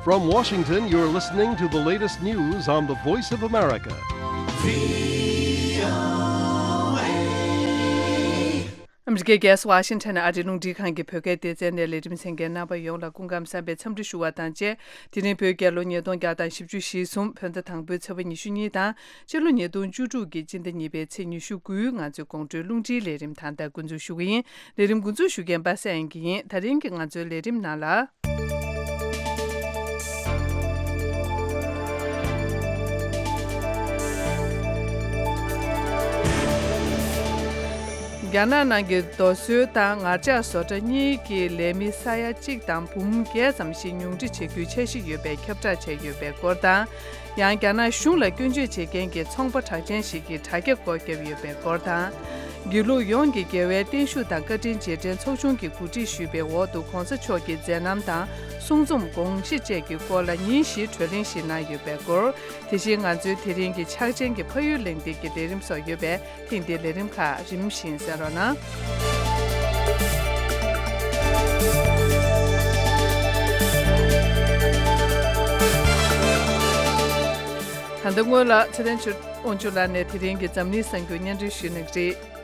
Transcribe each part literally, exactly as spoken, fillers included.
From Washington, you're listening to the latest news on the Voice of America. ཨ་མི་རི་ཀའི་རྒྱལ་ས་ཝ་ཤིང་ཊོན་ཨ་རིའི་རླུང་འཕྲིན་ཁང་གི་བོད་སྐད་སྡེ་ཚན་ནས་ལས་རིམ་གསན་མཁན་རྣམ་པ་ཡོངས་ལ་སྐུ་ཁམས་བཟང་བའི་འཚམས་འདྲི་ཞུ་བ་དང་བཅས། དེ་རིང་བོད་རྒྱལ་ལོ་ཉིས་སྟོང་བརྒྱ་དང་བཞི་བཅུ་ཞེ་གསུམ། བོད་ཟླ་དང་པོའི་ཚེས་པ་ཉི་ཤུ་གཉིས་དང་། ཕྱི་ལོ་ཉིས་སྟོང་བཅུ་དྲུག་གི་སྤྱི་ཟླ་གཉིས་པའི་ཚེས་ཉི་ཤུ་དགུའི་ང་ཚོའི་དགོང་དྲོའི་རླུང་འཕྲིན་ལས་རིམ་ད་ལྟ་འགོ་འཛུགས་ཞུ་གི་ཡིན། ལས་རིམ་འགོ་འཛུགས་ཞུ་མཁན་པ་སངས་དབྱངས་སྐྱིད་ཡིན། ད་རིང་གི་ང་ཚོའི་ལས་རིམ་ནང་ལ། རྒྱ་ནག་ནང་གི་རྡོ་སོལ་དང་ངར་ལྕགས་བཟོ་གྲྭ་གཉིས་ཀྱི་ལས་མི་ས་ཡ་གཅིག་དང་འབུམ་བརྒྱད་ཙམ་ཞིག་ཉུང་འཕྲི་བྱེད་རྒྱུའི་འཆར་གཞི་ཡོད་པའི་ཁྱབ་བསྒྲགས་བྱས་ཡོད་པའི་སྐོར་དང་། ཡང་རྒྱ་ནག་གཞུང་ལ་སྐྱོན་བརྗོད་བྱེད་མཁན་གྱི་ཚོང་པ་གྲགས་ཅན་ཞིག་གིས་དྲ་རྒྱ་སྒོ་བརྒྱབ་ཡོད་པའི་སྐོར་དང་། དགེ་ལུགས་ཡོངས་ཀྱི་དགེ་བའི་བརྟན་བཞུགས་དང་བཀའ་དྲིན་རྗེས་དྲན་ཚོགས་ཆུང་གིས་གོ་སྒྲིག་ཞུས་པའི་འོག་ཏུ་གོང་ས་མཆོག་གི་མཛད་རྣམ་དང་གསུང་རྩོམ་དགོངས་གཞི་བཅས་ཀྱི་སྐོར་ལ་ཉིན་བཞིའི་གྲོས་གླེང་ཞིག་གནང་ཡོད་པའི་སྐོར། དེ་བཞིན་ང་ཚོའི་དེ་རིང་གི་ཕྱག་ཆེན་གྱི་ཕ་ཡུལ་གླེང་སྟེགས་ཀྱི་ལས་རིམ་སོགས་ཡོད་པས། ཐེངས་འདིའི་ལས་རིམ་ཁག་རིམ་བཞིན་གསན་རོགས་གནང་། ད་ལྟ་སྔོན་ལ་ཚེ་བརྟན་ཆོས་དབང་ཕྱུག་ལགས་ནས་དེ་རིང་གི་འཛམ་གླིང་གསར་འགྱུར་སྙན་སྒྲོན་ཞུས་གནང་གི་རེད།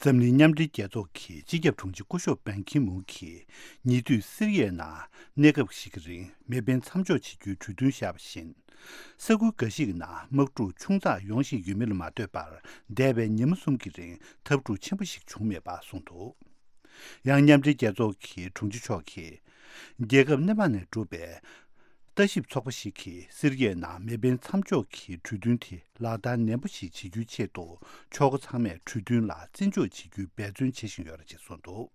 འཛམ་གླིང་མཉམ་འབྲེལ་རྒྱལ་ཚོགས་ཀྱི་སྤྱི་ཁྱབ་དྲུང་ཆེ་སྐུ་ཞབས་པན་ཁི་མུན་གྱིས་ཉེ་དུས་སི་རི་ཡའི་ནང་གནས་སྐབས་ཤིག་གི་རིང་མེ་འཕེན་མཚམས་འཇོག་བྱེད་རྒྱུའི་གྲོས་མཐུན་བཞག་པ་བཞིན། ས་ཁུལ་འགའ་ཞིག་གི་ནང་དམག་འཁྲུག་ཆུང་ཙག་ཡོང་བཞིན་ཡོད་མིན་ལ་མ་ལྟོས་པར་འདས་པའི་ཉི་མ་གསུམ་གྱི་རིང་འཐབ་འཁྲུག་ཆེན་པོ་ཞིག་བྱུང་མེད་པ་གསུངས་འདུག། ཡང་མཉམ་འབྲེལ་རྒྱལ་ཚོགས་ཀྱི་དྲུང་ཆེ་མཆོག་གིས། རྒྱལ་ཁབ་སྣེ་མང་ནས་གྲུབ་པའི་ལྟ་ཞིབ་ཚོགས་པ་ཞིག་གིས་སི་རི་ཡའི་ནང་མེ་འཕེན་མཚམས་འཇོག་གི་གྲོས་མཐུན་དེ་ལག་བསྟར་ནན་པོ་ཞིག་བྱེད་རྒྱུའི་ཆེད་དུ་ཕྱོགས་ཁག་ཚང་མས་གྲོས་མཐུན་ལ་བརྩི་འཇོག་བྱེད་རྒྱུའི་འབད་བརྩོན་བྱེད་བཞིན་ཡོད་རེད་ཅེས་གསུངས་འདུག།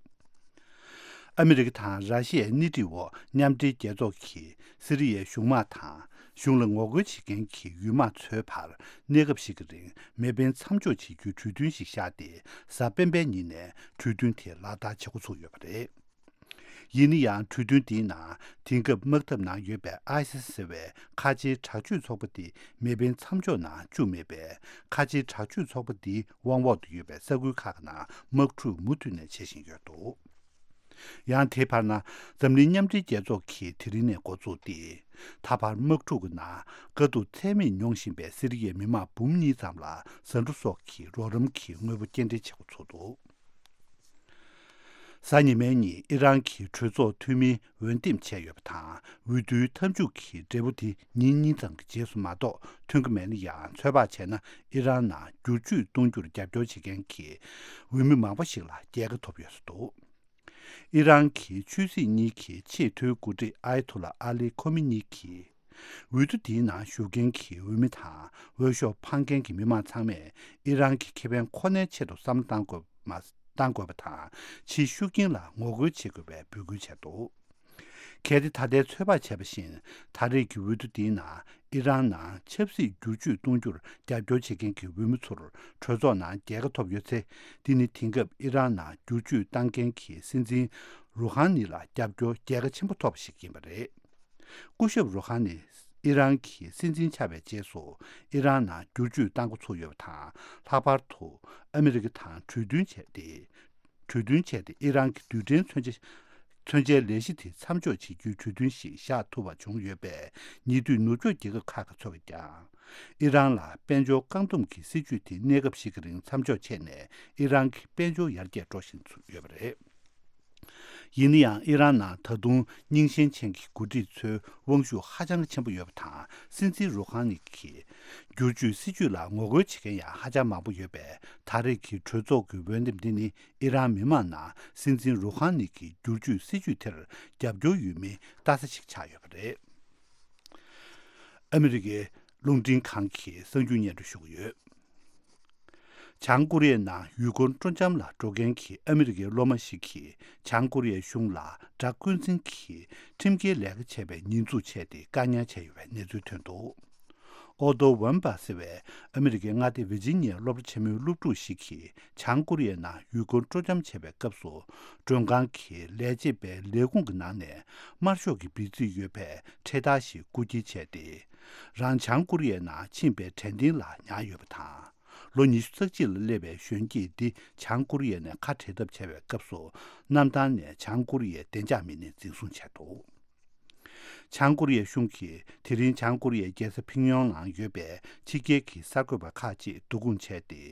ཨ་མི་རི་ཀ་དང་ར་ཤི་ཡའི་སྣེ་ཁྲིད་འོག་མཉམ་འབྲེལ་རྒྱལ་ཚོགས་ཀྱིས་སི་རི་ཡའི་གཞུང་དམག་དང་གཞུང་ལ་ངོ་རྒོལ་བྱེད་མཁན་གྱི་ཡུལ་དམག་ཚོའི་བར་གནས་སྐབས་ཤིག་གི་རིང་མེ་འཕེན་མཚམས་འཇོག་བྱེད་རྒྱུའི་གྲོས་མཐུན་ཞིག་བཞག་སྟེ་གཟའ་སྤེན་པའི་ཉིན་ནས་གྲོས་མཐུན་དེ་ལག་བསྟར་བྱེད་འགོ་ཚུགས་ཡོད་པ་རེད། ཡིན་ན་ཡང་གྲོས་མཐུན་དེའི་ནང་དེང་སྐབས་དམག་འཐབ་ནང་ཡོད་པའི་ཨའི་སི་ཟེར་བའི་ཁ་ཆེའི་དྲག་སྤྱོད་ཚོགས་པ་དེ་མེ་འཕེན་མཚམས་འཇོག་ནང་བཅུག་མེད་པས། ཁ་ཆེའི་དྲག་སྤྱོད་ཚོགས་པ་དེའི་དབང་འོག་ཏུ་ཡོད་པའི་ས་ཁུལ་ཁག་གི་ནང་དམག་འཁྲུག་མུ་མཐུད་ནས་བྱེད་བཞིན་ཡོད་འདུག། ཡང་དེའི་བར་ན་འཛམ་གླིང་མཉམ་འབྲེལ་རྒྱལ་ཚོགས་ཀྱིས་དེ་རིང་ནས་འགོ་བཙུགས་ཏེ། ད་བར་དམག་འཁྲུག་གི་ནང་དཀའ་སྡུག་ཚད་མེད་མྱོང་བཞིན་པའི་སི་རི་ཡའི་མི་མང་འབུམ་གཉིས་ཙམ་ལ་ཟ་འབྲུ་སོགས་ཀྱི་རོགས་རམ་གྱི་དངོས་པོ་སྐྱེལ་འདྲེན་བྱེད་འགོ་ཚུགས་འདུག། གཟའ་ཉི་མའི་ཉིན་ཨི་རན་གྱི་གྲོས་ཚོགས་འཐུས་མིའི་འོས་འདེམས་བྱས་ཡོད་པ་དང་། འོས་བསྡུའི་མཐའ་མཇུག་གི་འབྲས་བུ་དེ་ཉིན་གཉིས་ཙམ་གྱི་རྗེས་སུ་མ་གཏོགས་ཐོན་གྱི་མེད་ན་ཡང་། ཚོད་དཔག་བྱས་ན་ཨི་རན་ནང་བསྒྱུར་བཅོས་གཏོང་རྒྱུར་རྒྱབ་སྐྱོར་བྱེད་མཁན་གྱི་འོས་མི་མང་པོ་ཞིག་ལ་རྒྱལ་ཁ་ཐོབ་ཡོད་འདུག། ཨི་རན་གྱི་ཆོས་སྲིད་གཉིས་ཀྱི་ཆེས་མཐོའི་འགོ་ཁྲིད་ཨའི་ཐུ་ལ་ཨ་ལི་ཁོ་མི་ནི་གྱིས། འོས་བསྡུ་འདིའི་ནང་ཞུགས་མཁན་གྱི་འོས་མི་དང་འོས་ཤོག་འཕང་མཁན་གྱི་མི་མང་ཚང་མས་ཨི་རན་གྱི་ཁེ་ཕན་ཁོ་ནའི་ཆེད་དུ་བསམ་བློ་བཏང་དགོས་མ་བཏང་དགོས་པ་དང་། ཕྱིའི་ཤུགས་རྐྱེན་ལ་ངོ་རྒོལ་བྱེད་དགོས་པའི་འབོད་སྐུལ་བྱས་འདུག། གལ་ཏེ་ད་ལྟའི་ཚོད་དཔག་བྱས་པ་བཞིན། ད་རེས་ཀྱི་འོས་བསྡུ་འདིའི་ནང་ཨི་རན་ནང་ཆབ་སྲིད་བསྒྱུར་བཅོས་གཏོང་རྒྱུར་རྒྱབ་སྐྱོར་བྱེད་མཁན་གྱི་འོས་མི་ཚོར་གྲོས་ཚོགས་ནང་རྒྱལ་ཁ་ཐོབ་ཡོད་ཚེ། འདི་ནི་དེང་སྐབས་ཨི་རན་ནང་བསྒྱུར་བཅོས་བཏང་མཁན་གྱི་སྲིད་འཛིན་རུ་ཧ་ནི་ལ་རྒྱབ་སྐྱོར་རྒྱལ་ཁ་ཆེན་པོ་ཐོབ་པ་ཞིག་ཡིན་པ་རེད། སྐུ་ཞབས་རུ་ཧ་ནི་ཨི་རན་གྱི་སྲིད་འཛིན་ཆགས་པའི་རྗེས་སུ། ཨི་རན་ནང་བསྒྱུར་བཅོས་བཏང་འགོ་ཚུགས་ཡོད་པ་དང་། ལྷག་པར་དུ་ཨ་མི་རི་ཀ་དང་གྲོས་མཐུན་བྱས་ཏེ། གྲོས་མཐུན་བྱས་ཏེ་ཨི་རན་གྱི་རྡུལ་ཕྲན་མཚོན་ཆ། མཚོན་ཆའི་ལས་གཞི་དེ་མཚམས་འཇོག་བྱེད་རྒྱུའི་གྲོས་མཐུན་ཞིག་བཞག་ཐུབ་པ་བྱུང་ཡོད་པས། ཉེ་དུས་ནུབ་ཕྱོགས་རྒྱལ་ཁབ་ཁག་གི་ཚོགས་པས་ཀྱང་། ཨི་རན་ལ་དཔལ་འབྱོར་བཀག་སྡོམ་གྱི་སྲིད་ཇུས་དེ་གནས་སྐབས་ཤིག་གི་རིང་མཚམས་འཇོག་བྱས་ནས། ཨི་རན་གྱི་དཔལ་འབྱོར་ཡར་རྒྱས་འགྲོ་བཞིན་ཡོད་པ་རེད། ཡིན་ན་ཡང་། ཨི་རན་ནང་ད་དུང་རྙིང་ཞེན་ཅན་གྱི་འགོ་ཁྲིད་ཚོའི་དབང་ཤུགས་ཧ་ཅང་གི་ཆེན་པོ་ཡོད་པ་དང་། སྲིད་འཛིན་རུ་ཧ་ནི་གིས་བསྒྱུར་བཅོས་སྲིད་ཇུས་ལ་ངོ་རྒོལ་བྱེད་མཁན་ཡང་ཧ་ཅང་མང་པོ་ཡོད་པས། ད་རེས་ཀྱི་གྲོས་ཚོགས་ཀྱི་འོས་འདེམས་འདི་ནི་ཨི་རན་མི་མང་ནང་སྲིད་འཛིན་རུ་ཧ་ནི་གི་བསྒྱུར་བཅོས་སྲིད་ཇུས་དེར་རྒྱབ་སྐྱོར་ཡོད་མིན་ལྟ་ས་ཞིག་ཆགས་ཡོད་པ་རེད། ཨ་མི་རི་ཀའི་རླུང་འཕྲིན་ཁང་གིས་གསར་འགྱུར་སྙན་སྒྲོན་ཞུ་གི་ཡོད། བྱང་ཀོ་རི་ཡའི་ནང་ཡུལ་སྐོར་སྤྲོ་འཆམ་ལ་འགྲོ་མཁན་གྱི་ཨ་མི་རི་ཀའི་སློབ་མ་ཞིག་གིས་བྱང་ཀོ་རི་ཡའི་གཞུང་ལ་དགྲ་བསྐུལ་འཛིན་གྱིས་ཁྲིམས་འགལ་ལས་ཀ་བྱས་པའི་ཉེས་འཛུགས་བྱས་ཏེ་བཀག་ཉར་བྱས་ཡོད་པའི་གནས་ཚུལ་ཐོན་འདུག། ཨོ་ཏོ་ཝན་པ་ཟེར་བའི་ཨ་མི་རི་ཀའི་མངའ་སྡེ་ཝི་ཇི་ནི་ཡའི་སློབ་གྲྭ་ཆེན་མོའི་སློབ་ཕྲུག་ཞིག་གིས་བྱང་ཀོ་རི་ཡའི་ནང་ཡུལ་སྐོར་སྤྲོ་འཆམ་བྱེད་པའི་སྐབས་སུ། མགྲོན་ཁང་གི་ལས་བྱེད་པའི་ལས་ཁུངས་ཀྱི་ནང་ནས་དམར་ཤོག་གི་འབིགས་བྱེད་ཡོད་པའི་འཕྲེད་དར་ཞིག་རྐུ་འཁྱེར་བྱས་ཏེ། རང་བྱང་ཀོ་རི་ཡའི་ནང་ཕྱིན་པའི་དྲན་རྟེན་ལ་ཉར་ཡོད་པ་དང་། ལོ་ཉི་ཤུ་རྩ་གཅིག་ལ་སླེབས་པའི་གཞོན་སྐྱེས་འདི་བྱང་ཀོ་རི་ཡ་ནས་ཁ་བྲལ་ཐབས་བྱ་བའི་སྐབས་སུ། གནམ་ཐང་ནས་བྱང་ཀོ་རི་ཡའི་བདེ་འཇགས་མི་སྣས་འཛིན་བཟུང་བྱས་འདུག། བྱང་ཀོ་རི་ཡའི་གཞུང་གིས་དེ་རིང་བྱང་ཀོ་རི་ཡའི་རྒྱལ་ས་ཕིང་ཡོང་ནང་ཡོད་པའི་ཕྱི་རྒྱལ་གྱི་གསར་འགོད་པ་ཁག་ཅིག་བསྡུ་སྐོང་བྱས་ཏེ།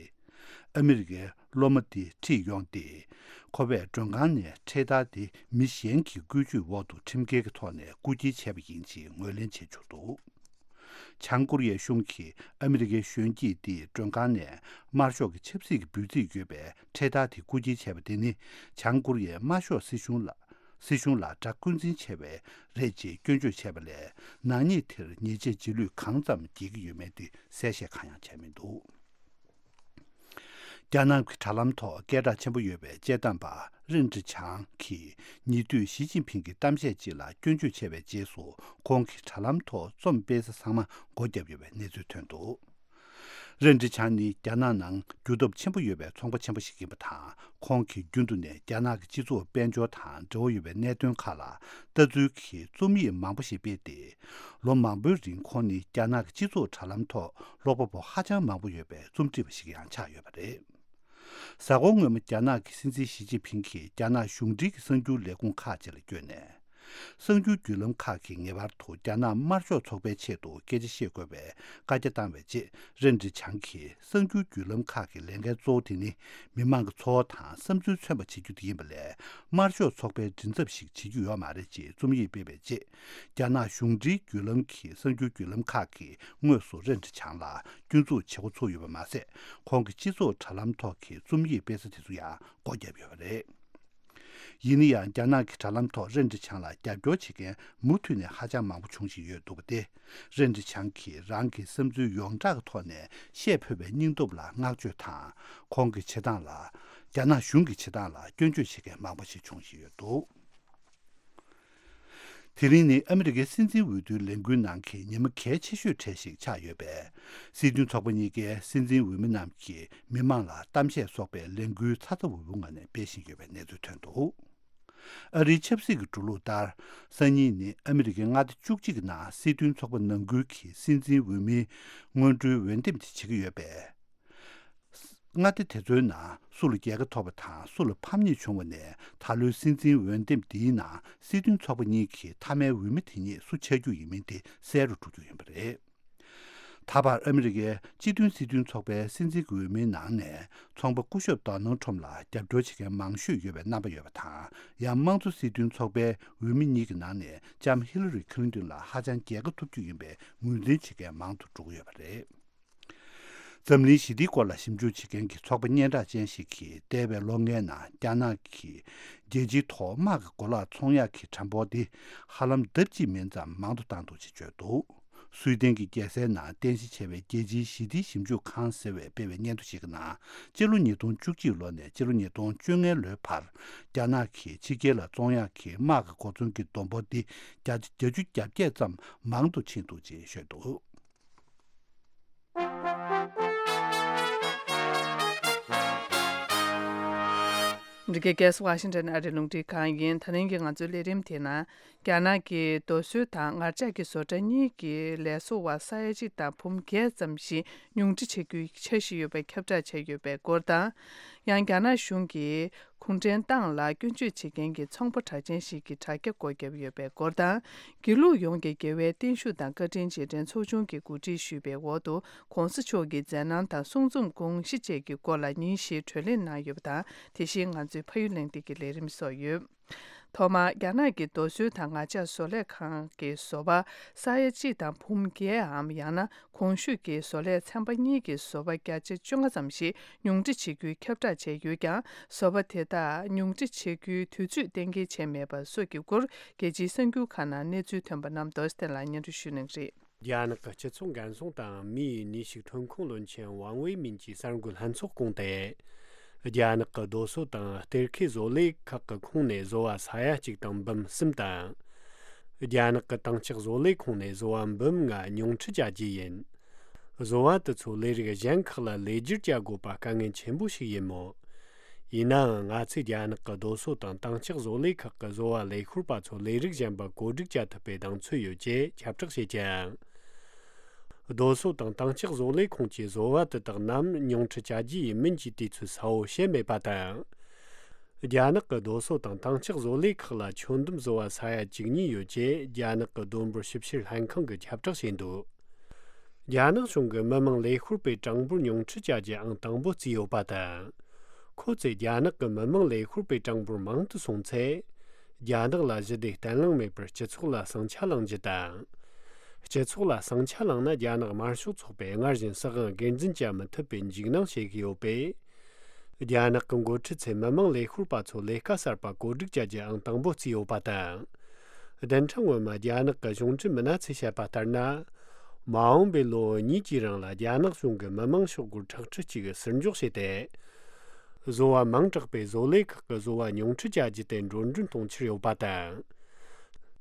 ཨ་མི་རི་ཀའི་སློབ་མ་དེ་ཁྲིད་ཡོང་སྟེ། ཁོ་པས་མགྲོན་ཁང་ནས་འཕྲེད་དར་དེ་མི་གཞན་གྱི་བཀོལ་སྤྱོད་འོག་ཏུ་ཁྲིམས་འགལ་གྱི་ཐོག་ནས་རྐུ་འཁྱེར་བྱས་པ་ཡིན་ཞེས་ངོས་ལེན་བྱེད་འཇུག་འདུག། བྱང་ཀོ་རི་ཡའི་གཞུང་གིས་ཨ་མི་རི་ཀའི་གཞོན་སྐྱེས་དེས་མགྲོན་ཁང་ནས་དམར་ཤོག་གི་ཆབ་སྲིད་ཀྱི་འབོད་ཚིག་ཡོད་པའི་འཕྲེད་དར་དེ་རྐུ་འཁྱེར་བྱས་པ་དེ་ནི། བྱང་ཀོ་རི་ཡའི་དམར་ཤོག་སྲིད་གཞུང་ལ། སྲིད་གཞུང་ལ་དགྲ་བཀོད་འཛིན་བྱས་པ་རེད་ཅེས་སྐྱོན་བརྗོད་བྱས་པ་ལས། ནག་ཉེས་དེར་ཉེས་ཆད་རྗེས་ལུས་གང་ཙམ་འགེལ་གྱི་ཡོད་མེད་དེ་གསལ་བཤད་གང་ཡང་བྱས་མི་འདུག། རྒྱ་ནག་གི་དྲ་ལམ་ཐོག་སྐད་གྲགས་ཆེན་པོ་ཡོད་པའི་དཔྱད་གཏམ་པ་རིན་ཀྲི་ཆང་གིས་ཉེ་དུས་ཞི་ཅིན་ཕིང་གི་གཏམ་བཤད་ཅིག་ལ་སྐྱོན་བརྗོད་བྱས་པའི་རྗེས་སུ། ཁོང་གི་དྲ་ལམ་ཐོག་རྩོམ་སྤེལ་ས་ཚང་མ་སྒོ་བརྒྱབ་ཡོད་པའི་གནས་ཚུལ་ཐོན་འདུག། རིན་ཀྲི་ཆང་ནི་རྒྱ་ནག་ནང་རྒྱུ་སྟོབས་ཆེན་པོ་ཡོད་པའི་ཚོང་པ་ཆེན་པོ་ཞིག་ཡིན་པ་དང་། ཁོང་གིས་རྒྱུན་དུ་ནས་རྒྱ་ནག་གི་སྤྱི་ཚོགས་དཔལ་འབྱོར་དང་འབྲེལ་བ་ཡོད་པའི་གནད་དོན་ཁག་ལ་ལྟ་ཚུལ་གྱི་རྩོམ་ཡིག་མང་པོ་ཞིག་སྤེལ་ཏེ། ལོ་མང་པོའི་རིང་ཁོང་ནི་རྒྱ་ནག་གི་སྤྱི་ཚོགས་དྲ་ལམ་ཐོག་ཀློག་པ་པོ་ཧ་ཅང་མང་པོ་ཡོད་པའི་རྩོམ་སྒྲིག་པ་ཞིག་ཡང་ཆགས་ཡོད་པ་རེད། གཟའ་འཁོར་སྔོན་མ་རྒྱ་ནག་གི་སྲིད་འཛིན་ཞི་ཅིན་ཕིང་གིས་རྒྱ་ནག་གཞུང་འབྲེལ་གྱི་གསར་འགྱུར་ལས་ཁུངས་ཁག་ཅིག་ལ་བསྐྱོན་ནས། གསར་འགྱུར་བརྒྱུད་ལམ་ཁག་གིས་ངེས་པར་དུ་རྒྱ་ནག་དམར་ཤོག་ཚོགས་པའི་ཆེད་དུ་སྐད་ཆ་བཤད་དགོས་པའི་བཀའ་རྒྱ་བཏང་བའི་རྗེས། རིན་ཀྲི་ཆང་གིས་གསར་འགྱུར་བརྒྱུད་ལམ་ཁག་གི་ལས་འགན་གཙོ་བོ་དེ་ནི་མི་མང་གི་འཚོ་བ་དང་བསམ་ཚུལ་མཚོན་པ་བྱེད་རྒྱུ་དེ་ཡིན་པ་ལས། དམར་ཤོག་ཚོགས་པའི་མགྲིན་ཚབ་ཞིག་བྱེད་རྒྱུ་ཡོད་མ་རེད་ཅེས་རྩོམ་ཡིག་སྤེལ་བའི་རྗེས། རྒྱ་ནག་གཞུང་འབྲེལ་བརྒྱུད་ལམ་གྱི་གསར་འགྱུར་བརྒྱུད་ལམ་ཁག་གིས་དངོས་སུ་རིན་ཀྲི་ཆང་ལ་སྐྱོན་འཛུགས་བྱེད་འགོ་ཚུགས་ཡོད་པ་མ་ཟད། ཁོང་གི་སྤྱི་ཚོགས་དྲ་ལམ་ཐོག་གི་རྩོམ་ཡིག་སྤེལ་ས་དེ་ཚོ་ཡང་སྒོ་བརྒྱབ་ཡོད་པ་རེད། ཡིན་ན་ཡང་། རྒྱ་ནག་གི་དྲ་ལམ་ཐོག་རིན་ཀྲི་ཆང་ལ་རྒྱབ་སྐྱོར་བྱེད་མཁན་མུ་མཐུད་ནས་ཧ་ཅང་མང་པོ་བྱུང་བཞིན་ཡོད་འདུག་པ་སྟེ། རིན་ཀྲི་ཆང་གིས་རང་གི་བསམ་ཚུལ་ཡོངས་གྲགས་ཀྱི་ཐོག་ནས་བཤད་ཕོད་པའི་སྙིང་སྟོབས་ལ་བསྔགས་བརྗོད་དང་། ཁོང་གི་བྱེད་སྟངས་ལ། རྒྱ་ནག་གཞུང་གི་བྱེད་སྟངས་ལ་སྐྱོན་བརྗོད་བྱེད་མཁན་མང་པོ་ཞིག་བྱུང་བཞིན་ཡོད་འདུག། དེ་རིང་ནི་ཨ་མི་རི་ཀའི་སྲིད་འཛིན་འོས་བསྡུའི་ལས་འགུལ་ནང་གི་ཉི་མ་གལ་ཆེ་ཤོས་གྲས་ཤིག་ཆགས་ཡོད་པས། སྲིད་དོན་ཚོགས་པ་གཉིས་ཀའི་སྲིད་འཛིན་འོས་མི་རྣམས་ཀྱིས་མི་མང་ལ་གཏམ་བཤད་སོགས་པའི་ལས་འགུལ་ཚ་ཚ་འུར་འུར་ངང་ནས་སྤེལ་བཞིན་ཡོད་པའི་གནས་ཚུལ་ཐོན་འདུག། ཨ་རིའི་ཆབ་སྲིད་ཀྱི་འགྲོ་ལུགས་ལྟར། སང་ཉིན་ནི་ཨ་མི་རི་ཀའི་མངའ་སྡེ་བཅུ་གཅིག་གི་ནང་སྲིད་དོན་ཚོགས་པ་ནང་ཁུལ་གྱི་སྲིད་འཛིན་འོས་མིའི་སྔོན་འགྲོའི་འོས་འདེམས་དེ་བྱེད་ཀྱི་ཡོད་པས། མངའ་སྡེ་དེ་ཚོའི་ནང་སུ་ལ་རྒྱལ་ཁ་ཐོབ་པ་དང་སུ་ལ་ཕམ་ཉེས་བྱུང་བ་ནས། ད་ལོའི་སྲིད་འཛིན་འོས་འདེམས་འདིའི་ནང་སྲིད་དོན་ཚོགས་པ་གཉིས་ཀྱི་མཐའ་མའི་འོས་མི་དེ་ཉིད་སུ་ཆགས་རྒྱུ་ཡིན་མིན་དེ་གསལ་རུ་འགྲོ་རྒྱུ་ཡིན་པ་རེད། ད་བར་ཨ་མི་རི་ཀའི་སྤྱི་མཐུན་སྲིད་དོན་ཚོགས་པའི་སྲིད་འཛིན་གྱི་འོས་མིའི་ནང་ནས་ཚོང་པ་སྐུ་ཞབས་ཌོ་ནལ་ཁྲོམ་ལ་རྒྱབ་སྐྱོར་བྱེད་མཁན་མང་ཤོས་ཡོད་པའི་རྣམ་པ་ཡོད་པ་དང་། ཡང་། དམངས་གཙོ་སྲིད་དོན་ཚོགས་པའི་འོས་མི་གཉིས་ཀྱི་ནང་ནས་ལྕམ་ཧི་ལ་རི་ཁི་ལིན་ཏོན་ལ་ཧ་ཅང་རྒྱལ་ཁ་ཐོབ་རྒྱུ་ཡིན་པའི་ངོས་འཛིན་བྱེད་མཁན་མང་དུ་འགྲོ་གི་ཡོད་པ་རེད། འཛམ་གླིང་ཞི་བདེའི་སྐོར་ལ་ཞིབ་འཇུག་བྱེད་མཁན་གྱི་ཚོགས་པ་སྙན་གྲགས་ཅན་ཞིག་གིས། འདས་པའི་ལོ་ལྔའི་ནང་རྒྱ་ནག་གིས་རྒྱལ་སྤྱིའི་ཐོག་དམག་གི་གོ་ལག་ཚོང་ཡག་གི་གྲངས་འབོར་དེ་ཧ་ལམ་ལྡབ་གཅིག་མིན་ཙམ་མང་དུ་བཏང་འདུག་ཅེས་བརྗོད་འདུག། སུའེ་ཏེན་གྱི་རྒྱལ་སའི་ནང་རྟེན་གཞི་བྱས་པའི་རྒྱལ་སྤྱིའི་ཞི་བདེའི་ཞིབ་འཇུག་ཁང་ཟེར་བས་སྤེལ་བའི་སྙན་ཐོ་ཞིག་གི་ནང་། སྤྱི་ལོ་ཉིས་སྟོང་བཅུ་གཅིག་ལོ་ནས་སྤྱི་ལོ་ཉིས་སྟོང་བཅོ་ལྔའི་ལོའི་བར། རྒྱ་ནག་གིས་ཕྱི་རྒྱལ་ལ་བཙོང་ཡག་གི་དམག་གི་གོ་མཚོན་གྱི་བསྡོམས་འབོར་དེ་བརྒྱ་ཆ་བརྒྱད་ཅུ་གྱ་བརྒྱད་ཙམ་མང་དུ་ཕྱིན་འདུག་ཅེས་བཤད་འདུག། འདི་གའི་རྒྱལ་ས་ཝ་ཤིང་ཊོན་ཨ་རིའི་རླུང་འཕྲིན་ཁང་ཡིན། ད་རིང་གི་ང་ཚོའི་ལས་རིམ་དེའི་ནང་། རྒྱ་ནག་གིས་རྡོ་སོལ་དང་ངར་ལྕགས་ཀྱི་བཟོ་གྲྭ་གཉིས་ཀྱི་ལས་བཟོ་བ་ས་ཡ་གཅིག་དང་བུམོ་བརྒྱད་ཙམ་ཞིག་ཉུང་འཕྲི་བྱེད་རྒྱུའི་འཆར་གཞི་ཡོད་པའི་ཁྱབ་བསྒྲགས་བྱས་ཡོད་པའི་སྐོར་དང་། ཡང་། རྒྱ་ནག་གཞུང་གིས་གུང་ཁྲན་ཏང་ལ་སྐྱོན་བརྗོད་བྱེད་མཁན་གྱི་ཚོང་པ་གྲགས་ཅན་ཞིག་གི་དྲ་རྒྱ་སྒོ་བརྒྱབ་ཡོད་པའི་སྐོར་དང་། དགེ་ལུགས་ཡོངས་ཀྱི་དགེ་བའི་བརྟན་བཞུགས་དང་བཀའ་དྲིན་རྗེས་དྲན་ཚོགས་ཆུང་གིས་གོ་སྒྲིག་ཞུས་པའི་འོག་ཏུ། ྋགོང་ས་མཆོག་གི་མཛད་རྣམ་དང་གསུང་རྩོམ་དགོངས་གཞི་བཅས་ཀྱི་སྐོར་ལ་ཉིན་བཞིའི་བགྲོ་གླེང་གནང་ཡོད་པ་དང་། དེ་བཞིན་ང་ཚོའི་ཕ་ཡུལ་གླེང་སྟེགས་ཀྱི་ལས་རིམ་སོགས་ཡོད། ཐོག་མར། རྒྱ་ནག་གི་རྡོ་སོལ་དང་ངར་ལྕགས་བཟོ་ལས་ཁང་གི་བཟོ་བ་ས་ཡ་གཅིག་དང་བུམོ་བརྒྱད་འམ། ཡང་ན། གོང་ཞུས་ཀྱི་བཟོ་ལས་ཚན་པ་གཉིས་ཀྱི་བཟོ་བ་བརྒྱ་ཆ་བཅོ་ལྔ་ཙམ་ཞིག་ཉུང་འཕྲི་བྱེད་རྒྱུའི་ཁྱབ་བསྒྲགས་བྱས་ཡོད་ཀྱང་། བཟོ་བ་དེ་དག་ཉུང་འཕྲི་བྱེད་རྒྱུའི་དུས་ཚོད་གཏན་འཁེལ་བྱས་མེད་པ་སོགས་ཀྱི་སྐོར། རྒྱལ་སྤྱིའི་གསར་འགྱུར་ཁག་ནང་གནས་ཚུལ་ཐོན་པ་རྣམས་རྡོ་རྗེ་བསྟན་ལགས་སྙན་སྒྲོན་ཞུ་གནང་གི་རེད། རྒྱ་ནག་གི་སྤྱི་ཚོགས་འགན་སྲུང་དང་མིའི་ནུས་ཤུགས་ཐོན་ཁུངས་བློན་ཆེན་ཝང་ཝེ་མིན་གྱིས་གསར་འགོད་ལྷན་ཚོགས་བསྐོངས་ཏེ། རྒྱ་ནག་གི་རྡོ་སོལ་དང་གཏེར་ཁའི་བཟོ་ལས་ཁག་གི་ཁོངས་ནས་བཟོ་བ་ས་ཡ་གཅིག་དང་འབུམ་གསུམ་དང་། རྒྱ་ནག་གི་དྭངས་ལྕགས་བཟོ་ལས་ཁོངས་ནས་བཟོ་བ་འབུམ་ལྔ་ཉུང་འཕྲི་བྱ་རྒྱུ་ཡིན། བཟོ་བ་དེ་ཚོ་ལས་རིགས་གཞན་ཁག་ལ་ལས་བསྒྱུར་བྱ་དགོས་པ་དཀའ་ངལ་ཆེན་པོ་ཞིག་ཡིན་མོད། ཡིན་ནའང་། ང་ཚོས་རྒྱ་ནག་གི་རྡོ་སོལ་དང་དྭངས་ལྕགས་བཟོ་ལས་ཁག་གི་བཟོ་བ་ལས་ཤོར་པ་ཚོ་ལས་རིགས་གཞན་པ་བཀོད་སྒྲིག་བྱ་ཐུབ་པའི་གདེང་ཚོད་ཡོད་ཅེས་ཁྱབ་བསྒྲགས་བྱེད་ཀྱང་། རྡོ་སོལ་དང་དྭངས་ལྕགས་བཟོ་ལས་ཁང་གི་བཟོ་བ་དེ་དག་རྣམས་ཉུང་འཕྲི་བྱ་རྒྱུ་ཡིན་མིན་གྱི་དུས་ཚོད་གསལ་བོ་བཤད་མེད་པ་དང་། རྒྱ་ནག་གི་རྡོ་སོལ་དང་དྭངས་ལྕགས་བཟོ་ལས་ཁག་ལ་ཆོད་འདེམས་བཟོ་བ་ས་ཡ་བཅུ་གཉིས་ཡོད་ཅེས་རྒྱ་ནག་གི་ལྡོམ་འབོར་ཞིབ་བཤེར་ལྷན་ཁང་གིས་ཁྱབ་བསྒྲགས་བྱས་འདུག་རྒྱ་ནག་གཞུང་གིས་མི་དམངས་ལས་ཤོར་བའི་གྲངས་འབོར་ཉུང་འཕྲི་བྱ་རྒྱུ་ཨང་དང་པོ་བརྩིས་ཡོད་པ་དང་། ཁོ་ཚོས་རྒྱ་ནག་གི་མི་དམངས་ལས་ཤོར་བའི་གྲངས་འབོར་མང་དུ་སོང་ཚེ། རྒྱ་ནག་ལ་ཞི་བདེ་བརྟན་ལྷིང་མེད་པར་སྤྱི་ཚོགས་ལ་ཟིང་ཆ་ལངས་རྒྱུ་དང་། སྤྱི་ཚོགས་ལ་ཟིང་ཆ་ལངས་ན་རྒྱ་ནག་དམར་ཤོག་ཚོགས་པས་སྔར་བཞིན་སྲིད་དབང་སྒེར་འཛིན་བྱ་མི་ཐུབ་པའི་འཇིགས་སྣང་བྱེད་ཀྱི་ཡོད་པས། རྒྱ་ནག་གི་འགོ་ཁྲིད་ཚོས་མི་དམངས་ལས་ཤོར་པ་ཚོ་ལས་ཀ་གསར་པ་བཀོད་སྒྲིག་བྱ་རྒྱུ་ཨང་དང་པོ་བརྩིས་ཡོད་པ་དང་། བདུན་ཕྲག་སྔོན་མ་རྒྱ་ནག་གི་གཞུང་འབྲེལ་མི་སྣ་ཚོས་བཤད་པ་ལྟར་ན། མ་འོངས་པའི་ལོ་གཉིས་ཀྱི་རིང་ལ་རྒྱ་ནག་གཞུང་གིས་མི་དམངས་ཤོག་སྒོར་ཁྲག་ཁྲི་གཅིག་ཟུར་འཇོག་བྱས་ཏེ། བཟོ་བ་མང་དྲགས་པའི་བཟོ་ལས་ཁག་གི་བཟོ་བ་ཉུང་འཕྲི་བྱ་རྒྱུ་དེ་འགྲོ་གྲོན་གཏོང་འཆར་ཡོད་པ་དང་།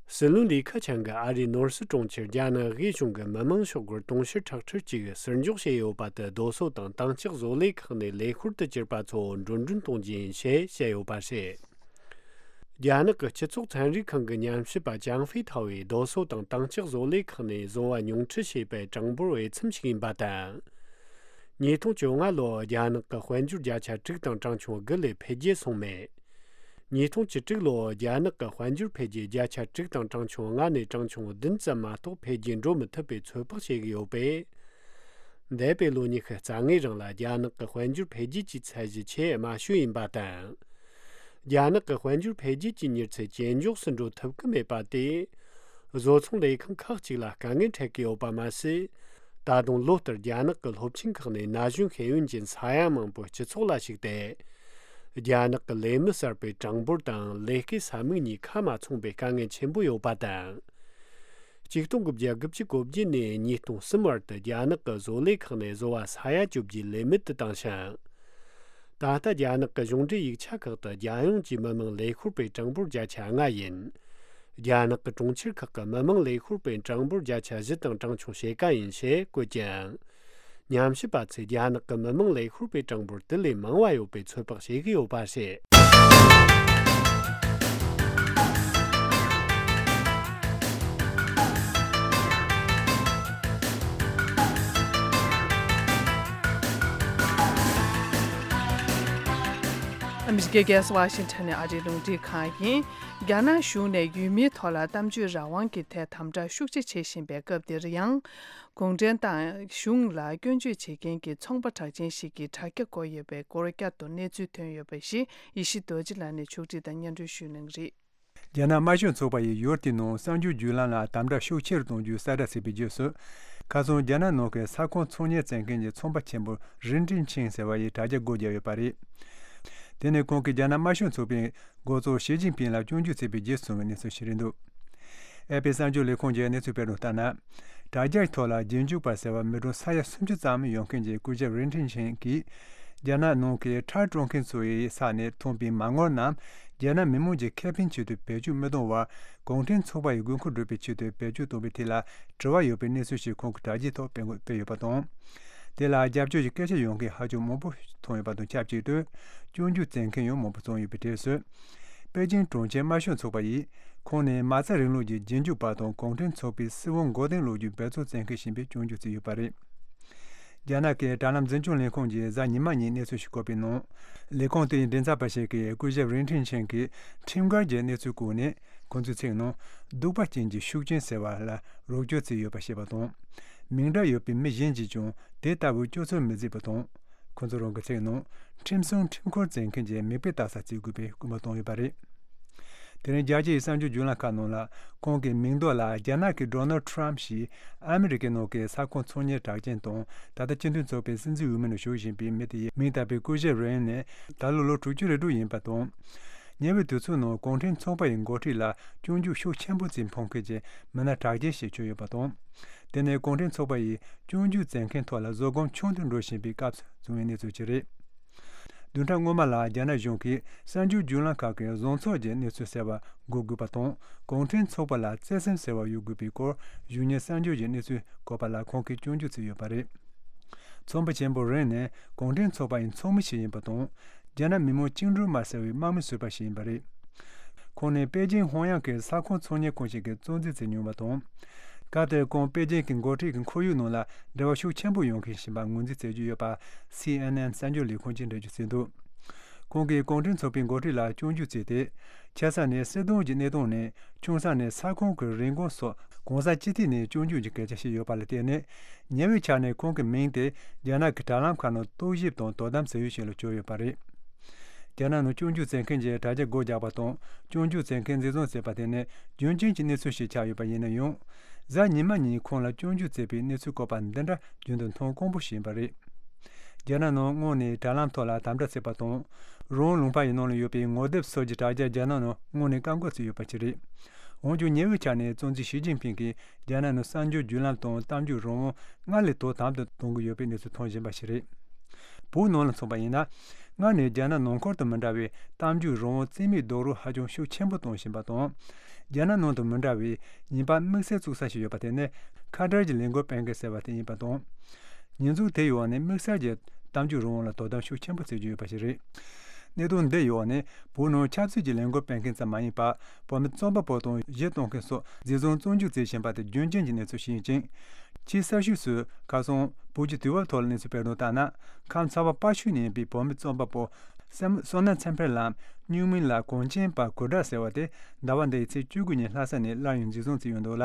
སྲིད་བློན་ལི་ཁེ་ཆང་གིས་ཨ་རིའི་ནོར་སྲིད་གྲོང་ཁྱེར་རྒྱ་ནག་དབུས་གཞུང་གི་མི་དམངས་ཤོག་སྒོར་དུང་ཕྱུར་ཁྲག་ཁྲི་གཅིག་ཟུར་འཇོག་བྱས་ཡོད་པ་དེ་རྡོ་སོལ་དང་དྭངས་ལྕགས་བཟོ་ལས་ཁག་ནས་ལས་ཤོར་དུ་གྱུར་པ་ཚོ་འགྲོ་གྲོན་གཏོང་རྒྱུ་ཡིན་ཞེས་བཤད་ཡོད་པ་རེད། རྒྱ་ནག་གི་སྤྱི་ཚོགས་ཚན་རིག་ཁང་གི་ཉམས་ཞིབ་པ་ཅང་ཧྥེ་ཐའོ་ཡིས་རྡོ་སོལ་དང་དྭངས་ལྕགས་བཟོ་ལས་ཁག་ནས་བཟོ་བ་ཉུང་འཕྲི་བྱས་པའི་གྲངས་འབོར་དབྱེ་མཚམས་ཤིག་ཡིན་པ་དང་། ཉིས་སྟོང་བཅོ་ལྔ་ལོར་རྒྱ་ནག་གི་དཔལ་འབྱོར་བརྒྱ་ཆ་དྲུག་དང་གྲངས་ཆུང་དགུ་ལས་འཕེལ་རྒྱས་སོང་མེད། ཉིས་སྟོང་བཅུ་དྲུག་ལོར་རྒྱ་ནག་གི་དཔལ་འབྱོར་འཕེལ་རྒྱས་བརྒྱ་ཆ་དྲུག་དང་གྲངས་ཆུང་ལྔ་ནས་གྲངས་ཆུང་བདུན་ཙམ་མ་གཏོགས་འཕེལ་རྒྱས་འགྲོ་མི་ཐུབ་པའི་ཚོད་དཔག་བྱེད་ཀྱི་ཡོད་པས། འདས་པའི་ལོ་ཉི་ཤུ་རྩ་ལྔའི་རིང་ལ་རྒྱ་ནག་གི་དཔལ་འབྱོར་འཕེལ་རྒྱས་ཀྱི་ཚད་གཞི་ཆེས་དམའ་ཤོས་ཡིན་པ་དང་། རྒྱ་ནག་གི་དཔལ་འབྱོར་འཕེལ་རྒྱས་ཀྱི་མྱུར་ཚད་ཇེ་མགྱོགས་སུ་འགྲོ་ཐུབ་ཀྱི་མེད་པ་དེས། བཟོ་ཚོང་ལས་ཁང་ཁག་ཅིག་ལ་དཀའ་ངལ་འཕྲད་ཀྱི་ཡོད་པ་མ་ཟད། ད་དུང་ལོ་ལྟར་རྒྱ་ནག་གི་སློབ་ཆེན་ཁག་ནས་ན་གཞོན་ཤེས་ཡོན་ཅན་ས་ཡ་མང་པོ་སྤྱི་ཚོགས་ལ་ཞུགས་ཏེ། རྒྱ་ནག་གི་ལས་མི་གསར་པའི་གྲངས་འབོར་དང་ལས་ཀའི་ས་མིག་གཉིས་ཁ་མ་ཚང་པའི་དཀའ་ངལ་ཆེན་པོ་ཡོད་པ་དང་། ཆིག་སྟོང་དགུ་བརྒྱ་དགུ་བཅུ་གོ་བརྒྱད་ནས་ཉིས་སྟོང་གསུམ་བར་དུ་རྒྱ་ནག་གི་བཟོ་ལས་ཁག་ནས་བཟོ་བ་ས་ཡ་བཅོ་བརྒྱད་ལས་མེད་དུ་བཏང་ཞིང་། ད་ལྟ་རྒྱ་ནག་གི་གཞུང་འབྲེལ་ཡིག་ཆ་ཁག་ཏུ་རྒྱལ་ཡོངས་ཀྱི་མི་དམངས་ལས་ཤོར་པའི་གྲངས་འབོར་བརྒྱ་ཆ་ལྔ་ཡིན། རྒྱ་ནག་གི་གྲོང་ཁྱེར་ཁག་གི་མི་དམངས་ལས་ཤོར་པའི་གྲངས་འབོར་བརྒྱ་ཆ་བཞི་དང་གྲངས་ཆུང་ཕྱེད་ཀ་ཡིན་ཞེས་བཀོད་ཀྱང་། ཉམས་ཞིབ་པ་ཚོས་རྒྱ་ནག་གི་མི་དམངས་ལས་ཤོར་པའི་གྲངས་འབོར་དེ་ལས་མང་བ་ཡོད་པའི་ཚོད་དཔག་བྱེད་ཀྱི་ཡོད་པ་རེད། ཨ་མི་རི་ཀའི་རྒྱལ་ས་ཝ་ཤིང་ཊོན་ནས་ཨ་རིའི་རླུང་འཕྲིན་ཁང་ཡིན། རྒྱ་ནག་གཞུང་ནས་ཡུལ་མིའི་ཐོག་ལ་གཏམ་བརྗོད་རང་དབང་གི་ཐད་དམ་དྲག་ཤུགས་ཆེ་བྱེད་བཞིན་པའི་སྐབས་འདིར་ཡང་། གུང་ཁྲན་ཏང་གཞུང་ལ་སྐྱོན་བརྗོད་བྱེད་མཁན་གྱི་ཚོང་པ་གྲགས་ཅན་ཞིག་གིས་དྲ་རྒྱ་བསྐོར་ཡོད་པའི་སྐོར་བསྐྱར་དུ་གནས་ཚུལ་ཐོན་ཡོད་པ་ཞིག་ཡེ་ཤེས་རྡོ་རྗེ་ལགས་ནས་ཕྱོགས་སྒྲིག་དང་སྙན་སྒྲོན་ཞུ་གནང་གི་རེད། རྒྱ་ནག་དམར་ཤོག་ཚོགས་པ་ཡིས་ཡུལ་དེའི་ནང་གསར་འགྱུར་བརྒྱུད་ལམ་ལ་དམ་དྲག་ཤུགས་ཆེ་རུ་གཏོང་རྒྱུའི་གསལ་བསྒྲགས་བྱས་པའི་རྗེས་སུ། ཁ་སང་རྒྱ་ནག་ནང་གི་ས་ཁོངས་ཚོང་གཉེར་བཙན་མཁན་གྱི་ཚོང་པ་ཆེན་པོ་རིན་ཀྲིན་ཆིང་ཟེར་བ་ཡིས་དྲ་རྒྱ་སྒོ་བརྒྱབ་ཡོད་པ་རེད། དེ་ནི་ཁོང་གིས་རྒྱ་ནག་དམར་ཤོག་ཚོགས་པའི་འགོ་གཙོ་ཞི་ཅིན་ཕིང་ལ་སྐྱོན་བརྗོད་བྱས་པའི་རྗེས་བྱུང་བའི་གནས་ཚུལ་ཞིག་རེད་འདུག་ཨེ་པི་གསར་འགྱུར་ལས་ཁུངས་ཀྱི་གནས་ཚུལ་སྤེལ་དོན་ལྟར་ན། དྲ་རྒྱའི་ཐོག་ལ་རྗེས་འཇུག་པ་ཟེར་བ་མི་གྲངས་ས་ཡ་སུམ་ཅུ་ཙམ་ཡོད་མཁན་གྱི་སྐུ་ཞབས་རིན་ཀྲིན་ཆིང་གིས། རྒྱ་ནག་ནང་གི་ཁྲལ་སྤྲོད་མཁན་ཚོ་ཡི་ས་ནས་ཐོན་པའི་མ་དངུལ་རྣམས་རྒྱ་ནག་མི་དམངས་ཀྱི་ཁེ་ཕན་ཆེད་དུ་བེད་སྤྱོད་མི་གཏོང་བར། གུང་ཁྲན་ཚོགས་པ་ཡི་དགོས་མཁོ་སྒྲུབ་པའི་ཆེད་དུ་བེད་སྤྱོད་གཏོང་བའི་ཐད་ལ་དྲི་བ་ཡོད་པའི་གནས་ཚུལ་ཞིག་ཁོང་གི་དྲ་རྒྱའི་ཐོག་སྤེལ་དགོས་སྤེལ་ཡོད་པ་དང་། དེ་ལ་རྒྱབ་སྐྱོར་གྱི་སྐད་ཆ་ཡོང་མཁན་ཧ་ཅང་མང་པོ་མཐོང་ཡོད་པ་དང་ཆབས་ཅིག་ཏུ། སྐྱོན་བརྗོད་བྱེད་མཁན་ཡང་མང་པོ་བྱུང་ཡོད་པའི་གྲས་སུ། པེ་ཅིང་གྲོང་ཁྱེར་དམར་ཤོག་ཚོགས་པ་ཡིས། ཁོང་ནི་མ་རྩ་རིང་ལུགས་ཀྱི་རྗེས་འཇུག་པ་དང་གུང་ཁྲན་ཚོགས་པའི་སྲིད་དབང་མགོ་རྟིང་སློག་རྒྱུའི་འབད་བརྩོན་བྱེད་མཁན་ཞིག་ཡིན་པའི་སྐྱོན་བརྗོད་བྱས་ཡོད་པ་རེད། རྒྱ་ནག་གི་དྲ་ལམ་འཛིན་སྐྱོང་ལས་ཁུངས་ཀྱིས་གཟའ་ཉི་མ་ཉིན་གནས་ཚུལ་ཞིག་བཀོད་པའི་ནང་། ལས་ཁུངས་དེའི་མགྲིན་ཚབ་པ་ཞིག་གིས་སྐུ་ཞབས་རིན་ཀྲིན་ཆིང་གིས་ཁྲིམས་འགལ་གྱི་གནས་ཚུལ་བཀོད་ནས། ཁོང་ཚོའི་ཚིག་ནང་། གདུག་པ་ཅན་གྱི་ཤུགས་རྐྱེན་ཟེར་བ་ལ་རོགས་སྐྱོར་བྱས་ཡོད་པ་བཤད་པ་དང་། མིང་འདྲ་ཡོད་པའི་མི་གཞན་གྱིས་ཀྱང་དེ་ལྟ་བུའི་སྤྱོད་ཚུལ་མི་མཛད་པ་དང་། ཁོ་ཚོ་རང་གི་ཚིག་ནང་། ཁྲིམས་སྲུང་ཁྲིམས་འཁོར་བྱེད་མཁན་གྱི་མིག་དཔེ་ལྟ་ས་བྱེད་དགོས་པའི་སྐུལ་མ་བཏང་ཡོད་པ་རེད། དེ་རིང་རྒྱལ་སྤྱིའི་གསར་འགྱུར་བརྒྱུད་ལམ་ཁག་ནང་ལ། ཁོང་གི་མིང་འདོགས་ལ་རྒྱ་ནག་གི་ཌོ་ནལ་ཊམ་ཞེས་ཨ་མི་རི་ཀའི་ནང་གི་ས་ཁོངས་ཚོང་གཉེར་གྲགས་ཅན་དང་། ད་ལྟ་སྤྱི་མཐུན་ཚོགས་པའི་སྲིད་འཛིན་འོས་མི་ནང་ཞུགས་བཞིན་པའི་མི་དེ་ཡི་མིང་བཏགས་པའི་སྐུ་ཞབས་རིན་ནི་ད་ལོ་ལོ་དྲུག་ཅུ་རེ་དྲུག་ཡིན་པ་དང་། ཉེ་བའི་དུས་ཚོད་ནང་གུང་ཁྲན་ཚོགས་པ་ཡི་འགོ་ཁྲིད་ལ་སྐྱོན་བརྗོད་ཤུགས་ཆེན་པོ་བྱེད་ཕོད་མཁན་གྱི་མི་སྣ་གྲགས་ཅན་ཞིག་གྱུར་ཡོད་པ་དང་། དེ་ནི་གུང་ཁྲན་ཚོགས་པ་ཡིས་སྐྱོན་བརྗོད་བྱེད་མཁན་ཐོག་ལ་བཟོད་སྒོམ་ཆུང་དུ་འགྲོ་བཞིན་པའི་སྐབས་སུ་བྱུང་བའི་གནས་ཚུལ་ཅིག་རེད། བདུན་ཕྲག་སྔོན་མ་ལ་རྒྱ་ནག་གཞུང་གིས་གསར་འགྱུར་བརྒྱུད་ལམ་ཁག་གི་བཟང་ཕྱོགས་ཀྱི་གནས་ཚུལ་གསལ་བར་འགོད་དགོས་པ་དང་། གུང་ཁྲན་ཚོགས་པ་ལ་བརྩེ་སེམས་ཟེར་བ་ཡོད་དགོས་པའི་སྐོར་གཞུང་གཉེར་གསར་འགྱུར་གྱི་གནས་ཚུལ་འགོད་པ་ལ་ཁོང་གིས་སྐྱོན་བརྗོད་བྱས་ཡོད་པ་རེད། ཚོང་པ་ཆེན་པོ་རིན་ནི་གུང་ཁྲན་ཚོགས་པ་ཡི་ཚོགས་མི་ཞིག་ཡིན་པ་དང་། རྒྱ་ནག་མི་དམངས་བཅིངས་འགྲོལ་དམག་ཟེར་བའི་དམག་མི་ཟུར་པ་ཞིག་ཡིན་པ་རེད། ཁོང་ནི་པེ་ཅིང་ཧོང་ཡང་གི་ས་ཁོངས་ཚོང་གཉེར་ཁང་ཞིག་གི་གཙོ་འཛིན་བྱས་མྱོང་བ་དང་། སྐབས་དེར་ཁོང་པེ་ཅིང་གི་འགོ་ཁྲིད་ཀྱི་ཁོར་ཡུག་ནང་ལ་འབྲེལ་བ་ཤུགས་ཆེན་པོ་ཡོང་མཁན་ཞིག་ཡིན་པ་ངོས་འཛིན་བྱེད་ཀྱི་ཡོད་པ། སི་ཨེན་ཨེན་གསར་འགྱུར་ལས་ཁུངས་ཀྱིས་འགྲེལ་བརྗོད་བྱས་འདུག་ཁོང་གིས་གུང་ཁྲན་ཚོགས་པའི་འགོ་ཁྲིད་ལ་སྐྱོན་བརྗོད་བྱས་ཏེ། ཆེ་ས་ནས་སྲིད་དོན་གྱི་གནས་སྟངས་ནས། ཆུང་ས་ནས་ས་ཁོངས་ཀྱི་རིན་གོང་སོགས་གང་ས་ཅི་ཐད་ནས་སྐྱོན་བརྗོད་ཀྱི་སྐད་ཆ་བཤད་ཡོད་པ་ལ་བརྟེན་ནས། ཉེ་བའི་ཆར་ནས་ཁོང་གི་མིང་དེ་རྒྱ་ནག་གི་དྲ་ལམ་ཁག་ནང་རྟོག་ཞིབ་དང་དོ་དམ་བྱེད་ཡུལ་ཞིག་ལ་གྱུར་ཡོད་པ་རེད། རྒྱ་ནག་ནང་སྐྱོན་བརྗོད་བྱེད་མཁན་གྱི་དྲ་རྒྱ་སྒོ་རྒྱག་པ་དང་། སྐྱོན་བརྗོད་བྱེད་མཁན་འཛིན་བཟུང་བྱས་པ་དེ་ནི་རྒྱུན་རྐྱེན་གྱི་གནས་ཚུལ་ཞིག་ཆགས་ཡོད་པ་ཡིན་ན་ཡང་། གཟའ་ཉི་མ་ཉིན་ཁོང་ལ་སྐྱོན་བརྗོད་བྱས་པའི་གནས་ཚུལ་བཀོད་པ་འདི་འདྲ་རྒྱུན་དུ་མཐོང་དཀོན་པོ་ཞིག་ཡིན་པ་རེད། རྒྱ་ནག་ནང་སྔོན་ནས་དྲ་ལམ་ཐོག་ལ་དམ་དྲག་བྱས་པ་དང་། རང་དབང་ལུང་པ་ཡི་ནང་ལ་ཡོད་པའི་ངོ་དེབ་སོགས་ཀྱི་དྲ་རྒྱ་རྒྱ་ནག་ནང་སྔོན་ནས་བཀག་འགོག་བྱས་ཡོད་པ་ཞིག་རེད། འོན་ཀྱང་ཉེ་བའི་ཆར་ནས་གཙོ་འཛིན་ཞི་ཅིན་ཕིང་གིས་རྒྱ་ནག་ནང་གསར་འགྱུར་བརྒྱུད་ལམ་དང་གཏམ་བརྗོད་རང་དབང་སྔར་ལས་དོ་དམ་དུ་གཏོང་གི་ཡོད་པའི་གནས་ཚུལ་མཐོང་བཞིན་པ་ཞིག་རེད། བོད་ནང་ལ་མཚོན་པ་ཡིན་ན། སྔར་ནས་རྒྱ་ནག་ནང་ཁུལ་དུ་མི་འདྲ་བའི་གཏམ་བརྗོད་རང་དབང་རྩིས་མེད་རྡོག་རོལ་ཧ་ཅང་ཤུགས་ཆེན་པོ་གཏོང་བཞིན་པ་དང་། རྒྱ་ནག་ནང་དུ་མི་འདྲ་བའི་ཉེས་པ་དམིགས་བསལ་བཙུགས་ས་ཞིག་ཡོད་པ་དེ་ནི་ཁ་བྲལ་གྱི་ལས་འགུལ་སྤེལ་མཁན་ཟེར་བ་དེ་ཡིན་པ་དང་། ཉེས་འཛུགས་དེའི་འོག་ནས་དམིགས་བསལ་གྱི་གཏམ་བརྗོད་རང་དབང་ལ་དོ་དམ་ཤུགས་ཆེན་པོ་བྱེད་ཀྱི་ཡོད་པ་ཞིག་རེད། གནད་དོན་འདིའི་འོག་ནས་བོད་ནང་ཆབ་སྲིད་ཀྱི་ལས་འགུལ་སྤེལ་མཁན་ཙམ་མ་ཡིན་པར། བོད་མི་རྩོམ་པ་པོ་དང་གཞས་གཏོང་མཁན་སོགས་འཛིན་བཟུང་བཙོན་འཇུག་བྱེད་བཞིན་པ་དེ་རྒྱུན་རྐྱེན་གྱི་གནས་ཚུལ་ཞིག་ཡིན་ཅིང་། ཆེས་གསར་ཤོས་སུ་ཁ་སང་བོད་ཀྱི་དུས་བབ་ཐོག་ལ་གནས་ཚུལ་སྤེལ་དོན་ལྟར་ན། ཁམས་ཚ་བ་དཔའ་ཤོད་ནས་ཡིན་པའི་བོད་མི་རྩོམ་པ་པོ་བསོད་ནམས་ཚེ་འཕེལ་ལམ། སྨྱུག་མིང་ལ་གངས་ཅན་པ་གུར་དྲག་ཟེར་བ་དེ་ཟླ་བ་འདིའི་ཚེས་བཅུ་དགུ་ཉིན་ལྷ་ས་ནས་སླར་ཡང་འཛིན་བཟུང་བྱས་ཡོད་འདུག་ལ།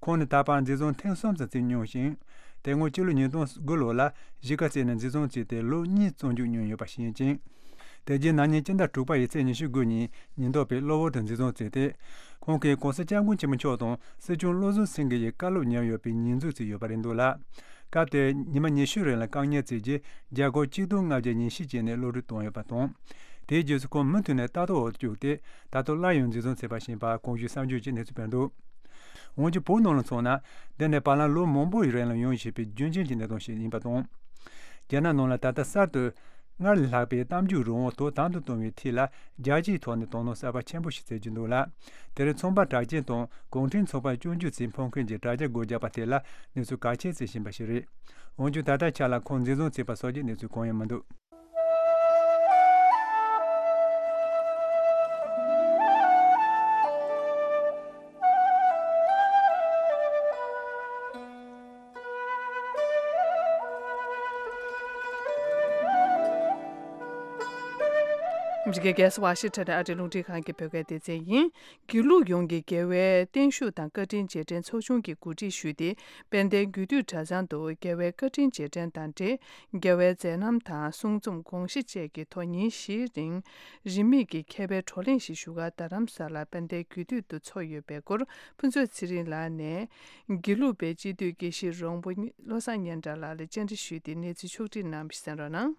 ཁོང་ནི་ད་བར་འཛིན་བཟུང་ཐེངས་གསུམ་ཙམ་བྱས་མྱོང་ཞིང་། དེ་སྔོན་ཕྱི་ལོ་ཉིས་སྟོང་དགུ་ལོ་ལ་གཞིས་ཀ་རྩེ་ནས་འཛིན་བཟུང་བྱས་ཏེ་ལོ་གཉིས་བཙོན་འཇུག་མྱོང་ཡོད་པ་ཞིག་ཡིན་ཅིང་། དེ་རྗེས་ན་ནིང་སྤྱི་ཟླ་དྲུག་པ་ཡི་ཚེས་ཉི་ཤུ་དགུ་ཉིན་ཉེན་རྟོག་པས་གློ་བུར་དུ་འཛིན་བཟུང་བྱས་ཏེ། ཁོང་གིས་༸གོང་ས་༸སྐྱབས་མགོན་ཆེན་པོ་མཆོག་དང་སྲིད་སྐྱོང་བློ་བཟང་སེང་གེ་ཡི་བཀའ་སློབ་ཉར་ཡོད་པའི་ཉེས་འཛུགས་བྱས་ཡོད་པ་རེད་འདུག་ལ། སྐབས་དེར་ཉི་མ་ཉི་ཤུ་རིང་ལ་བཀག་ཉར་བྱས་རྗེས་རྒྱ་སྒོར་གཅིག་སྟོང་ལྔ་བརྒྱ་ཉེར་བཞི་བཅད་ནས་གློད་གྲོལ་བཏང་ཡོད་པ་དང་། དེའི་རྗེས་སུ་ཁོང་མུ་མཐུད་ནས་ལྟ་རྟོག་འོག་ཏུ་བཅུག་སྟེ། ད་དུང་སླར་ཡང་འཛིན་བཟུང་བྱས་པ་ཞིག་ཡིན་པ་གོང་ཞུས་གསར་འགྱུར་གྱིས་གནས་ཚུལ་སྤེལ་འདུག་འོན་ཀྱང་བོད་ནང་ལ་མཚོན་ན། འདི་ནི་བར་ལམ་ལོ་མང་པོའི་རིང་ལ་ཡོང་བཞིན་པའི་རྒྱུན་རྐྱེན་གྱི་གནད་དོན་ཞིག་ཡིན་པ་དང་། རྒྱ་ནག་ནང་ལ་ད་ལྟ་གསར་དུ་སྔར་ལས་ལྷག་པའི་གཏམ་བརྗོད་རང་དབང་དོ་དམ་དུ་གཏོང་བའི་ཐད་ལ་རྒྱལ་སྤྱིའི་ཐོག་ནས་དོ་སྣང་གསར་པ་ཆེན་པོ་ཞིག་བྱེད་ཀྱི་འདུག་ལ། དེར་ཚོང་པ་གྲགས་ཅན་དང་གུང་ཁྲན་ཚོགས་པར་སྐྱོན་བརྗོད་བྱེད་ཕོད་མཁན་གྱི་དྲ་རྒྱ་སྒོ་རྒྱག་པ་དེ་ལ་གནས་ཚུལ་གལ་ཆེ་བརྩི་བཞིན་པ་ཞིག་རེད། འོན་ཀྱང་ད་ལྟའི་ཆ་ལ་ཁོང་འཛིན་བཟུང་བྱས་པ་སོགས་ཀྱི་གནས་ཚུལ་གང་ཡང་མི་འདུག་ཨ་མི་རི་ཀའི་རྒྱལ་ས་ཝ་ཤིང་ཊོན་ནས་ཨ་རིའི་རླུང་འཕྲིན་ཁང་གི་བོད་སྐད་སྡེ་ཚན་ཡིན། དགེ་ལུགས་ཡོངས་ཀྱི་རྒྱལ་བའི་བརྟན་བཞུགས་དང་བཀའ་དྲིན་རྗེས་དྲན་ཚོགས་ཆུང་གིས་གོ་སྒྲིག་ཞུས་ཏེ། དཔལ་ལྡན་རྒྱུད་སྟོད་གྲྭ་ཚང་དུ་རྒྱལ་བའི་བཀའ་དྲིན་རྗེས་དྲན་དང་འབྲེལ། རྒྱལ་བའི་མཛད་རྣམ་དང་གསུང་རྩོམ་དགོངས་གཞི་བཅས་ཀྱི་ཐོག་ཉིན་བཞིའི་རིང་རིན་མེད་ཀྱི་མཁས་པའི་བགྲོ་གླེང་ཞིག་བཞུགས་སྒར་རྡ་རམ་ས་ལ་དཔལ་ལྡན་རྒྱུད་སྟོད་དུ་ཚོགས་ཡོད་པའི་སྐོར། ཕུན་ཚོགས་ཚེ་རིང་ལགས་ནས་དགེ་ལུགས་པའི་སྤྱི་འཐུས་དགེ་བཤེས་རོང་པོ་བློ་བཟང་སྙན་གྲགས་ལགས་ལ་བཅར་འདྲི་ཞུས་ཏེ་གནས་ཚུལ་ཕྱོགས་བསྒྲིགས་གནང་བ་ཞིག་གསན་རོགས་གནང་།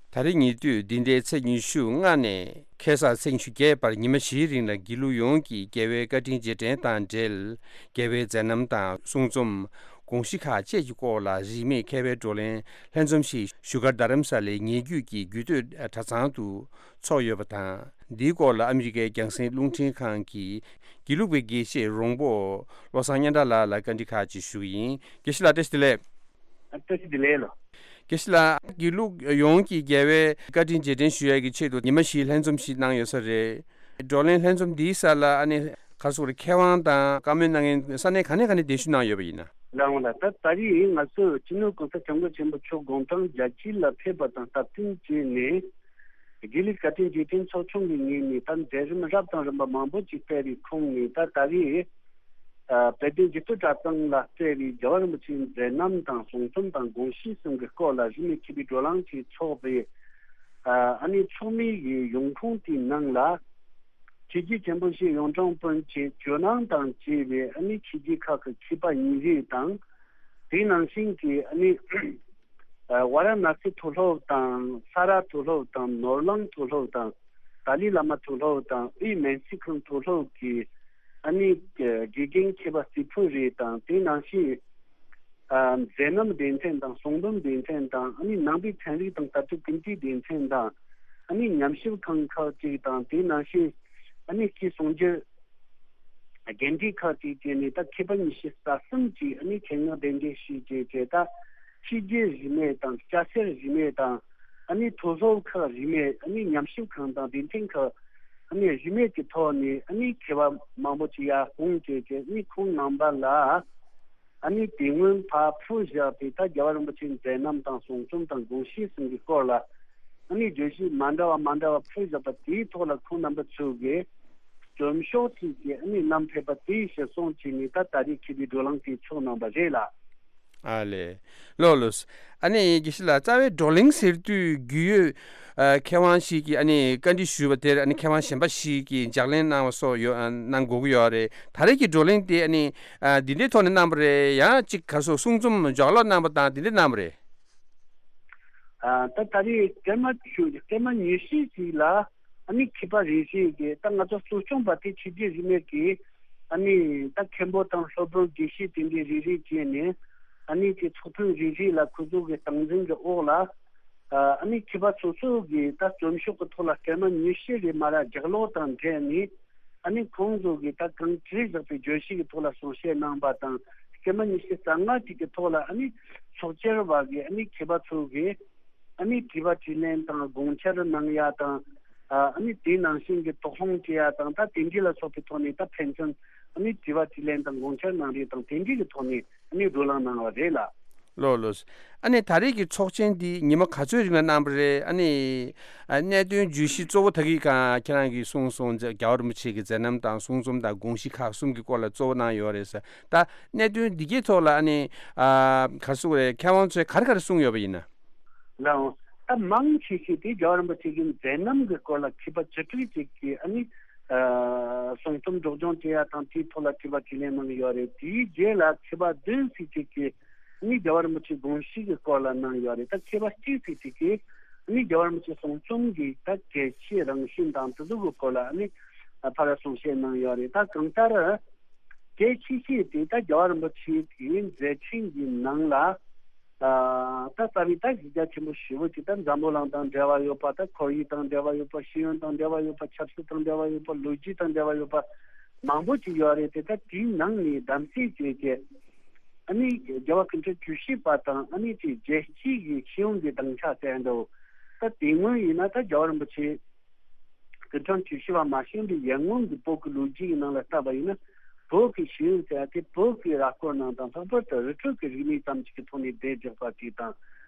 ད་རེས་ཉེ་དུས་འདི་ཟླའི་ཚེས་ཉི་ཤུ་ལྔ་ནས་ཁ་སང་ཚེས་ཉི་ཤུ་བརྒྱད་བར་ཉི་མ་བཞིའི་རིང་ལ་དགེ་ལུགས་ཡོངས་ཀྱི་རྒྱལ་བའི་བཀའ་དྲིན་རྗེས་དྲན་དང་འབྲེལ། རྒྱལ་བའི་མཛད་རྣམ་དང་གསུང་རྩོམ། དགོངས་གཞི་ཁག་བཅས་ཀྱི་སྐོར་ལ་རིན་མེད་མཁས་པའི་བགྲོ་གླེང་ལྷན་འཛོམས་ཤིག་བཞུགས་སྒར་རྡ་རམ་ས་ལའི་ཉེ་བརྒྱུད་ཀྱི་རྒྱུད་སྟོད་གྲྭ་ཚང་དུ་ཚོགས་ཡོད་པ་དང་། འདིའི་སྐོར་ལ་ཨ་མི་རི་ཀའི་རྒྱང་སྲིང་རླུང་འཕྲིན་ཁང་གི་དགེ་ལུགས་པའི་དགེ་བཤེས་རོང་པོ་བློ་བཟང་སྙན་གྲགས་ལགས་ལ་བཀའ་འདྲི་ཁག་ཅིག་ཞུ་གི་ཡིན། དགེ་བཤེས་ལགས་བཀྲ་ཤིས་བདེ་ལེགས། བཀྲ་ཤིས་བདེ་ལེགས་ལགས། དགེ་བཤེས་ལགས། དགེ་ལུགས་ཡོངས་ཀྱི་རྒྱལ་བའི་བཀའ་དྲིན་རྗེས་དྲན་ཞུ་ཡས་ཀྱི་ཆེད་དུ་ཉི་མ་བཞིའི་ལྷན་འཛོམས་ཤིག་གནང་ཡོད་ས་རེད། བགྲོ་གླེང་ལྷན་འཛོམས་འདིའི་ས་ལ་ཨ་ནི་ག་རེ་ཟེར་དགོས་རེད། མཁས་དབང་དང་བཀའ་མོལ་གནང་མཁན་ས་གནས་ག་ནས་ག་ནས་གདན་ཞུ་གནང་ཡོད་པ་ཡིན་ན། ལགས་འོང་ལགས། ད་ད་རེས་ང་ཚོས་སྤྱི་ནོར་གོང་ས་སྐྱབས་མགོན་ཆེན་པོ་མཆོག་དགུང་གྲངས་བརྒྱད་ཅུ་ལ་ཕེབས་པ་དང་སྟབས་བསྟུན་བྱས་ནས། དགེ་ལུགས་བཀའ་དྲིན་རྗེས་དྲན་ཚོགས་ཆུང་གི་ངོས་ནས་ད་མཛད་རིམ་རབ་དང་རིམ་པ་མང་པོ་ཅིག་སྤེལ་བའི་ཁོངས་ནས། ད་ད་རེས་ཨ་དཔལ་ལྡན་རྒྱུད་སྟོད་གྲྭ་ཚང་ལ་སྤེལ་བའི་རྒྱལ་བ་རིན་པོ་ཆེའི་མཛད་རྣམ་དང་གསུང་རྩོམ་དང་དགོངས་གཞི་གསུམ་གྱི་སྐོར་ལ་རིན་མེད་མཁས་པའི་བགྲོ་གླེང་ཅིག་ཚོགས་པའི་ཨ་ནི་ཚོགས་མིའི་ཡོང་ཁུངས་དེའི་ནང་ལ་ཆོས་བརྒྱུད་ཆེན་པོ་བཞིའི་གཡུང་དྲུང་དཔོན་ཆེན་ཇོ་ནང་དང་བཅས་པའི་ཨ་ནི་ཆོས་བརྒྱུད་ཁག་གི་མཁས་པ་ཉིན་རེ་དང་། དེ་ནང་བཞིན་གྱི་ཨ་ནི་ཨ་ཝཱ་ར་ཎ་སི་མཐོ་སློབ་དང་། ས་རཱ་མཐོ་སློབ་དང་། ནོར་གླིང་མཐོ་སློབ་དང་། ཏཱ་ལའི་བླ་མ་མཐོ་སློབ་དང་། དབུས་མན་ཚིག་ཁང་མཐོ་སློབ་ཀྱི་ཨ་ནི་དགེ་རྒན་མཁས་པ་རྩིས་འཕྲུལ་རེ་དང་། དེ་ནང་བཞིན་ཨ་མཛད་རྣམ་སྡེ་ཚན་དང་། གསུང་འབུམ་སྡེ་ཚན་དང་། ཨ་ནི་ནང་པའི་ཚན་རིག་དང་ལྟ་གྲུབ་ཀུན་བཏུས་སྡེ་ཚན་དང་། ཨ་ནི་ཉམས་ཞིབ་ཁང་ཁག་ཅིག་དང་། དེ་ནང་བཞིན་ཨ་ནི་སྤྱི་གསུང་སྒྱུར་རྒན་གྲས་ཁག་ཅིག་བཅས་ནས་ད་མཁས་པ་ཉི་ཤུ་རྩ་གསུམ་ཅིག་ཨ་ནི་ཆེད་མངགས་གདན་འདྲེན་ཞུས་བྱས་བྱས། ད་ཕྱི་རྒྱལ་རིས་མེད་དང་། སྐྱ་སེར་རིས་མེད་དང་། ཨ་ནི་མཐོ་སློབ་ཁག་རིས་མེད། ཨ་ནི་ཉམས་ཞིབ་ཁང་དང་སྡེ་ཚན་ཁག་ ཨ་ནི་རིན་མེད་ཀྱི་ཐོག་ནས་ཨ་ནི་མཁས་པ་མང་པོ་ཅིག་ཡར་དཔུང་བྱས་ཏེ་ཨ་ནི་ཁོང་རྣམ་པ་ལ་ཨ་ནི་དེ་སྔོན་ཕར་ཕུལ་བཞག་པའི་ད་རྒྱལ་བ་རིན་པོ་ཆེའི་མཛད་རྣམ་དང་གསུང་རྩོམ་དང་དགོངས་གཞི་གསུམ་གྱི་སྐོར་ལ་ཨ་ནི་བརྗོད་གཞི་མ་འདྲ་བ་མ་འདྲ་བ་ཕུལ་བཞག་པ་དེའི་ཐོག་ལ་ཁོང་རྣམ་པ་ཚོས་ཀྱི་རྩོམ་ཤོག་ཅིག་གིས་ཨ་ནི་བསྣམས་ཕེབས་པ་དེ་གཞིར་བཟུང་བྱས་ནས་ད་ད་རེས་མཁས་པའི་བགྲོ་གླེང་དེ་ཚོགས་གནང་བ་རེད་ལགས། ཨ་ལས། ལགས་ལགས། ཨ་ནི་དགེ་བཤེས་ལགས། རྩ་བའི་བགྲོ་གླེང་ཟེར་དུས་རྒྱུས་ཡོད་ཨ་མཁས་དབང་ཞིག་གིས་ཨ་ནི་བཀའ་འདྲི་ཞུས་པ་དེར་ཨ་ནི་མཁས་དབང་གཞན་པ་ཞིག་གིས་ལྗགས་ལན་གནང་བ་སོགས་ཡོད་ཨ་གནང་དགོས་ཀྱི་ཡོད་རེད། ད་རེས་ཀྱི་བགྲོ་གླེང་དེ་ཨ་ནི་ཨ་འདི་འདྲའི་ཐོག་ནས་གནང་བ་རེད། ཡང་གཅིག་ག་རེ་ཟེར། གསུང་རྩོམ་ལྗགས་ཀློག་གནང་བ་དང་དེ་འདྲ་གནང་བ་རེད། ཨ་ད་ད་རེས་སྐར་མ་བཅུ་སྐར་མ་ཉི་ཤུ་ཞིག་ལ་ཨ་ནི་མཁས་པ་རེ་ཞིག་གིས་ད་ང་ཚོ་གཙོ་སྐྱོང་པ་དེ་ཆོས་རྗེ་རིས་མེད་ཀྱིས་ཨ་ནི་ད་མཁན་པོ་དང་སློབ་དཔོན་དགེ་བཤེས་དེ་འདྲའི་རེ་རེ་བྱས་ནས་ཨ་ནི་དེ་ཚོགས་ཐེངས་རེ་རེ་ལ་ཁོ་ཚོ་གི་སྟངས་འཛིན་གྱི་འོག་ལ་ཨ་ནི་མཁས་པ་སོ་སོ་གིས་ད་རྩོམ་ཤོག་གི་ཐོག་ལ་སྐར་མ་ཉི་ཤུ་རེ་མར་ལྗགས་ཀློག་དང་འབྲེལ་ནས། ཨ་ནི་ཁོང་ཚོ་གིས་ད་གང་བྲིས་བཞག་པའི་བརྗོད་གཞི་གི་ཐོག་ལ་གསུང་བཤད་གནང་བ་དང་། སྐར་མ་ཉི་ཤུ་རྩ་ལྔ་ཅིག་གི་ཐོག་ལ་ཨ་ནི་ཚོགས་བཅར་བ་གིས་ཨ་ནི་མཁས་པ་ཚོ་གིས་ཨ་ནི་དྲི་བ་དྲིས་ལན་དང་དགོངས་འཆར་གནང་ཡ་དང་། ཨ་ནི་དེ་ནང་བཞིན་གྱི་དོགས་སློང་བྱེད་ཡ་དང་། ད་དེ་འདྲ་ལ་སོགས་པའི་ཐོག་ནས་ད་ཕན་ཚུན་ཨ་ནི་དྲི་བ་དྲིས་ལན་དང་དགོངས་འཆར་གནང་རེས་དང་། དེ་འདྲ་གི་ཐོག་ནས་ཨ་ནི་བགྲོ་གླེང་གནང་བ་རེད་ལགས། ལགས་ལགས། ཨ་ནི་ད་རེས་ཀྱི་ཚོགས་ཆེན་འདི་ཉི་མ་ག་ཚོད་རིང་ལ་གནང་བ་རེད། ཨ་ནི་ཨ་གནད་དོན་བརྗོད་གཞི་གཙོ་བོ་ད་གི་ག་ཁྱེད་རང་གིས་གསུངས་སོང་། རྒྱལ་བ་རིན་པོ་ཆེ་གི་མཛད་རྣམ་དང་གསུང་རྩོམ་དང་དགོངས་གཞི་ཁག་གསུམ་གྱི་སྐོར་ལ་གཙོ་བོ་གནང་ཡོད་རེད་ཟེར། ད་གནད་དོན་འདི་གའི་ཐོག་ལ་ཨ་ནི་ཨ་ག་རེ་ཟེར་དགོས་རེད། མཁས་དབང་ཚོས་ག་རེ་ག་རེ་གསུངས་ཡོད་པ་ཡིན་ན། ལགས། ད་མང་ཆེ་ཤོས་དེ་རྒྱལ་བ་རིན་པོ་ཆེ་གི་མཛད་རྣམ་གྱི་སྐོར་ལ་མཁས་པ་བཅུ་དྲུག་ཅིག་གིས་ཨ་ནི་ཨ་གསུང་རྩོམ་སྒྲོག་སྦྱང་བྱེད་ཡ་དང་དེའི་ཐོག་ལ་དྲི་བ་དྲིས་ལན་གནང་གི་ཡོད་རེད། དེའི་རྗེས་ལ་མཁས་པ་བདུན་ཙམ་ཅིག་གིས་ཨ་ནི་རྒྱལ་བ་རིན་པོ་ཆེའི་དགོངས་གཞི་གི་སྐོར་ལ་གནང་ཡོད་རེད། ད་མཁས་པ་གཅིག་ཙམ་ཅིག་གིས་ཨ་ནི་རྒྱལ་བ་རིན་པོ་ཆེའི་གསུང་རྩོམ་གྱི་ད་གལ་ཆེའི་རང་བཞིན་དང་དེ་ཚོ་གི་སྐོར་ལ་ཨ་ནི་ཕར་གསུང་བཤད་གནང་ཡོད་རེད། ད་གང་ལྟར། གལ་ཆེ་ཤོས་དེ་ད་རྒྱལ་བ་རིན་པོ་ཆེ་གི་མཛད་འཕྲིན་གྱི་ནང་ལ། ཨ་ད་རྩ་བའི་ད་གཞི་རྒྱ་ཆེན་པོ་ཞེ་པོ་ཅིག་ད་འཛམ་བུ་གླིང་དང་འབྲེལ་བ་ཡོད་པ། ད་ཁོར་ཡུག་དང་འབྲེལ་བ་ཡོད་པ། ཤེས་ཡོན་དང་འབྲེལ་བ་ཡོད་པ། ཆབ་སྲིད་དང་འབྲེལ་བ་ཡོད་པ། ལོ་རྒྱུས་དང་འབྲེལ་བ་ཡོད་པ་མང་པོ་ཅིག་ཡོད་རེད་དེ། ད་དེའི་ནང་ནས་གདམ་གསེས་བྱས་ཏེ་ཨ་ནི་རྒྱལ་བ་སྐུ་ཕྲེང་བཅུ་བཞི་པ་དང་ཨ་ནི་དེ་རྒྱལ་སྤྱིའི་གི་ཤེས་ཡོན་གྱི་སྡིངས་ཆ་ཟེར་འདྲ་བོ། ད་དེ་སྔོན་ཡིན་ན་ད་རྒྱལ་བ་རིན་པོ་ཆེ་སྐུ་ཕྲེང་བཅུ་བཞི་པ་མ་བྱོན་པའི་ཡར་སྔོན་གྱི་བོད་ཀྱི་ལོ་རྒྱུས་ཀྱི་ནང་ལ་བལྟས་པ་ཡིན་ན། བོད་ཀྱི་ཤེས་ཡོན་ཟེར་ཡ་དེ་བོད་ཀྱི་ར་སྐོར་ནང་དང་ལྷག་པར་དུ་རི་ཁྲོད་ཀྱི་རིག་གནས་ཙམ་ཞིག་གི་ཐོག་ནས་བསྡད་བཞག་པ་ཅིག་དང་།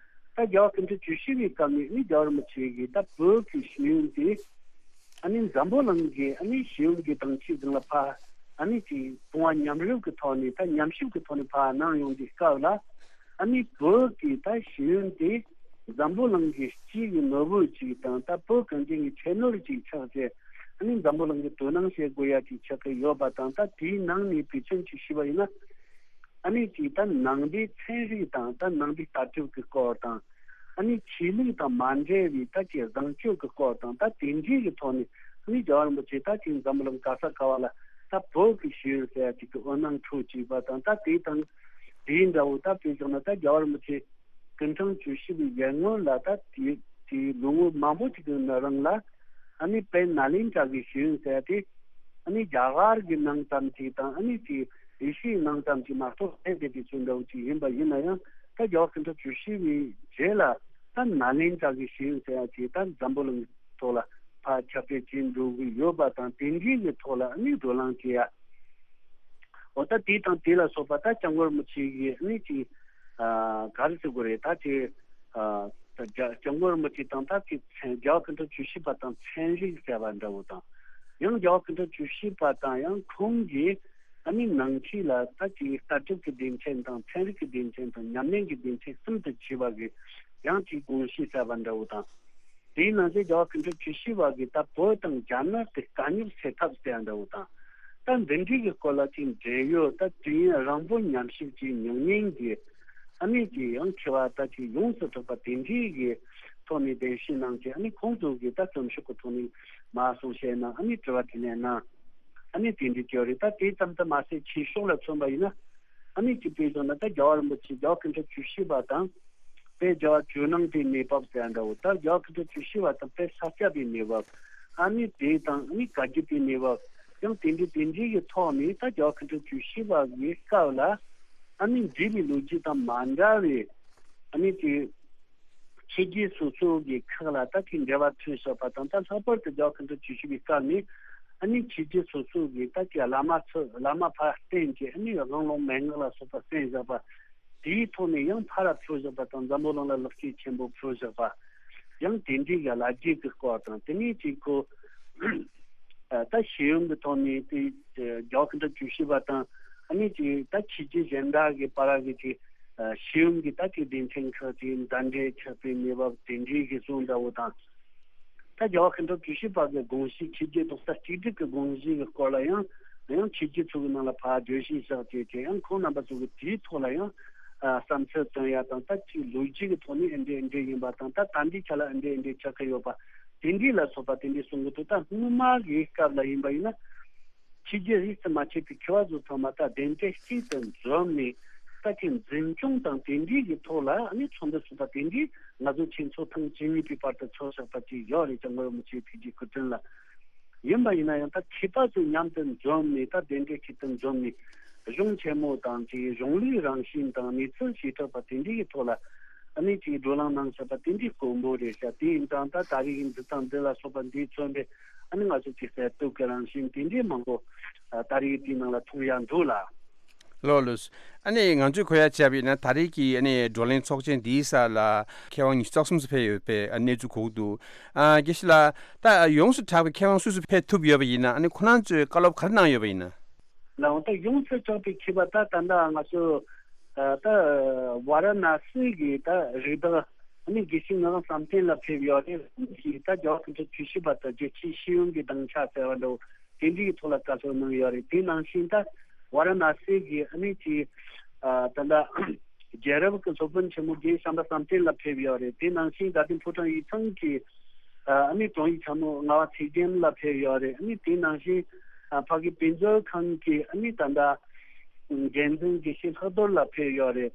ད་རྒྱལ་བ་སྐུ་ཕྲེང་བཅུ་བཞི་པའི་སྐབས་ནས་ནི་རྒྱལ་བ་རིན་པོ་ཆེ་གིས་ད་བོད་ཀྱི་ཤེས་ཡོན་དེ་ཨ་ནི་འཛམ་བུ་གླིང་གི་ཨ་ནི་ཤེས་ཡོན་གྱི་དང་ཆེས་སྒང་ལ་ཕར་ཨ་ནི་ཅིག་དཔུང་བ་མཉམ་རུབ་ཀྱི་ཐོག་ནས་ད་ཉམས་ཞིབ་ཀྱི་ཐོག་ནས་ཕར་གནང་ཡོང་དུས་སྐབས་ལ། ཨ་ནི་བོད་ཀྱི་ད་ཤེས་ཡོན་དེ་འཛམ་བུ་གླིང་གི་སྤྱི་གི་ནོར་བུ་ཅིག་དང་། ད་བོད་གངས་ཅན་གྱི་ཁྱད་ནོར་ཅིག་ཆགས་ཏེ། ཨ་ནི་འཛམ་བུ་གླིང་གི་དོ་སྣང་བྱེད་དགོས་ཡ་ཅིག་ཆགས་ཀྱི་ཡོད་པ་དང་། ད་དེའི་ནང་ནས་དཔེ་མཚོན་ཅིག་ཞུས་པ་ཡིན་ན། ཨ་ནི་ཅིག་ད་ནང་པའི་ཚན་རིག་དང་ད་ནང་པའི་ལྟ་གྲུབ་ཀྱི་སྐོར་དང་། ཨ་ནི་ཆོས་ལུགས་དང་མ་འབྲེལ་བའི་ད་ཅིག་བཟང་སྤྱོད་ཀྱི་སྐོར་དང་། ད་དེ་འདྲའི་གི་ཐོག་ནས་ཨ་ནི་རྒྱལ་བ་རིན་པོ་ཆེ་ད་ཅིག་འཛམ་བུ་གླིང་ག་ས་ག་བ་ལ་ད་བོད་ཀྱི་ཤེས་ཡོན་ཟེར་ཡ་ཅིག་གི་འོད་སྣང་འཕྲོ་བཅུག་པ་དང་། ད་དེ་དང་། དེའི་འདྲ་བོ་ད་དཔེ་བཞག་ན་ད་རྒྱལ་བ་རིན་པོ་ཆེ་སྐུ་ཕྲེང་བཅུ་བཞི་པའི་ཡར་སྔོན་ལ་ད་དེ་དེའི་ལོ་ངོ་མང་པོ་ཅིག་གི་ནང་རང་ལ་ཨ་ནི་དཔལ་ནཱ་ལེནྡྲ་གི་ཤེས་ཡོན་ཟེར་ཡ་དེ་ཨ་ནི་རྒྱ་གར་གྱི་ནང་ཙམ་ཅིག་དང་ཨ་ནི་དེ་ཨེ་ཤི་ཡའི་ནང་ཙམ་ཅིག་མ་གཏོགས་ཨེ་དེ་དེ་ཚོ་འདྲ་བོ་ཅིག་ཡིན་པ་ཡིན་ན་ཡང་། ད་རྒྱལ་བ་སྐུ་ཕྲེང་བཅུ་བཞི་པའི་རྗེས་ལ་ད་ནཱ་ལེནྡྲ་གི་ཤེས་ཡོན་ཟེར་ཡ་དེ་ད་འཛམ་བུ་གླིང་ཐོག་ལ་ཕར་ཁྱབ་སྤེལ་བྱེད་འགྲོ་གི་ཡོད་པ་དང་། དེ་འདྲའི་གི་ཐོག་ལ་ཨ་ནི་བགྲོ་གླེང་བྱེད་ཡ། འོ་ད་དེ་དང་དེ་ལ་སོགས་པ་ད་སྐྱབས་མགོན་རིན་པོ་ཆེ་གི་ཨ་ནི་ཅིག་ཨ་ག་རེ་ཟེར་དགོས་རེད། ད་དེ་ཨ་ད་རྒྱ་སྐྱབས་མགོན་རིན་པོ་ཆེ་དང་ད་དེ་ཚན་རྒྱལ་བ་སྐུ་ཕྲེང་བཅུ་བཞི་པ་དང་ཚན་རིག་ཟེར་བ་འདྲ་བོ་དང་། ཡང་རྒྱལ་བ་སྐུ་ཕྲེང་བཅུ་བཞི་པ་དང་ཡང་ཁོང་གིས་ཨ་ནི་ནང་ཆོས་ལ་ད་ཅིག་ལྟ་གྲུབ་ཀྱི་སྡེ་ཚན་དང་ཚན་རིག་གི་སྡེ་ཚན་དང་ཉམས་ལེན་གྱི་སྡེ་ཚན་གསུམ་དུ་ཕྱེ་བ་གི་ཡང་ཅིག་དགོངས་གཞི་ཟེར་བ་འདྲ་བོ་དང་། དེའི་ནང་གསེས་རྒྱལ་བ་སྐུ་ཕྲེང་བཅུ་བཞི་པ་གིས་ད་བོད་དང་རྒྱ་ནག་གི་དཀའ་རྙོག་སེལ་ཐབས་ཟེར་བ་འདྲ་བོ་དང་། ད་འདི་འདྲའི་གི་སྐོར་ལ་ཅིག་འབྲེལ་ཡོད་ད་དུས་ཡུན་རིང་པོ་ཉམས་ཞིབ་ཀྱི་མྱོང་མཁན་གྱི་ཨ་ནི་ཅིག་ཡང་མཁས་པ་ད་ཅིག་ཡོངས་སུ་གྲུབ་པ་དེ་འདྲའི་གི་ཐོག་ནས་གདན་ཞུ་གནང་བྱས། ཨ་ནི་ཁོང་ཚོ་གིས་ད་རྩོམ་ཤོག་གི་ཐོག་ནས་མར་གསུང་བཤད་གནང་། ཨ་ནི་དྲི་བ་དྲིས་ལན་གནང་། ཨ་ནི་དེ་འདྲའི་བྱས་རེད། ད་དེ་ཙམ་དུ་མ་ཟད་ཆོས་ཕྱོགས་ལ་མཚོན་པ་ཡིན་ན། ཨ་ནི་ཅིག་དཔེ་བཞག་ན་ད་རྒྱལ་བ་རིན་པོ་ཆེ་རྒྱལ་བ་སྐུ་ཕྲེང་བཅུ་བཞི་པ་དང་། དཔལ་རྒྱལ་བ་ཇོ་ནང་པའི་གནས་བབ་ཟེར་འདྲ་བོ། ད་རྒྱལ་བ་སྐུ་ཕྲེང་བཅུ་བཞི་པ་དང་དཔལ་ས་སྐྱ་པའི་གནས་བབ། ཨ་ནི་དེ་དང་ཨ་ནི་བཀའ་བརྒྱུད་པའི་གནས་བབ། ཡང་དེ་འདྲའི་དེ་འདྲའི་གི་ཐོག་ནས་ད་རྒྱལ་བ་སྐུ་ཕྲེང་བཅུ་བཞི་པ་གི་སྐབས་ལ་ཨ་ནི་འདས་པའི་ལོ་རྒྱུས་དང་མ་འདྲ་བའི་ཨ་ནི་དེ། ཕྱི་རྒྱལ་སོ་སོ་གི་ཁག་ལ་ད་གི་འབྲེལ་བ་མཐུད་བཞག་པ་དང་། ད་ལྷག་པར་དུ་རྒྱལ་བ་མཁའ་འགྲོ་བཅུ་བཞི་པའི་སྐབས་ནས་ཨ་ནི་ཕྱི་རྒྱལ་སོ་སོ་གི་ད་གི་བླ་མ་ཚོ་བླ་མ་ཕར་བསྟེན་གྱི་ཨ་ནི་དབང་ལུང་མན་ངག་ལ་སོགས་པ་གསན་བཞག་པ། དེའི་ཐོག་ནས་ཡང་ཕར་ཕུལ་བཞག་པ་དང་། འཛམ་བུ་གླིང་ལ་ལེགས་སྐྱེས་ཆེན་པོ་ཕུལ་བཞག་པ། ཡང་དེ་འདྲའི་གི་ལ་རྒྱའི་གི་སྐོར་དང་། དེ་ནས་ཅིག་ཁོ་ད་ཤེས་ཡོན་གྱི་ཐོག་ནས་དེ་རྒྱལ་བ་མཁའ་འགྲོ་བཅུ་བཞི་པ་དང་ཨ་ནི་ཅིག་ད་ཕྱི་རྒྱལ་གཞན་དག་གི་བར་གྱི་ཅིག་ཤེས་ཡོན་གྱི་ད་ཅིག་སྡེ་ཚན་ཁག་ཅིག་མདའ་འབྲེལ་ཆགས་པའི་གནས་བབ་དེ་འདྲའི་གི་གསུང་འདྲ་བོ་དང་། ད་རྒྱལ་བ་མཁའ་འགྲོ་བཅུ་བཞི་པ་གི་དགོངས་གཞི་ཕྱི་རྒྱལ་རྡོག་རྩ་གཅིག་སྒྲིལ་གྱི་དགོངས་གཞི་གི་སྐོར་ལ་ཡང་ཡང་ཕྱི་རྒྱལ་ཚོ་གི་ནང་ལ་ཕར་བརྗོད་གཞི་བཞག་བྱས་བྱས། ཡང་ཁོང་རྣམ་པ་ཚོ་གི་དེའི་ཐོག་ལ་ཡང་ཨ་བསམ་ཚུལ་བཏོན་ཡ་དང་། ད་ཅིག་ལོ་རྒྱུས་ཀྱི་ཐོག་ནས་ཨེ་འདྲས་ཨེ་འདྲས་ཡིན་པ་དང་། ད་ད་འདི་ཆ་ལ་ཨེ་འདྲས་ཨེ་འདྲས་ཆགས་ཀྱི་ཡོད་པ་དེ་འདྲས་ལ་སོགས་པ་དེ་འདྲས་གསུང་གི་འདུག་ད་སྔོན་མ་གི་སྐབས་ལ་ཡིན་པ་ཡིན་ན། ཕྱི་རྒྱལ་རིས་སུ་མ་ཆད་པའི་མཁས་པ་ཚོ་ཚང་མ་ད་གདན་གྲལ་གཅིག་ཏུ་འཛོམས་ནས། ད་ཅིག་འཛིན་སྐྱོང་དང་དེ་འདྲའི་གི་ཐོག་ལ་ཨ་ནི་ཚོགས་འདུ་ཚོགས་པ་དེ་འདྲའི་ང་ཚོ་ཆོས་ཚོགས་ཐེངས་བཅུ་གཉིས་པའི་བར་དུ་ཚོགས་བཞག་པ་ཅིག་ཡོད་རེད་ཀྱང་། ངོ་བོ་མི་ཆེ་ཕི་ཇི་ཁུ་ཏུན་ལ་ཡིན་པ་ཡིན་ན་ཡང་། ད་མཁས་པ་ཚོ་མཉམ་དུ་འཛོམས་ནས། ད་གདན་གྲལ་གཅིག་ཏུ་འཛོམས་ནས་གཞུང་ཆེན་མོ་དང་ཅིག་གཞུང་ལུགས་རང་བཞིན་དང་གནས་ཚུལ་བྱེ་བྲག་པ་དེ་འདྲའི་གི་ཐོག་ལ་ཨ་ནི་ཅིག་བགྲོ་གླེང་གནང་བཞག་པ་དེ་འདྲའི་དཀོན་པོ་རེད་ཤག་དེ་ཡིན་ཙང་ད་ད་རེས་ཀྱི་འདི་དང་འདི་ལ་སོགས་པ་འདི་མཚོན་པའི་ཨ་ནི་ང་ཚོ་ཅིག་གསར་གཏོད་ཀྱི་རང་བཞིན་དེ་འདྲའི་མང་པོ་ད་རེས་དེའི་ནང་ལ་མཐོང་ཡ་འདུག་ལ། ལགས་ལགས། ཨ་ནི་ང་ཚོས་གོ་ཡ་བྱས་པ་ཡིན་ན། ད་རེས་ཀྱི་ཨ་ནི་བགྲོ་གླེང་ཚོགས་ཆེན་འདིའི་ས་ལ་མཁས་དབང་ཉི་ཤུ་རྩ་གསུམ་ཙམ་ཕེབས་ཡོད་པའི་གནས་ཚུལ་གོ་གི་འདུག་ཨ་དགེ་བཤེས་ལགས། ད་ཡོངས་སུ་གྲགས་པའི་མཁས་དབང་སུ་སུ་ཕེབས་ཐུབ་ཡོད་པ་ཡིན་ན། ཨ་ནི་ཁོ་རང་ཚོས་བཀའ་སློབ་ག་རེ་གནང་ཡོད་པ་ཡིན་ན། ལགས་འོང་། ད་ཡོངས་སུ་གྲགས་པའི་མཁས་པ་ད་ད་ལྟ་ང་ཚོ་ད་ཝཱ་ར་ཎ་སི་གི་ད་རིགས་བདག་ཨ་ནི་དགེ་བཤེས་ངག་དབང་བསམ་གཏན་ལགས་ཕེབས་ཡོད་རེད། ཁོང་གིས་ད་རྒྱལ་བ་མཁའ་འགྲོ་བཅུ་བཞི་པ་དང་རྒྱལ་སྤྱིའི་ཤེས་ཡོན་གྱི་སྡིངས་ཆ་ཟེར་བ་འདྲ་བོ་དེ་འདྲའི་ཐོག་ལ་བཀའ་སློབ་གནང་ཡོད་རེད། དེ་ནང་བཞིན་ད་ཝཱ་ར་ཎ་སི་གི་ཨ་ནི་ཅིག་ཨ་ད་ལྟ་རྒྱལ་རབས་ཀྱི་སློབ་དཔོན་ཆེན་མོ་རྒན་བྱམས་པ་བསམ་གཏན་ལགས་ཕེབས་ཡོད་རེད། དེ་ནང་བཞིན་དགའ་ལྡན་ཕོ་བྲང་ཡིག་ཚང་གི་ཨ་ནི་དྲུང་ཡིག་ཚང་མ་ངག་དབང་ཚེ་རྒྱན་ལགས་ཕེབས་ཡོད་རེད། ཨ་ནི་དེ་ནང་བཞིན་ཨ་ཕ་གི་དཔེ་མཛོད་ཁང་གི་ཨ་ནི་ད་ལྟ་འགན་འཛིན་དགེ་བཤེས་ལྷག་རྡོར་ལགས་ཕེབས་ཡོད་རེད།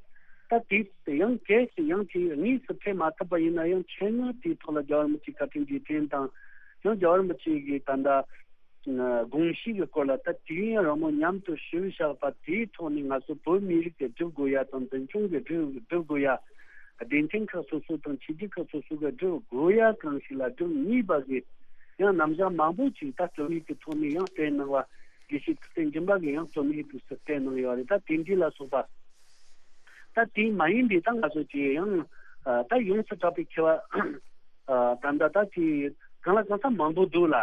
ད་དེ་ཡང་གལ་སྲིད་ཡང་དེ་དངོས་སུ་ཕེབས་མ་ཐུབ་པ་ཡིན་ན་ཡང་ཆེད་མངགས་དེའི་ཐོག་ལ་རྒྱལ་བ་རིན་པོ་ཆེའི་བཀའ་དྲིན་རྗེས་དྲན་དང་། ཡང་རྒྱལ་བ་རིན་པོ་ཆེ་གི་ད་ལྟ་དགོངས་གཞི་གི་སྐོར་ལ་ད་དུས་ཡུན་རིང་མོ་མཉམ་དུ་བཞུགས་བཞག་པ་དེའི་ཐོག་ནས་ང་ཚོ་བོད་མི་རིགས་ཀྱི་སྒྲུབ་དགོས་ཡ་དང་། འཛིན་སྐྱོང་གི་སྒྲུབ་སྒྲུབ་དགོས་ཡ། སྡེ་ཚན་ཁག་སོ་སོ་དང་ཆོས་བརྒྱུད་ཁག་སོ་སོ་གི་སྒྲུབ་དགོས་ཡ་གང་ཞིག་ལ་སྒྲུབ་ནུས་པ་གི་ཡང་རྣམ་གཞག་མང་པོ་ཅིག་ད་རྩོམ་ཡིག་གི་ཐོག་ནས་ཡང་བསྟན་གནང་བ། དགེ་བཤེས་ཐུབ་བསྟན་སྦྱིན་པ་གིས་ཡང་རྩོམ་ཡིག་དུ་བསྟན་གནང་ཡོད་རེད། ད་དེ་འདྲ་ལ་སོགས་པ། ད་དེ་མ་ཡིན་པའི་ད་ང་ཚོ་ཅིག་ཡང་ད་ཡོངས་སུ་གྲགས་པའི་མཁས་པ་ད་ད་ད་ཅིག་གང་ལ་གང་འཚམ་མང་པོ་འདུག་ལ།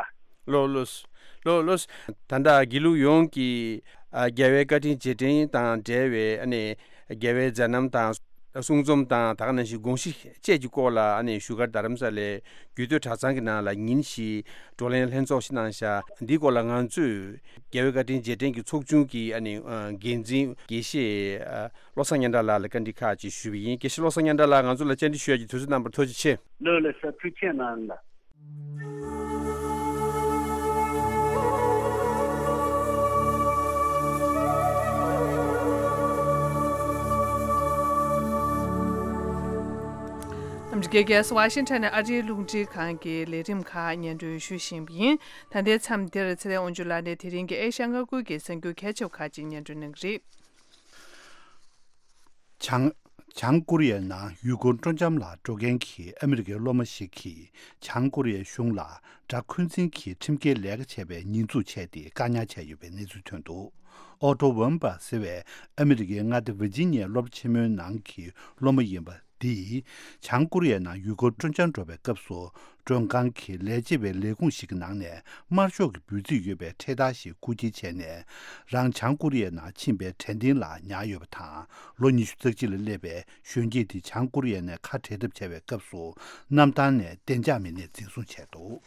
ལགས་ལགས། ལགས་ལགས། ད་ལྟ་དགེ་ལུགས་ཡོངས་ཀྱི་ཨ་རྒྱལ་བའི་བཀའ་དྲིན་རྗེས་དྲན་དང་འབྲེལ་བའི་ཨ་ནི་རྒྱལ་བའི་མཛད་རྣམ་དང་གསུང་རྩོམ་དང་། ད་ག་ནང་བཞིན་དགོངས་གཞི་བཅས་ཀྱི་སྐོར་ལ་ཨ་ནི་བཞུགས་སྒར་རྡ་རམ་ས་ལའི་རྒྱུད་སྟོད་གྲྭ་ཚང་གི་ནང་ལ་ཉིན་ཞིག་བགྲོ་གླེང་ལྷན་ཚོགས་ཤིག་གནང་བཞག་འདིའི་སྐོར་ལ་ང་ཚོས་རྒྱལ་བའི་བཀའ་དྲིན་རྗེས་དྲན་གྱི་ཚོགས་ཆུང་གི་ཨ་ནི་འགན་འཛིན་དགེ་བཤེས་བློ་བཟང་སྙན་གྲགས་ལགས་ལ་བཀའ་འདྲི་ཁག་ཅིག་ཞུས་པ་ཡིན། དགེ་བཤེས་བློ་བཟང་སྙན་གྲགས་ལགས། ང་ཚོ་ལ་བཅར་འདྲི་ཞུ་ཡ་གི་དུས་ཚོད་གནང་བར་ཐུགས་རྗེ་ཆེ། ལགས་ལགས་སོ། ཐུགས་རྗེ་གནང་ལགས། ཨ་མི་རི་ཀའི་རྒྱལ་ས་ཝ་ཤིང་ཊོན་ནས་ཨ་རིའི་རླུང་འཕྲིན་ཁང་གི་ལས་རིམ་ཁག་སྙན་སྒྲོན་ཞུ་བཞིན་པ་ཡིན། ད་ལྟའི་མཚམས་འདིར་ཚེ་རིང་དབང་ཕྱུག་ལགས་ནས་དེ་རིང་གི་ཨེ་ཤ་ཡ་མངའ་ཁུལ་གྱི་གསར་འགྱུར་གལ་ཆེ་བ་ཁག་ཅིག་སྙན་སྒྲོན་གནང་གི་རེད། བྱང་། བྱང་ཀོ་རི་ཡའི་ནང་ཡུལ་སྐོར་སྤྲོ་འཆམ་ལ་འགྲོ་མཁན་གྱི་ཨ་མི་རི་ཀའི་སློབ་མ་ཞིག་གིས་བྱང་ཀོ་རི་ཡའི་གཞུང་ལ་དགྲ་འཁོན་འཛིན་གྱི་ཁྲིམས་འགལ་ལས་ཀ་བྱས་པའི་ཉེས་འཛུགས་བྱས་ཏེ་བཀག་ཉར་བྱས་ཡོད་པའི་གནས་ཚུལ་ཐོན་འདུག་ཨོ་ཏོ་ཝན་པ་ཟེར་བའི་ཨ་མི་རི་ཀའི་མངའ་སྡེ་ཝི་ཇི་ནི་ཡའི་སློབ་གྲྭ་ཆེན་མོའི་ནང་གི་སློབ་མ་ཡིན་པ་འདིས་བྱང་ཀོ་རི་ཡའི་ནང་ཡུལ་སྐོར་སྤྲོ་འཆམ་འགྲོ་བའི་སྐབས་སུ། མགྲོན་ཁང་གི་ལས་བྱེད་པའི་ལས་ཁུངས་ཤིག་གི་ནང་ནས་དམར་ཤོག་གི་འབོད་ཚིག་ཡོད་པའི་འཕྲེད་དར་ཞིག་རྐུ་འཁྱེར་བྱས་ནས། རང་བྱང་ཀོ་རི་ཡའི་ནང་ཕྱིན་པའི་དྲན་རྟེན་ལ་ཉར་ཡོད་པ་དང་། ལོ་ཉི་ཤུ་རྩ་གཅིག་ལ་སླེབས་པའི་གཞོན་སྐྱེས་དེ་བྱང་ཀོ་རི་ཡའི་ནང་ཁ་བྲལ་ཐབས་བྱ་བའི་སྐབས་སུ། གནམ་ཐང་ནས་བདེ་འཇགས་མི་སྣས་འཛིན་བཟུང་བྱས་འདུག་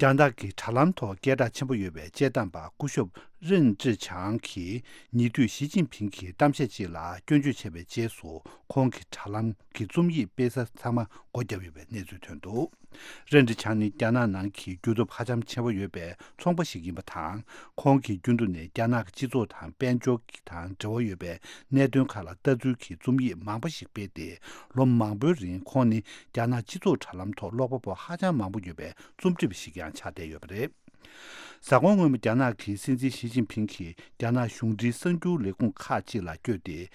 རྒྱ་ནག་གི་དྲ་ལམ་ཐོག་སྐད་གྲགས་ཆེན་པོ་ཡོད་པའི་དཔྱད་གཏམ་པ་སྐུ་ཞབས་རིན་ཀྲི་ཆང་གིས་ཉེ་དུས་ཞི་ཅིན་ཕིང་གི་གཏམ་བཤད་ཅིག་ལ་སྐྱོན་བརྗོད་བྱས་པའི་རྗེས་སུ། ཁོང་གི་དྲ་ལམ་གྱི་རྩོམ་ཡིག་སྤེལ་ས་ཚང་མ་སྒོ་བརྒྱབ་ཡོད་པའི་གནས་ཚུལ་ཐོན་འདུག་རིན་ཀྲི་ཆང་ནི་རྒྱ་ནག་ནང་གི་རྒྱུ་སྟོབས་ཧ་ཅང་ཆེན་པོ་ཡོད་པའི་ཚོང་པ་ཞིག་ཡིན་པ་དང་། ཁོང་གི་རྒྱུན་དུ་ནས་རྒྱ་ནག་གི་སྤྱི་ཚོགས་དང་དཔལ་འབྱོར་དང་འབྲེལ་བ་ཡོད་པའི་གནད་དོན་ཁག་ལ་ལྟ་ཚུལ་གྱི་རྩོམ་ཡིག་མང་པོ་ཞིག་སྤེལ་ཏེ། ལོ་མང་པོའི་རིང་ཁོང་ནི་རྒྱ་ནག་སྤྱི་ཚོགས་དྲ་ལམ་ཐོག་ཀློག་པ་པོ་ཧ་ཅང་མང་པོ་ཡོད་པའི་རྩོམ་སྒྲིག་པ་ཞིག་ཀྱང་ཆགས་བསྡད་ཡོད་པ་རེད། གཟའ་འཁོར་སྔོན་མ་རྒྱ་ནག་གི་སྲིད་འཛིན་ཞི་ཅིན་ཕིང་གིས་རྒྱ་ནག་གཞུང་འབྲེལ་གསར་འགྱུར་ལས་ཁུངས་ཁག་ཅིག་ལ་བསྐྱོད་དེ།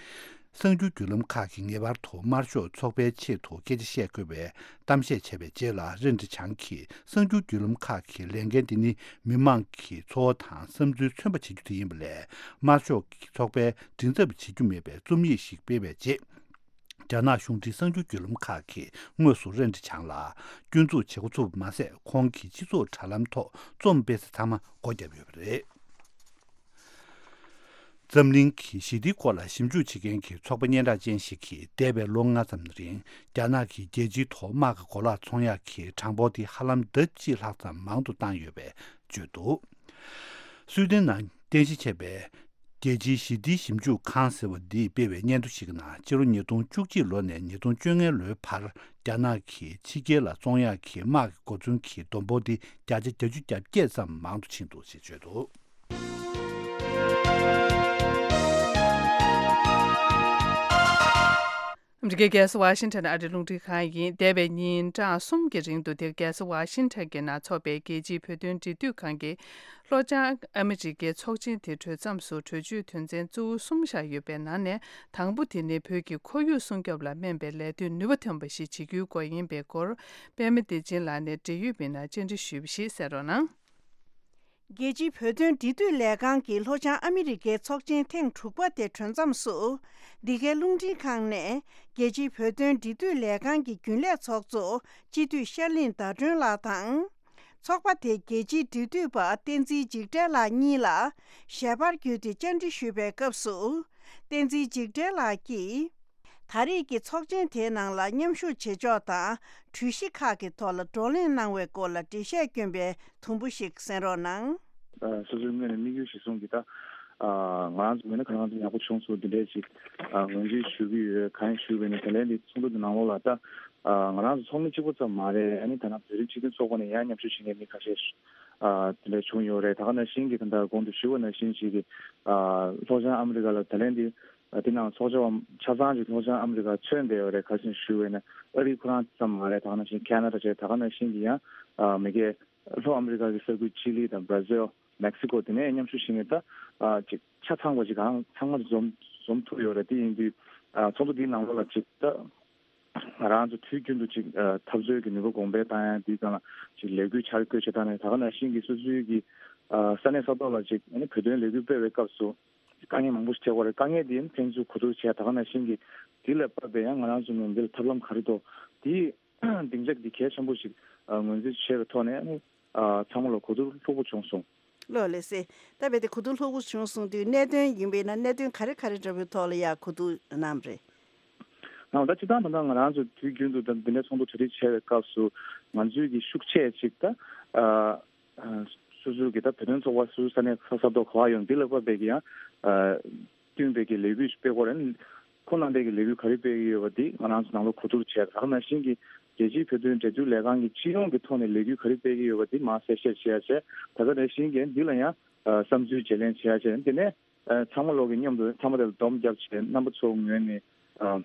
གསར་འགྱུར་བརྒྱུད་ལམ་ཁག་གིས་ངེས་པར་དུ་དམར་ཤོག་ཚོགས་པའི་ཆེད་དུ་སྐད་ཆ་བཤད་དགོས་པའི་གཏམ་བཤད་བྱས་པའི་རྗེས་ལ། རེན་ཀྲི་ཆང་གིས་གསར་འགྱུར་བརྒྱུད་ལམ་ཁག་གི་ལས་འགན་འདི་ནི་མི་མང་གི་ཚོར་བ་དང་བསམ་ཚུལ་མཚོན་པ་བྱེད་རྒྱུ་དེ་ཡིན་པ་ལས། དམར་ཤོག་གི་ཚོགས་པའི་མགྲིན་ཚབ་བྱེད་རྒྱུ་མེད་པའི་རྩོམ་ཡིག་ཞིག་སྤེལ་བའི་རྗེས། རྒྱ་ནག་གཞུང་འབྲེལ་གསར་འགྱུར་བརྒྱུད་ལམ་ཁག་གིས་དངོས་སུ་རེན་ཀྲི་ཆང་ལ་སྐྱོན་འཛུགས་བྱེད་འགོ་ཚུགས་པ་མ་ཟད། ཁོང་གིས་སྤྱི་ཚོགས་དྲ་ལམ་ཐོག་རྩོམ་སྤེལ་ས་ཚང་མ་སྒོ་བརྒྱབ་ཡོད་པ་རེད། འཛམ་གླིང་གི་ཞི་བདེའི་སྐོར་ལ་ཞིབ་འཇུག་བྱེད་མཁན་གྱི་ཚོགས་པ་སྙན་གྲགས་ཅན་ཞིག་གིས་འདས་པའི་ལོ་ལྔ་ཙམ་རིང་རྒྱ་ནག་གིས་རྒྱལ་སྤྱིའི་ཐོག་དམག་གི་གོ་ལག་ཚོང་ཡག་གི་གྲངས་འབོར་དེ་ཧ་ལམ་ལྡབ་གཅིག་ལྷག་ཙམ་མང་དུ་བཏང་ཡོད་པའི་བརྗོད་འདུག་སུའེ་ཏེན་ནང་རྟེན་གཞི་བྱས་པའི་རྒྱལ་སྤྱིའི་ཞི་བདེའི་ཞིབ་འཇུག་ཁང་ཟེར་བ་འདིས་སྤེལ་བའི་སྙན་ཐོ་ཞིག་གི་ནང་། སྤྱི་ལོ་ཉིས་སྟོང་བཅུ་གཅིག་ལོ་ནས་ཉིས་སྟོང་བཅོ་ལྔ་ལོའི་བར་རྒྱ་ནག་གིས་ཕྱི་རྒྱལ་ལ་ཚོང་ཡག་གི་དམག་གི་གོ་མཚོན་གྱི་བསྡོམས་འབོར་དེ་བརྒྱ་ཆ་བརྒྱད་ཅུ་གྱ་བརྒྱད་ཙམ་མང་དུ་ཕྱིན་འདུག་ཅེས་བརྗོད་འདུག་ཨ་མི་རི་ཀའི་རྒྱལ་ས་ཝ་ཤིང་ཊོན་ཨ་རིའི་རླུང་འཕྲིན་ཁང་ཡིན། འདས་པའི་ཉིན་གྲངས་གསུམ་གྱི་རིང་དུ་དེར་རྒྱལ་ས་ཝ་ཤིང་ཊོན་གྱི་ནང་འཚོགས་པའི་རྒྱལ་སྤྱིའི་བོད་དོན་འབྲེལ་མཐུད་ཁང་གི་ལྷོ་བྱང་ཨ་མི་རི་ཀའི་ཚོགས་ཆེན་དེ་གྲོལ་མཚམས་སུ་གྲོས་ཆོད་དོན་ཚན་གཙོ་བོ་གསུམ་བཞག་ཡོད་པའི་ནང་ནས། དང་པོ་དེ་ནི་བོད་ཀྱི་ཁོར་ཡུག་སྲུང་སྐྱོབ་ལ་སྨན་པའི་ལས་དོན་ནུས་པ་ཐོན་པ་ཞིག་བྱེད་རྒྱུའི་སྐོར་ཡིན་པའི་སྐོར། པད་མ་བདེ་ཆེན་ལགས་ནས་འབྲེལ་ཡོད་མི་སྣར་བཅར་འདྲི་ཞུས་པ་ཞིག་གསན་རོགས་གནང་། རྒྱལ་སྤྱིའི་བོད་དོན་འབྲེལ་མཐུད་ལས་ཁང་གི་ལྷོ་བྱང་ཨ་མི་རི་ཀའི་ཚོགས་ཆེན་ཐེངས་དྲུག་པ་དེ་གྲོལ་མཚམས་སུ། འདི་གའི་རླུང་འཕྲིན་ཁང་ནས་རྒྱལ་སྤྱིའི་བོད་དོན་འབྲེལ་མཐུད་ལས་ཁང་གི་རྒྱུན་ལས་ཚོགས་གཙོ་སྤྱི་འཐུས་ཤར་གླིང་ཟླ་སྒྲོན་ལགས་དང་། ཚོགས་པ་དེའི་རྒྱལ་སྤྱིའི་འབྲེལ་མཐུད་པ་བསྟན་འཛིན་འཇིགས་བྲལ་ལགས་གཉིས་ལ་ཞལ་པར་བརྒྱུད་དེ་བཅར་འདྲི་ཞུས་པའི་སྐབས་སུ། བསྟན་འཛིན་འཇིགས་བྲལ་ལགས་ཀྱིས། ད་རེས་ཀྱི་ཚོགས་ཆེན་དེའི་ནང་ལ་མཉམ་ཞུགས་བྱེད་ཕྱོགས་དང་། གྲོས་གཞི་ཁག་གི་ཐོག་ལ་བགྲོ་གླེང་གནང་བའི་སྐོར་ལ་འགྲེལ་བཤད་བསྐྱོན་པའི་དུམ་བུ་ཞིག་གསན་རོགས་གནང་། ཨ། སོ་སོའི་ངོས་ནས་དམིགས་ཡུལ་གཞིར་བཟུང་གིས་ད། ཨ། ང་རང་ཚོ་ངོས་ནས་ཁ་རང་ཚོ་ཡག་པོ་བྱུང་སོང་། འདི་འདྲའི་ཅིག་ཨ། ངོས་འཛིན་ཞུ་གི་ཡོད། གང་ཞུ་བས་ནི་དེ་ལན་འདི་ཚོགས་འདུ་འདི་ནང་ལོགས་ལ་ད། ཨ། ང་རང་ཚོ་ཚོགས་མི་གཅིག་པོ་ཙམ་མ་རེད། ཨ་ནི་ད་ནང་བོད་རིགས་སྤྱི་མཐུན་ཚོགས་པ་ནས་ཡང་མཉམ་ཞུགས་བྱེད་མཁན་མི་ཁ་ཤས། ཨ། དེ་འདྲ་བྱུང་ཡོད་རེད། ད་ག་ནང་བཞིན་གྱི་ད་ལྟ་གོང་དུ་ཞུས་པ་ནང་བཞིན་ཞིག་གི། ཨ། ལྷོ་བྱང་ཨ་མི་རི་ཀ་ལ་ད་ལན་འདི། ཨ། དེ་ནང་ཚོགས་བཅར་བ་ཆ་ཚང་ཅིག་ལྷོ་བྱང་ཨ་མི་རི་ཀ་མཚོན་བསྡད་ཡོད་རེད། ག་རེ་ཞུ་བས་ན་ཨ་རི་ཁོ་རང་ཙམ་མ་རེད། ད་ག་ནང་བཞིན་ཁེ་ན་ཌ་བྱས། ད་ག་ནང་བཞིན་གྱི་ཡང་། ཨ། མི་སྒེར་ལྷོ་ཨ་མི་རི་ཀ་གི་ས་ཁུལ་ཅི་ལི་དང་བྷར་ཛིལ། མེག་སི་ཀོ་དེ་ནས་མཉམ་ཞུགས་བྱེད་མཁན་ད། ཨ། ཅིག་ཆ་ཚང་བ་ཅིག་གང་ཚང་མ་འཛོམས་འཛོམས་ཐུབ་ཡོད་རེད། དེ་ཡིན་དུས། ཨ། ཚོགས་འདུ་འདིའི་ནང་ལོགས་ལ་ཅིག་ད། ང་རང་ཚོ་དུས་རྒྱུན་དུ་ཅིག་ཨ། འཐབ་རྩོད་ཀྱི་ནུས་པ་གོང་འཕེལ་བཏང་ཡ། འདིའི་སྒང་ལ་ཅིག་ལས་འགུལ་འཆར་འགོད་བྱེད་སྟངས་ནས། ད་ག་ནང་བཞིན་གྱི་སོ་སོའི་གི། ཨ། ས་གནས་ས་ཐོག་ལ་ཅིག་ཨ་ནི་བོད་དོན་ལས་འགུལ་སྤེལ་བའི་སྐབས་སུ་དཀའ་ངལ་མང་པོ་ཞིག་འཕྲད་ཀྱི་ཡོད་རེད། དཀའ་ངལ་འདི་ཕན་ཚུན་གོ་བསྡུར་བྱས། ད་ག་ནང་བཞིན་གྱི་འདི་ལ་བབས་པའི་ཡང་ང་རང་ཚོ་ངོས་འདི་ལ་ཐབས་ལམ་ག་རེ་འདུག་འདི་སྡིངས་ཆ་འདི་གལ་ཆེན་པོ་ཞིག་ཨ། ངོས་འཛིན་བྱས་པའི་ཐོག་ནས་ཨ་ནི། ཨ། ཚང་མ་ལ་གོ་བསྡུར་ལྷུག་པོ་བྱུང་སོང་། ལགས་ལགས་སེ། ད་རྦད་དེ་གོ་བསྡུར་ལྷུག་པོ་བྱུང་སོང་དུས། གནད་དོན་ཡིན་པས་ན་གནད་དོན་ག་རེ་ག་རེ་འདྲ་པོའི་ཐོག་ལ་ཡང་གོ་བསྡུར་གནང་བ་རེད། ནའོ། ད་སྤྱིར་བཏང་ད་ལྟ་ང་རང་ཚོ་དུས་རྒྱུན་དུ་ད་འདི་འདྲའི་ཚོགས་འདུ་གྲ་སྒྲིག་བྱས་པའི་སྐབས་སུ་ང་ཚོའི་གི་ཤུགས་ཆེ་ཅིག་ད། ཨ། ཨ། སོ་སོའི་གི་ད་བོད་དོན་ཚོགས་པ་སོ་སོའི་ས་གནས་ས་ས་ཐོག་ག་པར་ཡོད་འདི་ལ་བབས་པའི་གི་ཡང་། ཨ། བསྟུན་པའི་གི་ལས་འགུལ་སྤེལ་དགོས་རེད། ཁོང་རྣམ་པས་ཀྱི་ལས་འགུལ་ག་རེ་སྤེལ་གྱི་ཡོད་པ་འདི་ང་རང་ཚོ་ནང་ལོགས་གོ་བསྡུར་བྱས། ད་ག་ནང་བཞིན་གྱི་རྒྱལ་སྤྱིའི་བོད་དོན་འབྲེལ་མཐུད་ལས་ཁང་གི་སྤྱི་ཡོངས་ཀྱི་ཐོག་ནས་ལས་འགུལ་ག་རེ་སྤེལ་གྱི་ཡོད་པ་འདི་མར་གསལ་བཤད་བྱེད་ཡ་བྱས། ད་ག་ནང་བཞིན་གྱི་འདི་ལ་ཡང་ཨ་བསམ་ཚུལ་བརྗེ་ལེན་བྱེད་ཡ་བྱས། དེ་ནས་ཨ་ཚང་མ་ལོག་གི་མཉམ་དུ་ཚང་མ་དེ་ལ་སྡོམ་བརྒྱབ་བྱས། རྣམ་པ་ཚོ་ངོས་ནས་ཨ་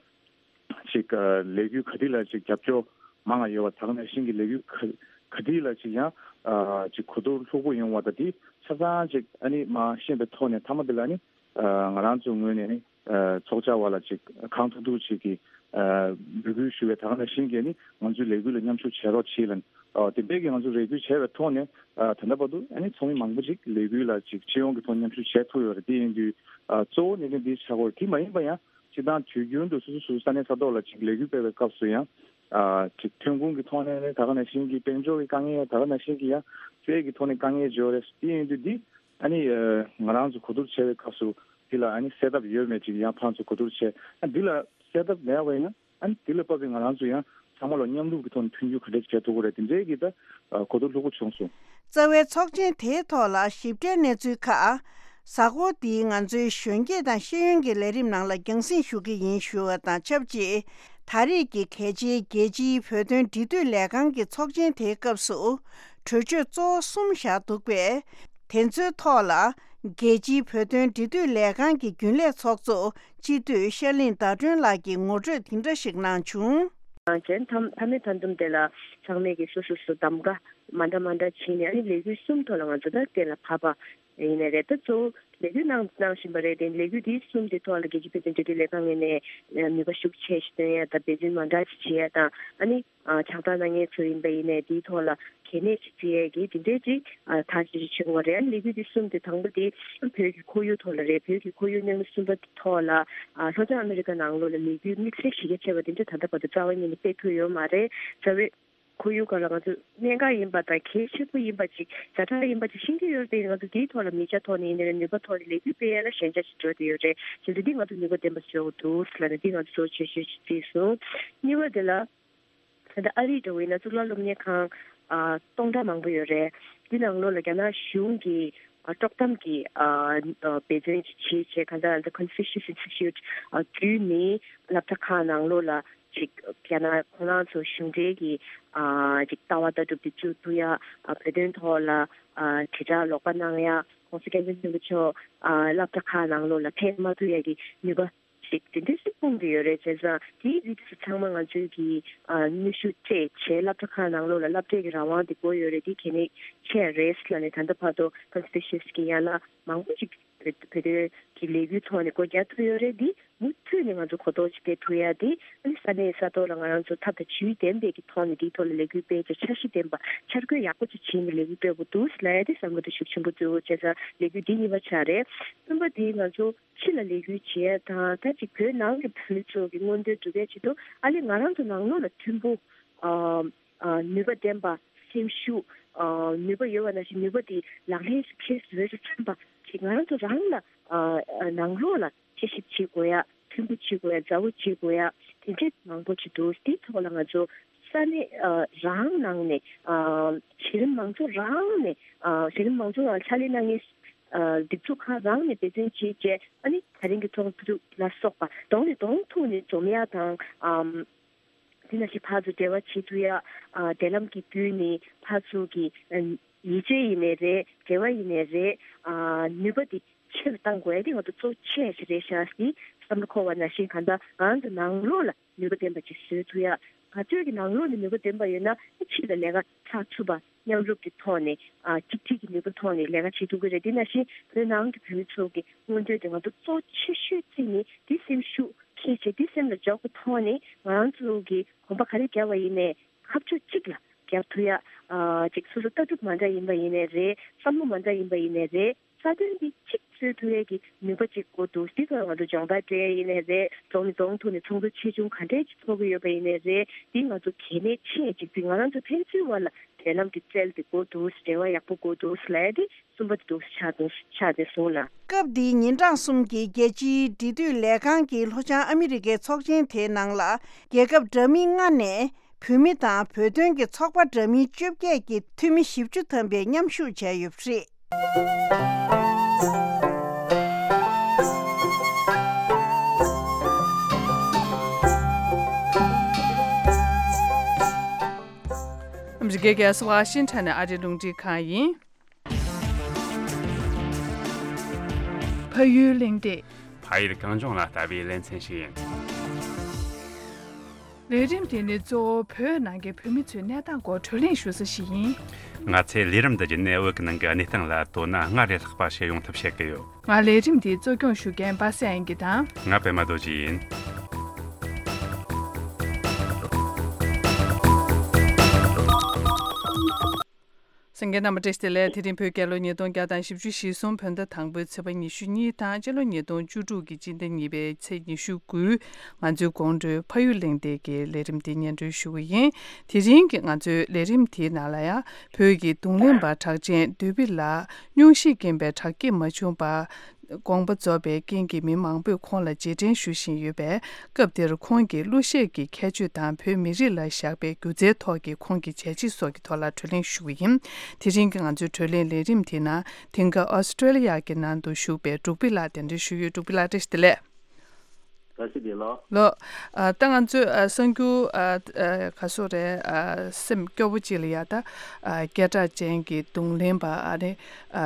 ཅིག་ཨ་ལས་འགུལ་ག་དུས་ལ་ཅིག་རྒྱབ་སྐྱོར་མང་བ་ཡོད་པ། ད་ག་ནང་བཞིན་གྱི་ལས་འགུལ་ག་ག་དུས་ལ་ཅིག་ཡང་ཨ་ཅིག་གོ་བསྡུར་ལྷུག་པོ་ཡོང་བ་དང་། དེ་ཆ་ཚང་ཅིག་ཨ་ནི་མར་ཤེས་པའི་ཐོག་ནས་མཐའ་མ་དེ་ལ་ཨ་ནི། ཨ་ང་རང་ཚོའི་ངོས་ནས་ནི་ཨ་ཚོགས་བཅར་བ་ལ་ཅིག་གང་ཐུབ་ཐུབ་ཅིག་གིས་ཨ་འབོད་སྐུལ་ཞུ་བའི། ད་ག་ནང་བཞིན་གྱི་ནི་ང་ཚོའི་ལས་འགུལ་ལ་མཉམ་ཞུགས་བྱེད་རོགས་བྱེད་ལབ། ཨ་དེ་འདྲའི་གི་ང་ཚོ་རེ་སྐུལ་བྱས་པའི་ཐོག་ནས་ཨ་ད་ལྟ་བར་དུ་ཨ་ནི་ཚོགས་མི་མང་པོ་ཅིག་ལས་འགུལ་ལ་ཅིག་སྤྱི་ཡོངས་ཀྱི་ཐོག་མཉམ་ཞུགས་བྱས་ཐུབ་ཡོད་རེད། དེ་ཡིན་དུས་ཨ་གཙོ་བོ་གནད་དོན་འདི་ཆགས་ཀྱི་ཡོད་རེད། དེ་མ་ཡིན་པ་ཡང་སྤྱིར་བཏང་དུས་རྒྱུན་དུ་སོ་སོ་སོ་སོའི་ས་གནས་ས་ཐོག་ལ་ཅིག་ལས་འགུལ་སྤེལ་བའི་སྐབས་སུ་ཡང་ཨ་ཅིག་ཐོན་ཁུངས་ཀྱི་ཐོག་ནས་ནི་ད་ག་ནང་བཞིན་གྱི་དཔལ་འབྱོར་གྱི་དཀའ་ངལ། ད་ག་ནང་བཞིན་གྱི་ཡང་སྤྱོད་ཡག་གི་ཐོག་ནས་དཀའ་ངལ་ཡོད་རེད། དེ་ཡིན་དུས་འདི་ཨ་ནི་ཨ་ང་རང་ཚོ་གོ་བསྡུར་བྱས་པའི་སྐབས་སུ་འདི་ལ་ཨ་ནི་སེལ་ཐབས་ཡོད་མེད་ཅིག་ཡང་ཕར་ཚུར་གོ་བསྡུར་བྱས། ཨ་འདི་ལ་སེལ་ཐབས་མེད་པ་ཡིན་ན་ཨ་ནི་འདི་ལ་བབས་པའི་ང་རང་ཚོ་ཡང་ཚང་མ་ལ་མཉམ་རུབ་ཀྱི་ཐོག་ནས་མཐུན་འགྱུར་ག་འདྲ་བྱེད་ཐུབ་ཀྱི་རེད། དེ་འདྲའི་གི་ད་ཨ་གོ་བསྡུར་ལྷུག་པོ་བྱུང་སོང་། རྩ་བའི་ཚོགས་ཆེན་དེའི་ཐོག་ལ་ཞིབ་ཕྲའི་གནས་ཚུལ་ཁག་གཟའ་འཁོར་འདིའི་ང་ཚོའི་གཞོན་སྐྱེས་དང་ཤེས་ཡོན་གྱི་ལས་རིམ་ནང་ལ་རྒྱང་སྲིང་ཞུ་གི་ཡིན་ཞུ་བ་དང་ཆབས་ཅིག་ད་རེས་ཀྱི་གལ་ཆེའི་རྒྱལ་སྤྱིའི་བོད་དོན་འབྲེལ་མཐུད་ལས་ཁང་གི་ཚོགས་ཆེན་དེའི་སྐབས་སུ་གྲོས་ཆོད་གཙོ་བོ་གསུམ་བཞག་འདུག་པས། དེ་ཚོའི་ཐོག་ལ་རྒྱལ་སྤྱིའི་བོད་དོན་འབྲེལ་མཐུད་ལས་ཁང་གི་རྒྱུན་ལས་ཚོགས་གཙོ་སྤྱི་འཐུས་ཤར་གླིང་ཟླ་སྒྲོན་ལགས་ཀྱིས་ངོ་སྤྲོད་འདི་འདྲ་ཞིག་གནང་བྱུང་། གཞན་མཐའ་མཐའ་མའི་མཐའ་སྡོམ་དེ་ལ་ཚང་མས་ཀྱི་སོ་སོ་སོ་གདམ་ག་མ་འདྲ་མ་འདྲ་བྱས་ནས། ཨ་ནི་ལས་འགུལ་གསུམ་ཐོག་ལ་ང་ཚོ་ད་གཏན་ལ་ཕབ་པ། ཡིན་ནའི་རེད། ད་གཙོ་བོ་ལས་འགུལ་གནང་གནང་བཞིན་པ་རེད། དེ་ལས་འགུལ་འདི་གསུམ་དེ་ཐོག་ལ་རྒྱལ་སྤྱིའི་བོད་དོན་འབྲེལ་མཐུད་ལས་ཁང་ངོས་ནས་ནུས་པ་ཤུགས་ཆེ་ཞིག་བཏོན་ཡ་དང་འབད་བརྩོན་མ་འདྲ་ཞིག་བྱེད་ཡ་དང་ཨ་ནི། ཨ། ཕྱག་རྟགས་གནང་མཁན་ཚོ་ཡིན་པ་ཡིན་ནའི་དེའི་ཐོག་ལ་གལ་གནད་ཅིག་བརྩི་ཡས་ཀྱི་དེ་འདྲའི་ཅིག་ཨ། ཐག་གཅོད་ཅིག་བྱེད་དགོས་པ་རེད། ཨ་ནི་ལས་འགུལ་འདི་གསུམ་དེ་དང་པོ་དེ་བོད་ཀྱི་ཁོར་ཡུག་ཐོག་ལ་རེད། བོད་ཀྱི་ཁོར་ཡུག་གནས་ལུགས་གསུམ་པ་དེ་ཐོག་ལ་ཨ། ལྷོ་བྱང་ཨ་མི་རི་ཀ་ནང་ལོགས་ལ་ལས་འགུལ་དམིགས་བསལ་གཞི་རྒྱ་ཆེ་བ་དེ་འདྲ་ད་ལྟ་བར་དུ་རྩ་བ་ཉིད་ནས་སྤེལ་ཐུབ་ཡོད་མ་རེད། རྩ་བའི་ཁོར་ཡུག་སྒང་ལ་ང་ཚོ་གནད་འགག་ཡིན་པ་དང་གལ་ཆེན་པོ་ཡིན་པ་ཅིག་ཛ་དྲག་ཡིན་པ་ཅིག་ཤེས་ཀྱི་ཡོད་རེད་དེ། ང་ཚོ་དེའི་ཐོག་ལ་མིང་ཆ་ཐོག་ནས་ཡིན་ནའི་རེད། ནུས་པ་ཐོག་ནས་ལས་འགུལ་སྤེལ་ཡ་ལ་ཞན་ཆ་ཞིག་འགྲོ་བསྡད་ཡོད་རེད། བྱས་ཙང་འདི་ང་ཚོ་ནུས་པ་ལྡན་པ་བཟོ་དགོས་འདུག་ཟེར་ལབ་ནས་འདི་ང་ཚོ་གཙོ་ཆེ་ཤོས་ཤིག་བརྩིས་སོང་། གཉིས་པ་དེ་ལ། ད་ལྟ་ཨ་རིའི་འགྲོ་བའི་ན་གཙུག་ལག་སློབ་གཉེར་ཁང་ཨ། སྟོང་ཕྲག་མང་པོ་ཡོད་རེད། འདི་ནང་ལོགས་ལ་རྒྱ་ནག་གཞུང་གིས་ཨ། དཀྲོག་གཏམ་གྱི་ཨ། ཨ། འབད་བརྩོན་ཅིག་བྱེད་བྱས་གང་ལྟར་The Confucius Institute ཨ། བརྒྱུད་ནས་སློབ་གྲྭ་ཁག་ནང་ལོགས་ལ་ཅིག་རྒྱ་ནག་ཁོ་རང་ཚོ་གཞུང་འབྲེལ་གྱི་ཨ། ཅིག་ལྟ་བ་ལྟ་གྲུབ་དེ་བཅུག་ཐུབ་ཡ། ཨ། བོད་དོན་ཐོག་ལ་ཨ། དྲིལ་བསྒྲགས་ལོག་པ་གནང་ཡ། ༸གོང་ས་༸སྐྱབས་མགོན་ཆེན་པོ་མཆོག་ཨ། སློབ་གྲྭ་ཁག་ནང་ལོགས་ལ་ཕེབས་མ་ཐུབ་ཡ་གི་ནུས་པ་ཞིག་དེ་འདྲ་ཞིག་སྤུངས་ཏེ་ཡོད་རེད། བྱས་ཙང་དེའི་རིགས་སུ་ཚང་མ་ང་ཚོའི་གི་ཨ། གནོན་ཤུགས་སྤྲད་བྱས་སློབ་གྲྭ་ཁག་ནང་ལོགས་ལ་སློབ་གྲྭའི་གི་རང་དབང་དེ་དགོས་ཡོད་རེད། དེ་གལ་གནད་ཆེ་རེད་ལབ་ནས་ད་ལྟ་བར་དུ་Confucius གི་ཡན་ལག་མང་པོ་ཅིག་བོད་བོད་དོན་གི་ལས་འགུལ་ཐོག་ནས་སྒོ་རྒྱག་ཐུབ་ཡོད་རེད། འདི་མུ་མཐུད་ནས་ང་ཚོ་གོ་རྟོགས་ཅིག་སྤེལ་ཐུབ་ཡ་དེ་ཨ་ནི་ས་གནས་ས་ཐོག་ལ་ང་རང་ཚོ་ཐབས་དང་ཇུས་ལྡན་པའི་གི་ཐོག་ནས་དེའི་ཐོག་ལ་ལས་འགུལ་སྤེལ་བྱས་འཆར་གཞི་ལྡན་པ་འཆར་འགོད་ཡག་པོ་ཅིག་བྱས་ནས་ལས་འགུལ་སྤེལ་དགོས་འདུག་ལབ་ཡ་དེ་བསམ་བློ་དེ་ཤུགས་ཆེན་པོ་བཏོན་ཡོད། བྱས་ཙང་ལས་འགུལ་འདི་གཉིས་པ་ཆགས་རེད། གསུམ་པ་དེ་ང་ཚོ་ཕྱི་ལ་ལས་འགུལ་བྱེད་ཡ་དང་ད་ཅིག་བོད་ནང་གི་བོད་མི་ཚོ་གི་མངོན་འདོད་སྒྲུབ་ཡ་ཆེད་དུ་ཨ་ལས་ང་རང་ཚོ་ནང་ལོགས་ལ་མཐུན་པོ་ཨ་ཨ་ནུས་པ་ལྡན་པ་སེམས་ཤུགས་ཨ་ནུས་པ་ཡོད་པ་ནང་བཞིན་ནུས་པ་དེ་ལག་ལེན་འཁེལ་བཟོས་ཚུན་པ་ཅིག་ང་རང་ཚོ་རང་ལ་ཨ་ཨ་ནང་ལོགས་ལ་དཔྱད་ཞིབ་བྱེད་དགོས་ཡ། མཐུན་པོ་བྱེད་དགོས་ཡ། མཛའ་བོ་བྱེད་དགོས་ཡ། དེ་འདྲའི་མང་པོ་ཅིག་འདུག་དེའི་ཐོག་ལ་ང་ཚོ་ས་གནས་ཨ་རང་ནང་ནས་ཨ་གཞི་རིམ་མང་ཚོགས་རང་ནས་ཨ་གཞི་རིམ་མང་ཚོགས་ལ་ཕྱག་ལས་གནང་མཁན་ཨ་སྒྲིག་འཛུགས་ཁག་རང་ནས་འབད་བརྩོན་བྱས་བྱས་ཨ་ནི་ད་རིང་གི་ཚོགས་འདུ་ལ་སོགས་པ་གདོང་ནས་གདོང་ཐུག་ནས་འཛོམས་ཡ་དང་ཨམ་དེ་ནང་བཞིན་ཕར་ཚུར་འབྲེལ་བ་བྱེད་ཐུབ་ཡ། ཨ་འབྲེལ་ལམ་གྱི་བརྒྱུད་ནས་ཕར་ཚུར་གྱི་ཨ་ཡིད་ཆེས་ཡིན་ནའི་རེད། འབྲེལ་བ་ཡིན་ནའི་རེད། ཨ་ནུས་པ་དེ་ཆེ་རུ་གཏང་དགོས་ཡ་དེ་ང་ཚོ་གཙོ་ཆེ་ཞིག་རེད་ཤག་ཟེར་བསམ་བློ་འཁོར་བ་ནང་བཞིན་གང་ལྟར་ང་རང་ཚོ་ནང་ལོགས་ལ་ནུས་པ་ལྡན་པ་ཅིག་བཟོ་ཐུབ་ཡ། ག་ཚོད་ཀྱི་ནང་ལོགས་ནས་ནུས་པ་ལྡན་པ་ཡོད་ན་ཕྱི་ལ་ལས་ཀ་ཚགས་ཚུད་པ་མཉམ་རུབ་ཀྱི་ཐོག་ནས་ཨ་གཅིག་སྒྲིལ་གྱི་ནུས་པ་ཐོག་ནས་ལས་ཀ་བྱེད་ཐུབ་ཀྱི་རེད། དེ་ནང་བཞིན་བོད་ནང་གི་བོད་མི་ཚོ་གི་མངོན་འདོད་དེ་ང་ཚོ་གཙོ་ཆེ་ཤོས་བརྩིས་ནས་དེ་སེམས་ཤུགས་འཁྱེར་བྱས་དེ་སེམས་ལ་འཇོག་པའི་ཐོག་ནས་ང་རང་ཚོ་གི་གོམ་པ་ག་རེ་བརྒྱབ་པ་ཡིན་ནའི་ཁ་ཕྱོགས་གཅིག་ལ་རྒྱག་ཐུབ་ཡ། ཨ་ཅིག་སོ་སོ་ལྟ་གྲུབ་མ་འདྲ་ཡིན་པ་ཡིན་ནའི་རེད། བསམ་བློ་མ་འདྲ་ཡིན་པ་ཡིན་ནའི་རེད། རྩ་དོན་འདི་གཅིག་བཟོ་ཐུབ་ཡས་ཀྱི་ནུས་པ་གཅིག་དགོས་འདུག་དེ་ཚོ་ང་ཚོ་སྦྱོང་བརྡར་སྤྲད་ཡས་ཡིན་ནའི་རེད། གདོང་ནས་གདོང་ཐུག་ནས་ཚོགས་འདུ་ཆེ་ཆུང་ག་འདྲས་ཅིག་ཚོགས་ཀྱི་ཡོད་པ་ཡིན་ནའི་རེད། འདི་ང་ཚོ་གལ་གནད་ཆེ་ཡས་གཅིག་འདི་ང་རང་ཚོ་ཕན་ཚུན་བར་ལ་འབྲེལ་ལམ་འདི་རྩལ་འདི་དགོས་འདུག་འབྲེལ་བ་ཡག་པོ་དགོས་འདུག་ལབ་ཡས་དེ་གསུམ་པ་དེ་འདུག་ཆགས་འདུག་ཆགས་བསྡད་སོང་ལ། སྐབས་འདིའི་ཉིན་གྲངས་གསུམ་གྱི་རྒྱལ་སྤྱིའི་འབྲེལ་མཐུད་ལས་ཁང་གི་ལྷོ་བྱང་ཨ་མི་རི་ཀའི་ཚོགས་ཆེན་དེའི་ནང་ལ་རྒྱལ་ཁབ་འདྲ་མིན་ལྔ་ནས་བོད་མི་དང་བོད་དོན་གྱི་ཚོགས་པ་འདྲ་མིན་བཅོ་བརྒྱད་ཀྱི་འཐུས་མི་བཞི་བཅུ་ཐམ་པས་མཉམ་ཞུགས་བྱས་ཡོད་པ་རེད། ཨ་མི་རི་ཀའི་རྒྱལ་ས་ཝ་ཤིང་ཊོན་ནས་ཨ་རིའི་རླུང་འཕྲིན་ཁང་ཡིན། ཕ་ཡུལ་གླེང་སྟེགས། ཕ་ཡུལ་གངས་ལྗོངས་ལ་ལྟ་བའི་ལེ་ཚན་ཞིག་ཡིན། ལས་རིམ་དེ་ནི་གཙོ་བོ་བོད་ནང་གི་བོད་མི་ཚོའི་གནས་སྟངས་སྐོར་བགྲོ་གླེང་ཞུ་ས་ཞིག་ཡིན། ང་ཚོས་ལས་རིམ་འདི་བརྒྱུད་ནས་བོད་ཀྱི་ནང་གི་གནས་སྟངས་ལ་དོ་སྣང་སྔར་ལས་ལྷག་པ་བྱེད་ཡོང་ཐབས་བྱེད་ཀྱི་ཡོད། ང་ལས་རིམ་འདི་གཙོ་སྐྱོང་ཞུ་མཁན་པ་སངས་དབྱངས་སྐྱིད་དང་། ང་པད་མ་རྡོ་རྗེ་ཡིན། གསན་མཁན་རྣམ་པ་བཀྲ་ཤིས་བདེ་ལེགས། དེ་རིང་བོད་རྒྱལ་ལོ་ཉིས་སྟོང་བརྒྱ་དང་བཞི་བཅུ་ཞེ་གསུམ་བོད་ཟླ་དང་པོའི་ཚེས་པ་ཉི་ཤུ་གཉིས་དང་སྤྱི་ལོ་ཉིས་སྟོང་བཅུ་དྲུག་གི་སྤྱི་ཟླ་གཉིས་པའི་ཚེས་ཉི་ཤུ་དགུ། ང་ཚོའི་དགོང་དྲོའི་ཕ་ཡུལ་གླེང་སྟེགས་ཀྱི་ལས་རིམ་འདི་སྙན་སྒྲོན་ཞུ་གི་ཡིན། དེ་རིང་གི་ང་ཚོའི་ལས་རིམ་དེའི་ནང་ལ་ཡང་བོད་ཀྱི་རྡུང་ལེན་པ་གྲགས་ཅན་བདུད་བྷི་ལ་སྙུང་གཞིས་རྐྱེན་པས་དྲག་སྐྱེད་མ་བྱུང་བར་དགོངས་པ་རྫོགས་པའི་རྐྱེན་གྱིས་མི་མང་པོས་ཁོང་ལ་རྗེས་དྲན་ཞུ་བཞིན་ཡོད་པས། སྐབས་དེར་ཁོང་གི་གླུ་གཞས་ཀྱི་ཁྱད་ཆོས་དང་བོད་མི་རིགས་ལ་བཞག་པའི་སྒྱུ་རྩལ་ཐོག་གི་ཁོང་གི་བྱས་རྗེས་སོགས་ཀྱི་ཐོག་ལ་བགྲོ་གླེང་ཞུ་གི་ཡིན། དེ་རིང་གི་ང་ཚོའི་བགྲོ་གླེང་ལས་རིམ་དེའི་ནང་དེང་སྐབས་ཨོ་སི་ཀྲོ་ལི་ཡ་གི་ནང་དུ་བཞུགས་པའི་འབྲུག་བྷི་ལགས་གདན་འདྲེན་ཞུས་ཡོད། འབྲུག་བྷི་ལགས་བཀྲ་ཤིས་བདེ་ལེགས། བཀྲ་ཤིས་བདེ་ལེགས། ལགས། ཨ་ད་ང་ཚོས་ཨ་གསར་འགྱུར་ཨ་ཨ་ག་ཚོད་རེད། ཨ་སེམས་སྐྱོ་བོ་ཅིག་ལ་ཡ་ད་ཨ་སྐད་གྲགས་ཅན་གྱི་རྡུང་ལེན་པ་ཨ་ནི་ཨ་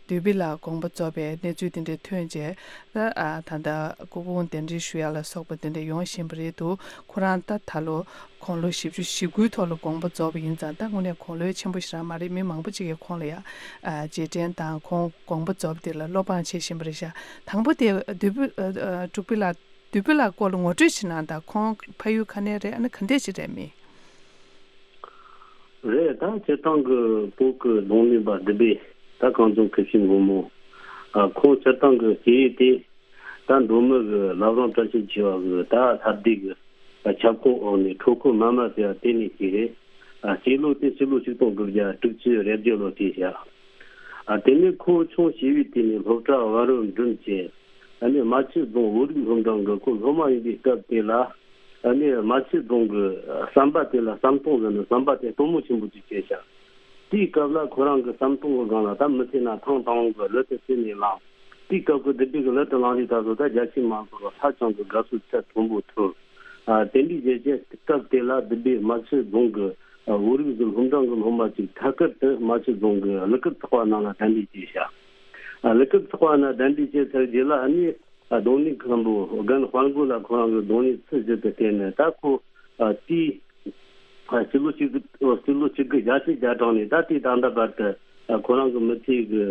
བདུད་བྷི་ལ་དགོངས་པ་རྫོགས་པའི་གནས་ཚུལ་དེ་འདྲ་ཐོན་རྗེས་ད་ཨ་ད་ལྟ་སྐུ་ཕུང་གདན་འདྲེན་ཞུ་ཡ་ལ་སོགས་པ་དེ་འདྲ་ཡོང་བཞིན་པ་རེད་འདུག་ཁོ་རང་ད་ད་ལོ་ དགུང་ལོ་བཞི་བཅུ་ཞེ་དགུའི་ཐོག་ལ་དགོངས་པ་རྫོགས་པ་ཡིན་ཙང་། ད་དངོས་གནས་དགུང་ལོ་ཆེན་པོ་ཞེ་དྲག་མ་རེད། མི་མང་པོ་ཅིག་གིས་ཁོང་ལ་ཡ་ཨ་རྗེས་དྲན་དང་ཁོང་དགོངས་པ་རྫོགས་པ་དེ་ལ་བློ་ཕངས་བྱེད་བཞིན་པ་རེད་ཤག་དང་པོ་དེ་བདུད་བུ་ཨ་ཨ་འབྲུག་པའི་ལ་བདུད་བུ་ལགས་སྐོར་ལ་ངོ་སྤྲོད་བྱེད་ན། ད་ཁོང་ཕ་ཡུལ་ག་ནས་རེད། ཨ་ནི་ག་འདྲས་ཅིག་རེད་མི། རེད། ད་སྤྱིར་བཏང་གི་བོད་ཀྱི་རྡུང་ལེན་པ་བདུད་བུ་ད་གངས་ལྗོངས་ཁུ་བྱུག་མགོན་པོ། ཨ་ཁོང་སྤྱིར་བཏང་གི་སྐྱེས་ཡུལ་དེ་ད་མདོ་སྨད་ཀྱི་བླ་བྲང་བཀྲ་ཤིས་འཁྱིལ་པ་གི་ད་ལྷ་སྡེ་གི་ཁྱབ་ཁོངས་འོག་ནས་ཁྲོ་ཁོ་མ་མ་ཟེར་བ་དེ་ནས་སྐྱེས་རེད། ཨ་སྐྱེས་ལོ་དེ་སྤྱི་ལོ་ཆིག་སྟོང་དགུ་བརྒྱ་དྲུག་ཅུ་རེ་བརྒྱད་ལོ་སྐྱེས་ཤག་ཨ་དེ་ནས་ཁོ་ཆུང་བྱིས་པའི་དུས་ནས་སློབ་གྲྭ་བར་རུ་འགྲིམས་བྱས། ཨ་ནི་རྨ་ཆུ་རྫོང་བོད་རིགས་སློབ་འབྲིང་གི་ཁོ་སློབ་མ་ཡིན་པའི་སྐབས་དེ་ལ། ཨ་ནི་རྨ་ཆུ་རྫོང་གི་ཟམ་པ་དེ་ལ་ཟམ་གདོང་ཟེར་ནས་ཟམ་པ་དེ་དཀོན་མོ་ཆེན་པོ་ཅིག་བྱས་ཤག་དེའི་སྐབས་ལ་ཁོ་རང་གི་ཟམ་གདོང་གི་སྒང་ལ་ད་མི་ཚེ་ན་ཐེངས་དང་པོ་གི་གླུ་དེ་རྩེ་ནས་བླངས། དེའི་སྐབས་ཀྱི་བདུད་བུ་གི་གླུ་དེ་བླངས་དུས་ད་གཟོད་ད་རྒྱ་ཆེ་མང་ཚོགས་ལ་ཧ་ཅང་གི་དགའ་བསུ་ཚད་མཐོན་པོ་ཐོབ། ཨ་དེ་འདྲའི་རྒྱལ་ཆེ་སྐབས་དེ་ལ་བདུད་བུ་རྨ་ཆུ་རྫོང་གི་ཨ་བོད་རིགས་ཀྱི་སློབ་འབྲིང་གི་སློབ་མ་ཅིག་ཐད་ཀར་དུ་རྨ་ཆུ་རྫོང་གི་གླུ་སྐུད་ཚོགས་པ་ནང་ལ་གདན་འདྲེན་བྱས་ཤག་ཨ་གླུ་སྐུད་ཚོགས་པ་ནང་གདན་འདྲེན་བྱས་ཚར་རྗེས་ལ། ཨ་ནི་ཨ་རྡུང་ལེན་མཁན་པོ་རྒན་དཔལ་མགོན་ལགས་ཁོ་རང་གི་རྡུང་ལེན་ཚུལ་བཞིན་དུ་བསྟེན་ནས། ད་ཁོ་ཨ་དེའི་ཨ་སྤྱི་ལོ་གཅིག་སྤྱི་ལོ་གཅིག་དགུ་བརྒྱད་ཅུ་གྱ་གྲངས་ནས་ད་དེའི་ད་ལྟ་བར་དུ་ཨ་ཁོ་རང་གི་མི་ཚེ་གི་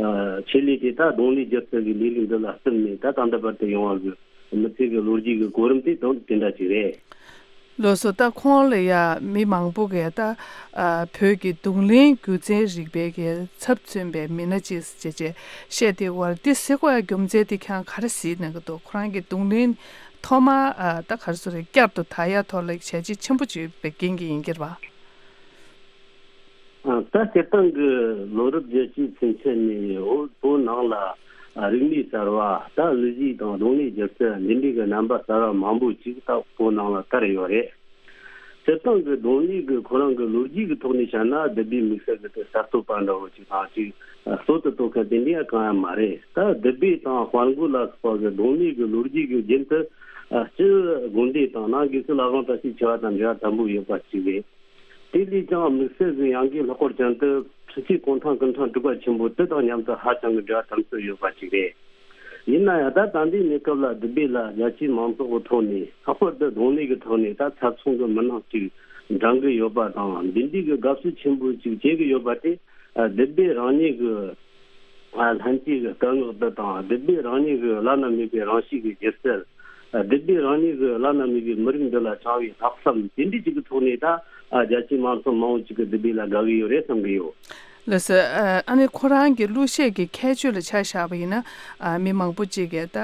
ཨ་ཆེད་ལས་དེ་ད་རྡུང་ལེན་སྒྱུ་རྩལ་གྱི་ལས་རིགས་འདི་ལ་བརྩམས་ནས། ད་ད་ལྟ་བར་དུ་ཡོང་བ་གི་མི་ཚེ་གི་ལོ་རྒྱུས་ཀྱི་གོ་རིམ་དེ་དང་དེ་འདྲ་ཅིག་རེད། ལགས་སོ། ད་ཁོང་ལ་ཡ་མི་མང་པོ་གིས་ད་ཨ་བོད་ཀྱི་རྡུང་ལེན་སྒྱུ་རྩལ་རིག་པའི་གི་ཚབ་མཚོན་པའི་མི་སྣ་ཅིག་ཅེས་ཅེས་བཤད་དེ་བར་འདི་ཟེར་དགོས་ཡ་རྒྱུ་མཚན་དེ་ཁྱེད་རང་ག་རེ་གཟིགས་གནང་གི་འདུག་ཁོ་རང་གི་རྡུང་ལེན་ཐོག་མ་ཨ་ད་ག་རེ་ཟེར་རེད། བསྐྱར་དུ་དར་ཡ་ཐོག་ལ་བྱས་རྗེས་ཆེན་པོ་ཅིག་ཡོད་པའི་རྐྱེན་གྱིས་ཡིན་གྱི་རེད་པ། ཨ་ད་སྤྱིར་བཏང་གི་ལོ་རབས་བརྒྱད་ཅུའི་ཚུན་ཆད་ནས་བོད་བོད་ནང་ལ་ཨ་རིག་གནས་གསར་བ། ད་གླུ་གཞས་དང་རྡུང་ལེན་སྒྱུ་རྩལ་འདི་འདྲའི་གི་རྣམ་པ་གསར་བ་མང་པོ་ཅིག་ད་བོད་ནང་ལ་དར་ཡོད་རེད། སྤྱིར་བཏང་གི་རྡུང་ལེན་གི་ཁོ་རང་གི་ལོ་རྒྱུས་ཀྱི་ཐོག་ནས་བཤད་ན། བདུད་བྷེ་དམིགས་བསལ་གི་དེ་གསར་གཏོད་པ་འདྲ་བོ་ཅིག་དང་ཅིག་ཨ་སྲོལ་དུ་གཏོད་མཁན་དེ་འདྲ་ཡང་གང་ཡང་མ་རེད། ད་བདུད་བྷེ་དང་དཔལ་མགོན་ལ་སོགས་པ་གི་རྡུང་ལེན་གི་ལོ་རྒྱུས་ཀྱི་རྒྱུན་དུ་ཨ་སྤྱི་དགོན་སྡེ་དང་ནང་སྒོས་སུ་བླ་བྲང་བཀྲ་ཤིས་འཁྱིལ་པ་དང་འབྲེལ་བ་དམ་པོ་ཡོད་པ་ཅིག་རེད། དེ་ལས་ཀྱང་དམིགས་བསལ་གྱི་ཡང་སྒོས་ལྷག་པར་ཅན་དུ་ཕྱི་སྲིད་གུང་ཐང་སྐུ་ཕྲེང་དྲུག་པ་ཆེན་པོ་དེ་དང་མཉམ་དུ་ཧ་ཅང་གི་འབྲེལ་བ་དམ་ཟབ་ཡོད་པ་ཅིག་རེད། ཡིན་ན་ཡང་ད་ད་ལྟའི་གནས་སྐབས་ལ་བདུད་བྷེ་ལ་རྒྱ་ཆེའི་མང་ཚོགས་ཀྱི་ཐོག་ནས། ལྷག་པར་དུ་རྡུང་ལེན་གྱི་ཐོག་ནས་ད་ཚབ་མཚོན་གྱི་མི་སྣ་ཅིག་འདྲེན་གྱི་ཡོད་པ་དང་། འདི་འདྲའི་གི་དགའ་བསུ་ཆེན་པོ་ཅིག་བྱེད་ཀྱི་ཡོད་པ་དེ་ཨ་བདུད་བྷེ་རང་ཉིད་ཀྱི་ཨ་ལྷན་སྐྱེས་ཀྱི་སྐད་ངག་འདི་དང་། བདུད་བྷེ་རང་ཉིད་ཀྱི་བླ་ན་མེད་པའི་རང་གཤིས་ཀྱི་སྒྱུ་རྩལ། ཨ་བདུད་བྷེ་རང་ཉིད་ཀྱི་བླ་ན་མེད་པའི་མི་རིགས་འདི་ལ་བཅངས་པའི་ལྷག་བསམ་དེ་འདྲའི་ཅིག་གི་ཐོག་ནས། ད་ཨ་རྒྱ་ཆེའི་མང་ཚོགས་མང་པོ་ཅིག་གིས་བདུད་བྷེ་ལ་དགའ་གི་ཡོད་རེད་བསམ་གི་ཡོད། ལགས་སོ། ཨ་ཨ་ནི་ཁོ་རང་གི་གླུ་གཞས་ཀྱི་ཁྱད་ཆོས་ལ་ཆ་བཞག་པ་ཡིན་ན། ཨ་མི་མང་པོ་ཅིག་གིས་ད་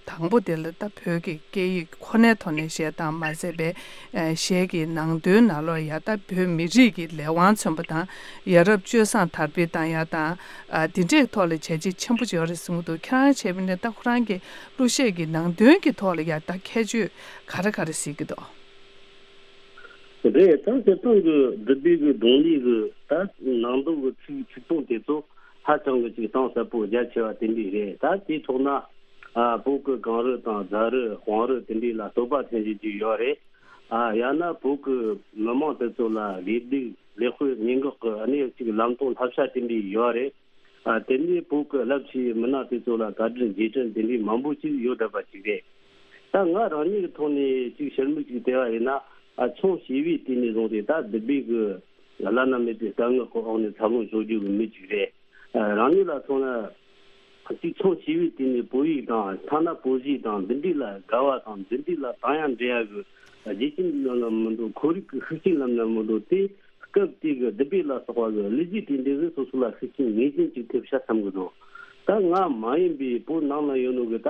དང་པོ་དེ་ལ་ད་བོད་ཀྱི་སྐད་ཡིག་ཁོ་ནའི་ཐོག་ནས་གཞས་བཏང་མ་ཟད་པའི་ཨ་གཞས་ཀྱི་ནང་དོན་ནང་ལོགས་ཡ་ད་བོད་མི་རིགས་ཀྱི་ལས་དབང་མཚོན་པ་དང་། ཡ་རབས་སྤྱོད་བཟང་དར་སྤེལ་བཏང་ཡ་དང་། ཨ་དེ་འདྲའི་ཐོག་ལ་བྱས་རྗེས་ཆེན་པོ་ཡོད་རེད་གསུང་གི་འདུག་ཁྱེད་རང་བྱས་པ་ཡིན་ན་ད་ཁོ་རང་གི་གླུ་གཞས་ཀྱི་ནང་དོན་གྱི་ཐོག་ལ་ཡ་ད་ཁྱད་ཆོས་ག་རེ་ག་རེ་གཟིགས་ཀྱི་འདུག་རེད། ད་སྤྱིར་བཏང་གི་བདུད་བྷེ་གི་རྡུང་ལེན་གི་ད་ནང་དོན་གི་ཚིག་ཚིག་དོན་དེ་ཚོ་ཧ་ཅང་གི་ཅིག་གཏིང་ཟབ་པོ་རྒྱ་ཆེ་བ་དེ་འདྲ་རེད། ད་དེའི་ཐོག་ན་ཨ་བོད་གི་གངས་རི་དང་རྫ་རི་བང་རི་དེ་འདྲ་ལ་བསྟོད་པ་འཐེན་བཞིན་ཅིག་ཡོད་རེད། ཨ་ཡང་ན་བོད་གི་མི་མང་དེ་ཚོ་ལ་དགེ་སྡིག་ལེགས་དཔེ་སྙན་ངག་གི་གནས་ཅིག་ལམ་སྟོན་བསླབ་བྱ་དེ་འདྲ་ཡོད་རེད། ཨ་དེ་ནས་བོད་ཀྱི་རླབས་ཆེ་བའི་མི་སྣ་དེ་ཚོ་ལ་བཀའ་དྲིན་རྗེས་དྲན་དེ་འདྲའི་མང་པོ་ཅིག་ཡོད་བསྡད་པ་ཅིག་རེད། ད་ང་རང་ཉིད་ཀྱི་ཐོག་ནས་ཅིག་ཕྱིར་མིག་ཅིག་བལྟས་པ་ཡིན་ན། ཨ་ཆུང་བྱིས་པའི་དུས་ནས་བཟུང་སྟེ་ད་བདུད་བྷེ་གི་བླ་ན་མེད་པའི་སྐད་ངག་གི་འོག་ནས་འཚར་ལོངས་བྱུང་རྒྱུ་གི་མི་ཅིག་རེད། ཨ་རང་ཉིད་ལ་མཚོན་ན། ཅིག་ཆུང་བྱིས་པའི་དུས་ནས་བོད་ཡིག་དང་། ཐ་ན་བོད་གཞས་དང་འདི་འདྲ་ལ་དགའ་བ་དང་། འདི་འདྲ་ལ་དང་ཡང་འདྲེ་ཡ་གི་རྒྱུ་རྐྱེན་རྣམས་ལ་མི་འདུག་ཁོར་ཡུག་གི་ཤུགས་རྐྱེན་རྣམས་ལ་མི་འདུག་དེ་སྐབས་དེ་གི་བདུད་བྷེ་ལ་སོགས་པ་གི་གླུ་གཞས་དེ་འདྲ་གིས་སོ་སོ་ལ་ཤུགས་རྐྱེན་ངེས་ཅན་ཅིག་ཐེབས་ཤག་བསམ་གི་འདུག་ད་ང་མ་ཡིན་པའི་བོད་ནང་ན་ཡོད་ནོ་གི་ད་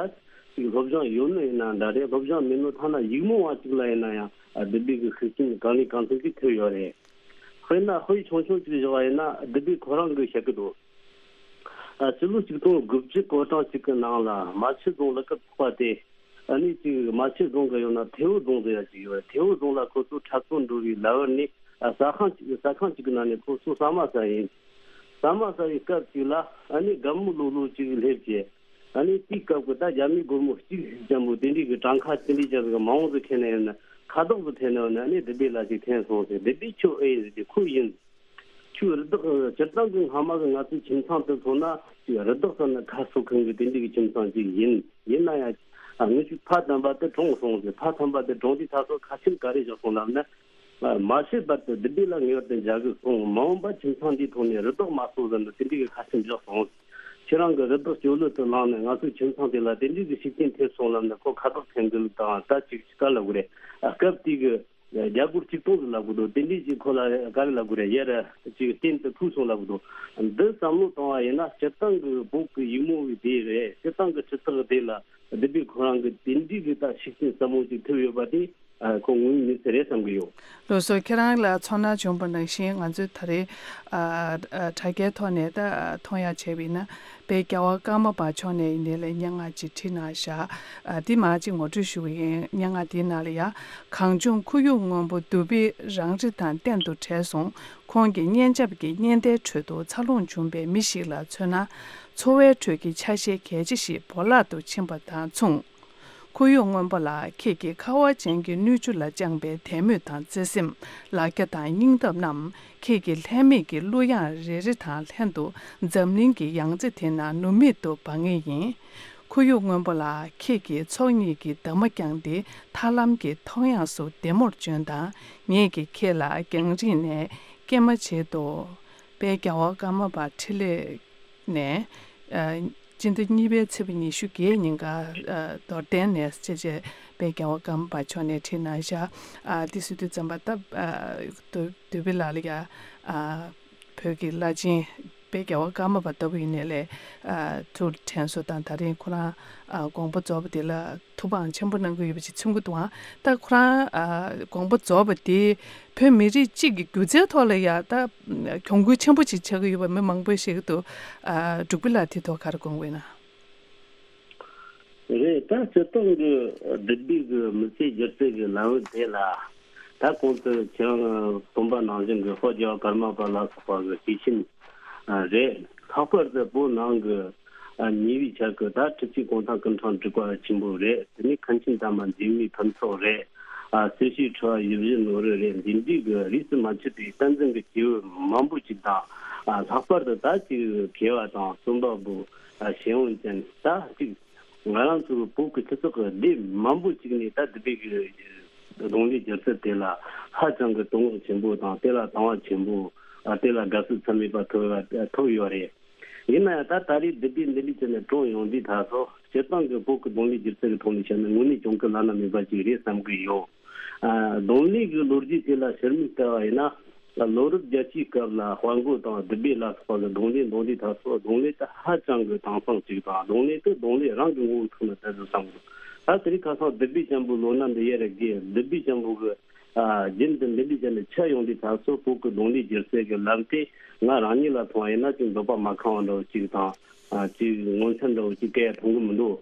ཅིག་སློབ་སྦྱོང་ཡོད་ནོ་ཡིན་ན་འདྲ་རེད། སློབ་སྦྱོང་མེད་ནོ་ཐ་ན་ཡིག་རྨོངས་པ་ཅིག་ལ་ཡིན་ན་ཡང་ཨ་བདུད་བྷེ་གི་ཤུགས་རྐྱེན་གང་ལས་གང་འཚམ་ཅིག་ཐེབས་ཡོད་རེད། དཔེར་ན་དཔེ་ཆུང་ཆུང་ཅིག་བཞག་པ་ཡིན་ན། བདུད་བྷེ་ཁོ་རང་གིས་བཤད་གི་འདུག་ཨ་སྤྱི་ལོ་ཆིག་སྟོང་དགུ་བརྒྱ་གོ་གྲངས་ཅིག་གི་ནང་ལ་རྨ་ཆུ་རྫོང་གླུ་སྐུད་ཚོགས་པ་དེ། ཨ་ནི་ཅིག་རྨ་ཆུ་རྫོང་གི་ཡང་ན་ཐེ་བོ་རྫོང་ཟེར་ཡ་ཅིག་ཡོད་རེད། ཐེ་བོ་རྫོང་ལ་ཁོ་ཚོ་འཁྲབ་སྟོན་འགྲོ་བའི་ལམ་བར་ནས། ཨ་ཟ་ཁང་ཅིག་ཟ་ཁང་ཅིག་གི་ནང་ནས་ཁོ་ཚོ་ཟ་མ་ཟ་ཡིན། ཟ་མ་ཟ་བའི་སྐབས་ཅིག་ལ་ཨ་ནི་རྒན་མོ་ལོ་ལོ་ཅིག་སླེབས་བྱས། ཨ་ནི་དེའི་སྐབས་ཀྱི་ད་རྒྱ་མིའི་སྒོར་མོ་གཅིག་ཅན་པོ་དེ་འདྲའི་གི་གྲངས་ཀ་དེ་འདྲའི་ཅན་པོ་མང་བོ་ཟིག་འཐེན་ནས་ཡོད་ན། ཁ་དོག་ཟིག་འཐེན་ནས་ཡོད་ན། ཨ་ནི་བདུད་བྷེ་ལགས་ཅིག་འཐེན་སོང་ཟེར། བདུད་བྷེ་ཁྱོད་ཨེ་ཡིན་ཟེར་གྱི། ཁོ་ཡིན། ཁྱོད་རི་དྭགས་སྤྱིར་བཏང་གི་སྔ་མ་གི་ང་ཚོའི་ཁྱིམ་ཚང་དེ་ཚོ་ན་ཅིག་རི་དྭགས་ཟེར་ན་ཁ་གསོ་མཁན་གི་དེ་འདྲའི་གི་ཁྱིམ་ཚང་ཅིག་ཡིན། ཡིན་ན་ཡང་ཨ་ངེད་ཅིག་ཕ་དམ་པ་དེ་གྲོངས་སོང་ཟེར། ཕ་དམ་པ་དེ་གྲོངས་དུས་ད་གཟོད་ཁ་ཆེམས་ག་རེ་བཞག་སོང་ལབ་ན། མ་བཤད་བར་དུ་བདུད་བྷེ་ལ་ངེས་པར་དུ་མཇལ་དགོས་གསུངས། མ་འོངས་པ་ཁྱིམ་ཚང་འདིའི་ཐོག་ནས་རི་དྭགས་མ་གསོ་ཟེར་འདུག་དེ་འདྲའི་གི་ཁ་ཆེམས་བཞག་སོང་། ཁྱེད་རང་གི་རི་དྭགས་སྤྱོད་ལོ་དུ་བླངས་ནས་ང་ཚོའི་ཁྱིམ་ཚང་དེ་ལ་དེ་འདྲའི་གི་ཤུགས་རྐྱེན་ཐེབས་སོང་ལབ་ནས་ཁོ་ཁ་བཏགས་འཐེན་གི་ལུགས་དང་། ད་ཅིག་ཅིག་ག་ལབ་དགོས་རེད། སྐབས་དེ་གི་རྒྱ་སྒོར་གཅིག་སྟོང་ཟིག་ལབ་གི་འདུག་དེ་འདྲའི་ཅིག་ཁོ་ལ་ག་རེ་ལབ་དགོས་རེད། ཡར་ཅིག་སྟེང་དུ་ཕུལ་སོང་ལབ་གི་འདུག་འདི་བསམ་བློ་བཏང་བ་ཡིན་ན་སྤྱིར་བཏང་གི་བོད་ཀྱི་ཡུལ་མོ་བའི་སྡེ་རེད། སྤྱིར་བཏང་གི་སྤྱི་ཚོགས་སྡེ་ལ་བདུད་བྷེ་ཁོ་རང་གི་དེ་འདྲའི་གི་ད་ཤུགས་རྐྱེན་ཟབ་མོ་ཅིག་ཐེབས་ཡོད་པ་དེ། ཨ། ཁོ་ངོས་ནས་ཟེར་རེད་བསམ་གི་ཡོད། ལགས་སོ། ཁྱེད་རང་ལ་ཚོར་སྣང་བྱུང་བ་ནང་བཞིན་ང་ཚོས་ད་རེས། ཨ། ཨ། དྲ་རྒྱའི་ཐོག་ནས་ད་མཐོང་ཡ་བྱས་པ་ཡིན་ན། དཔལ་རྒྱལ་བ་ཀརྨ་པ་མཆོག་ནས་ཡིན་ནའི་ལས་སྙན་ངག་ཅིག་བྲིས་གནང་བཞག་ཨ། འདི་མར་ཅིག་ངོ་སྤྲོད་ཞུ་གི་ཡིན། སྙན་ངག་འདིའི་ནང་ལ་ཡ། གངས་ལྗོངས་ཁོར་ཡུག་སྔོན་པོ་བདུད་བྷེ་རང་རེ་དང་གཏན་དུ་བྲལ་སོང་། ཁོང་གི་སྙན་འཇེབས་ཀྱི་སྙན་དའི་ཁྲོད་དུ་འཚར་ལོངས་བྱུང་བའི་མི་ཞིག་ལ་མཚོན་ན། འཚོ་བའི་ཁྲོད་ཀྱི་ཆ་ཤས་གལ་ཆེ་ཞིག་བོར་བརླག་ཏུ་ཕྱིན་པ་དང་མཚུངས། ཁོར་ཡུག་སྔོན་པོ་ལ་ཁྱེད་ཀྱི་ཁ་བ་ཅན་གྱི་སྣོད་བཅུད་ལ་བཅངས་པའི་དད་མོས་དང་བརྩེ་སེམས། ལ་རྒྱ་དང་སྙིང་སྟོབས་རྣམས་ཁྱེད་ཀྱི་ལྷད་མེད་ཀྱི་གླུ་དབྱངས་རེ་རེ་དང་ལྷན་དུ་འཛམ་གླིང་གི་ཡང་རྩེ་དེ་ན་ནུབ་མེད་དུ་འབར་ངེས་ཡིན། ཁོར་ཡུག་སྔོན་པོ་ལ་ཁྱེད་ཀྱི་ཚོགས་གཉིས་ཀྱི་འདབ་མ་བརྐྱངས་ཏེ་ཐར་ལམ་གྱི་མཐོངས་ཡངས་སུ་བདེ་མོར་བྱོན་དང་། ངེད་ཀྱིས་ཁྱེད་ལ་རྒྱང་རིང་ནས་སྐྱེལ་མ་བྱེད་དོ། དཔལ་རྒྱལ་བ་ཀརྨ་པ་འཕྲིན་ལས་ནས། ཨ། སྤྱི་ཟླ་གཉིས་པའི་ཚེས་པ་ཉི་ཤུ་བརྒྱད་ཉིན་ཀ་ཨ། རྡོར་གདན་ནས་བཅས་བཅས་དཔལ་རྒྱལ་བ་ཀརྨ་པ་མཆོག་ནས་བྲིས་གནང་བཞག་ཨ། འདི་སྲིད་དུས་ཙམ་པ་ད། ཨ། བདུད་བདུད་བྷེ་ལགས་ལ་ཡ། ཨ། བོད་ཀྱི་བླ་ཆེན་དཔལ་རྒྱལ་བ་ཀརྨ་པ་ལྟ་བུ་ཡིན་ནའི་ལས། ཨ། ཐུགས་དྲན་གསོ་དང་། ད་རིང་ཁོ་རང་ཨ། དགོངས་པ་རྫོགས་པ་དེ་ལ་ཐུགས་ཕམ་ཆེན་པོ་གནང་གི་ཡོད་པ་ཅིག་མཚོན་གྱི་འདུག་ཨང་། ད་ཁོ་རང་ཨ། དགོངས་པ་རྫོགས་པ་དེ་བོད་མི་རིགས་གཅིག་གི་སྒྱུ་རྩལ་ཐོག་ལ་ཡ་ད་གྱོང་གུན་ཆེན་པོ་ཅིག་ཆགས་ཀྱི་ཡོད་པ་མི་མང་པོས་བཤད་ཀྱི་འདུག་ཨ། འབྲུག་པ་ལགས་དེ་ཐོག་ག་རེ་དགོངས་ཡོད་ན། རེད། ད་སྤྱིར་བཏང་གི་བདུད་བྷེ་གི་མི་ཚེ་སྒྱུ་རྩལ་གྱི་ལམ་བུ་དེ་ལ། ད་གོང་དུ་ཁྱེད་རང་གསུངས་པ་ནང་བཞིན་གྱི་དཔལ་རྒྱལ་བ་ཀརྨ་པ་ལ་སོགས་པ་གི་སྐྱེས་ཆེན་རེད། ལྷག་པར་དུ་བོད་ནང་གི་ཉེ་བའི་ཆར་གྱི་ད་ཁྲི་ཆེན་གུང་ཐང་སྐུ་ཕྲེང་དྲུག་པ་ཆེན་པོ་རེད། དེ་ནས་མཁན་ཆེན་དར་མ་འཛིན་མའི་ཕུན་ཚོགས་རེད། ཨ། སྲི་ཞུའི་ཁྲི་པ་ཡིད་བཞིན་ནོར་བུ་རེད། འདི་འདྲའི་གི་རིས་སུ་མ་ཆད་པའི་བསྟན་འཛིན་གྱི་སྐྱེས་བུ་མང་པོ་ཅིག་དང་། ཨ། ལྷག་པར་དུ་ད་ཅིག་མཁས་པ་དང་རྩོམ་པ་པོ། ཨ། གཞན་ཡང་ཅན་ད་ཅིག་ང་རང་ཚོའི་བོད་ཀྱི་སྤྱི་ཚོགས་ཀྱི་སྡེ་མང་པོ་ཅིག་ནས་ད་བདུད་བྷེ་གི་རྡུང་ལེན་སྒྱུ་རྩལ་དེ་ལ་ཧ་ཅང་གི་དོ་སྣང་ཆེན་པོ་དང་། དེ་ལ་དང་བ་ཆེན་པོ། ཨ། དེ་ལ་དགའ་བསུ་ཚད་མེད་པ་ཐོབ་ཐོབ་ཡོད་རེད། ཡིན་ན་ཡང་ད་ད་རེས་བདུད་བྷེ་འདི་འདྲ་བྱས་ནས་བཀྲོངས་ཡོང་དུས་ད་གཟོད་སྤྱིར་བཏང་གི་བོད་ཀྱི་རྡུང་ལེན་སྒྱུ་རྩལ་གྱི་ཐོག་ནས་བཤད་ན་དངོས་གནས་གྱོང་གུན་བླ་ན་མེད་པ་ཅིག་རེད་བསམ་གྱི་ཡོད། ཨ། རྡུང་ལེན་གྱི་ལོ་རྒྱུས་དེ་ལ་ཕྱིར་མིག་ལྟ་བ་ཡིན་ན། ལོ་རབས་བརྒྱད་ཅུའི་སྐབས་ལ་དཔལ་མགོན་དང་བདུད་བྷེ་ལ་སོགས་ཀྱི་རྡུང་ལེན་འདུག་དུས་ད་གཟོད་རྡུང་ལེན་དེ་ཧ་ཅང་གི་དྭངས་གཙང་ཅིག་དང་། རྡུང་ལེན་དེ་རྡུང་ལེན་རང་གི་ངོ་བོའི་ཐོག་ནས་བལྟས་ཚེ་བསམ་གྱི་འདུག་ད་དེ་རིང་ཁ་སང་བདུད་བྷེ་ཅན་པོའི་ལོ་ན་འདི་ཡར་རྒས། བདུད་བྷེ་ཅན་པོ་གི། ཨ། རྒྱུན་དུ་འདི་འདྲ་བྱས་ནས་ཆད་ཡོང་དུས་ད་གཟོད་བོད་ཀྱི་རྡུང་ལེན་སྒྱུ་རྩལ་གྱི་ལམ་དེ་ང་རང་ཉིད་ལ་མཐོང་བ་ཡིན་ན་ཅིག་འདོད་པ་མ་ཁེངས་པ་འདྲ་བོ་ཅིག་དང་། ཨ། ཅིག་ངོ་མཚར་འདྲ་བོ་ཅིག་སྐྱེ་ཡ་མཐོང་གི་མི་འདུག་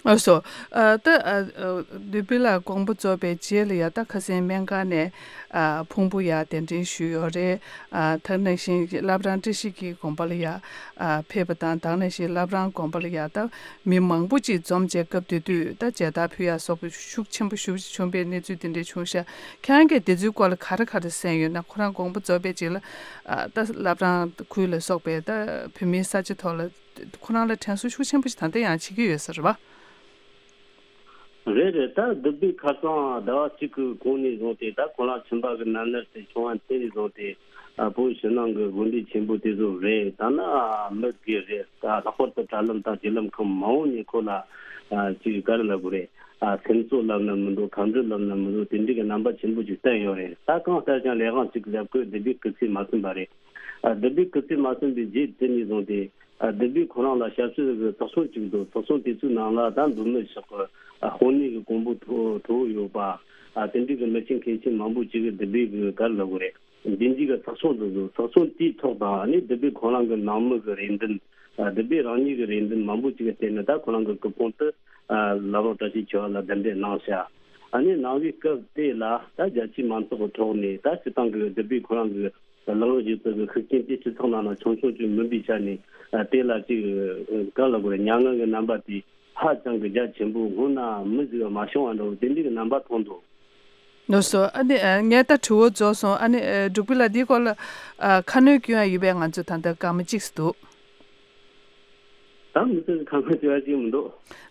ཨ། སོ། ཨ། ད། ཨ། ཨ། བདུད་བྷེ་ལགས་དགོངས་པ་རྫོགས་པའི་རྗེས་ལ་ཡ་ད་ཁ་སང་སྨན་ཁང་ནས། ཨ། ཕུང་པོ་ཡར་གདན་འདྲེན་ཞུས་ཡོད་རེད། ཨ། ད་ག་ནང་བཞིན་བླ་བྲང་བཀྲ་ཤིས་ཀྱི་དགོན་པ་ལ་ཡ། ཨ། ཕེབས་པ་དང་། ད་ག་ནང་བཞིན་བླ་བྲང་དགོན་པ་ལ་ཡ་ད་མི་མང་པོ་ཅིག་འཛོམས་བྱས་སྐབས་དེ་དུས་ད་མཇལ་དར་ཕུལ་ཡ་སོགས་པ་ཤུགས་ཆེན་པོ་ཞེ་པོ་ཅིག་བྱུང་བའི་གནས་ཚུལ་དེ་འདྲ་བྱུང་ཤག་ཁྱེད་རང་གིས་དེ་ཚོའི་སྐོར་ལ་ག་རེ་ག་རེ་གསན་ཡོད་ན། ཁོ་རང་དགོངས་པ་རྫོགས་པའི་རྗེས་ལ། ཨ། ད་བླ་བྲང་ཁུལ་ལ་སོགས་པའི་ད་བོད་མིའི་ས་ཆ་ཐོག་ལ། ཁོ་རང་ལ་དྲན་གསོ་ཤུགས་ཆེན་པོ་ཞིག་ད་ལྟ་ཡང་བྱེད་ཀྱི་ཡོད་ས་རེད་པ། རེད་རེད། ད་བདུད་བྷེ་ཁ་སང་ཟླ་བ་གཅིག་གི་གོང་ནས་བཟུང་སྟེ། ད་ཁོ་རང་ཁྱིམ་པ་གི་ནང་ན་དེ་བྱུང་བ་དེ་ནས་བཟུང་སྟེ། ཨ། བོད་ཕྱི་ནང་གི་དགོན་སྡེ་ཆེན་པོ་དེ་ཚོ་རེད། ད་ནི་མི་སྒེར་རེད། ད་ལྷག་པར་དུ་དྲ་ལམ་དང་བརྒྱུད་ལམ་ཁག་མང་བོ་ནས་ཁོ་ལ། ཨ། ཅིག་ག་རེ་ལབ་དགོས་རེད། ཨ། སེམས་གསོ་ལབ་ན་མི་འདུག་ཁ་འདྲི་ལབ་ན་མི་འདུག་དེ་འདྲའི་གི་རྣམ་པ་ཆེན་པོ་ཅིག་བསྟན་ཡོད་རེད། ད་གང་ལྟར་ཀྱང་ལས་དབང་ཅིག་ལབ་དགོས། བདུད་བྷེ་སྐུ་ཚེ་མ་ཟིན་པ་རེད། ཨ། བདུད་བྷེ་སྐུ་ཚེ་མ་ཟིན་པའི་རྗེས་དེ་ནས་བཟུང་སྟེ། ཨ། བདུད་བྷེ་ཁོ་རང་ལ་ཞབས་ཕྱི་གི་ཚོགས་ཆུང་ཅིག་འདུག་ཚོགས་ཆུང་དེ་ཚོའི་ནང་ལ་ད་མདོ་སྨད་ཕྱོགས་ཀྱི། ཨ། དཔོན་གནས་ཀྱི་གོང་བུ་མཐོ་མཐོ་བོ་ཡོད་པ། ཨ། དེ་འདྲའི་གི་མི་ཆེན་མཁས་ཆེན་མང་པོ་ཅིག་གིས་བདུད་བྷེ་གི་ག་རེ་ལབ་དགོས་རེད། མདུན་སྐྱོད་ཀྱི་ཚོགས་ཆུང་འདུག་འདུག་ཚོགས་ཆུང་དེའི་ཐོག་དང་། ཨ་ནི་བདུད་བྷེ་ཁོ་རང་གི་ནང་མི་གི་རེ་འདུན། ཨ། བདུད་བྷེ་རང་ཉིད་ཀྱི་རེ་འདུན་མང་པོ་ཅིག་གི་སྟེང་ནས་ད་ཁོ་རང་གི་སྐུ་ཕུང་དེ། ཨ། བླ་བྲང་བཀྲ་ཤིས་ཆོས་གླིང་ལ་གདན་འདྲེན་གནང་ཤག་ཨ་ནི་གནང་བའི་སྐབས་དེ་ལ་ད་རྒྱ་ཆེའི་མང་ཚོགས་ཀྱི་ཐོག་ནས་ད་སྤྱིར་བཏང་གི་བདུད་བྷེ་ཁོ་རང་གི་ལག་ལེན་སྒྱུ་རྩལ་གྱི་ཤུགས་རྐྱེན་དེ་སྤྱི་ཚོགས་ནང་ལ་ཆུང་ཆུང་ཅིག་མིན་པའི་ཆ་ནས། ཨ། དེ་ལ་ཅིག་ག་རེ་ལབ་དགོས་རེད། མྱ་ངན་གྱི་རྣམ་པ་དེ་ཧ་ཅང་གི་རྒྱ་ཆེན་པོ། སྔོན་ན་མི་ཟིག་མ་བྱུང་བ་འདྲ་བོ་དེ་འདྲའི་གི་རྣམ་པ་མཐོང་འདུག་ལགས་སོ། ཨ་ནི། ཨ། ངས་ད་དྲི་བ་རྫོགས་སོང་། ཨ་ནི། ཨ། འབྲུག་པ་ལགས་འདིའི་སྐོར་ལ། ཨ། ཁ་སྣོན་སྐྱོན་ཡ་ཡོད་པས་ང་ཚོས་ད་ལྟ་སྐར་མ་གཅིག་ཙམ་འདུག་ད་མི་ཚོས་ཁ་སྣོན་སྐྱོན་ཡ་ཅིག་མི་འདུག་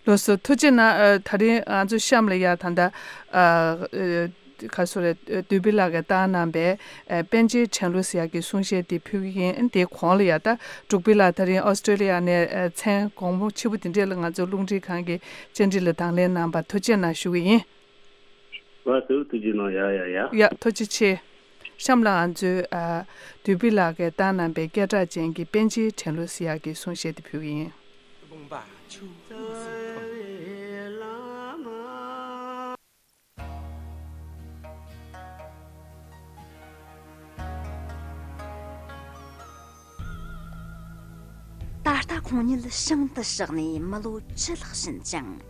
ལགས་སོ། ཐུགས་རྗེ་གནང་། ཨ། ད་རིང་ང་ཚོ་གཤམ་ལ་ཡ་ད་ལྟ། ཨ། ཨ། ག་སོ་རེད། བདུད་བྷེ་ལགས་ཀྱིས་བཏང་གནང་པའི་ཨ་པཎ་ཆེན་ཕྲན་ལུ་ཟེར་ཡག་གི་གསུང་བཤད་དེ་ཕུལ་གྱི་ཡིན། དེའི་གོང་ལ་ཡ་ད་འབྲུག་བྷེ་ལགས་ད་རིང་ཨོ་སི་ཀྲེ་ལི་ཡ་ནས་ཨ་མཚན་དགོང་མོ་ཕྱི་པོ་དེ་འདྲས་ལ་ང་ཚོ་རླུང་འཕྲིན་ཁང་གི་བཅར་འདྲི་ལ་དང་ལེན་གནང་བར་ཐུགས་རྗེ་གནང་ཞུ་གི་ཡིན། ལགས་སོ། ཐུགས་རྗེ་གནང་། ཡ་ཡ་ཡ། ཡ། ཐུགས་རྗེ་ཆེ། གཤམ་ལ་ང་ཚོས་ཨ་བདུད་བྷེ་ལགས་ཀྱིས་བཏང་གནང་པའི་སྐད་གྲགས་ཅན་གྱི་པཎ་ཆེན་ཕྲན་ལུ་ཟེར་ཡག་གི་གསུང་བཤད་དེ་ཕུལ་གྱི་ཡིན། ད་ལྟ་ཁོང་ཉིད་ཞིང་དུ་གཤེགས་ནས་མི་ལོ་བཅུ་ལྷག་ཕྱིན་ཅིང་།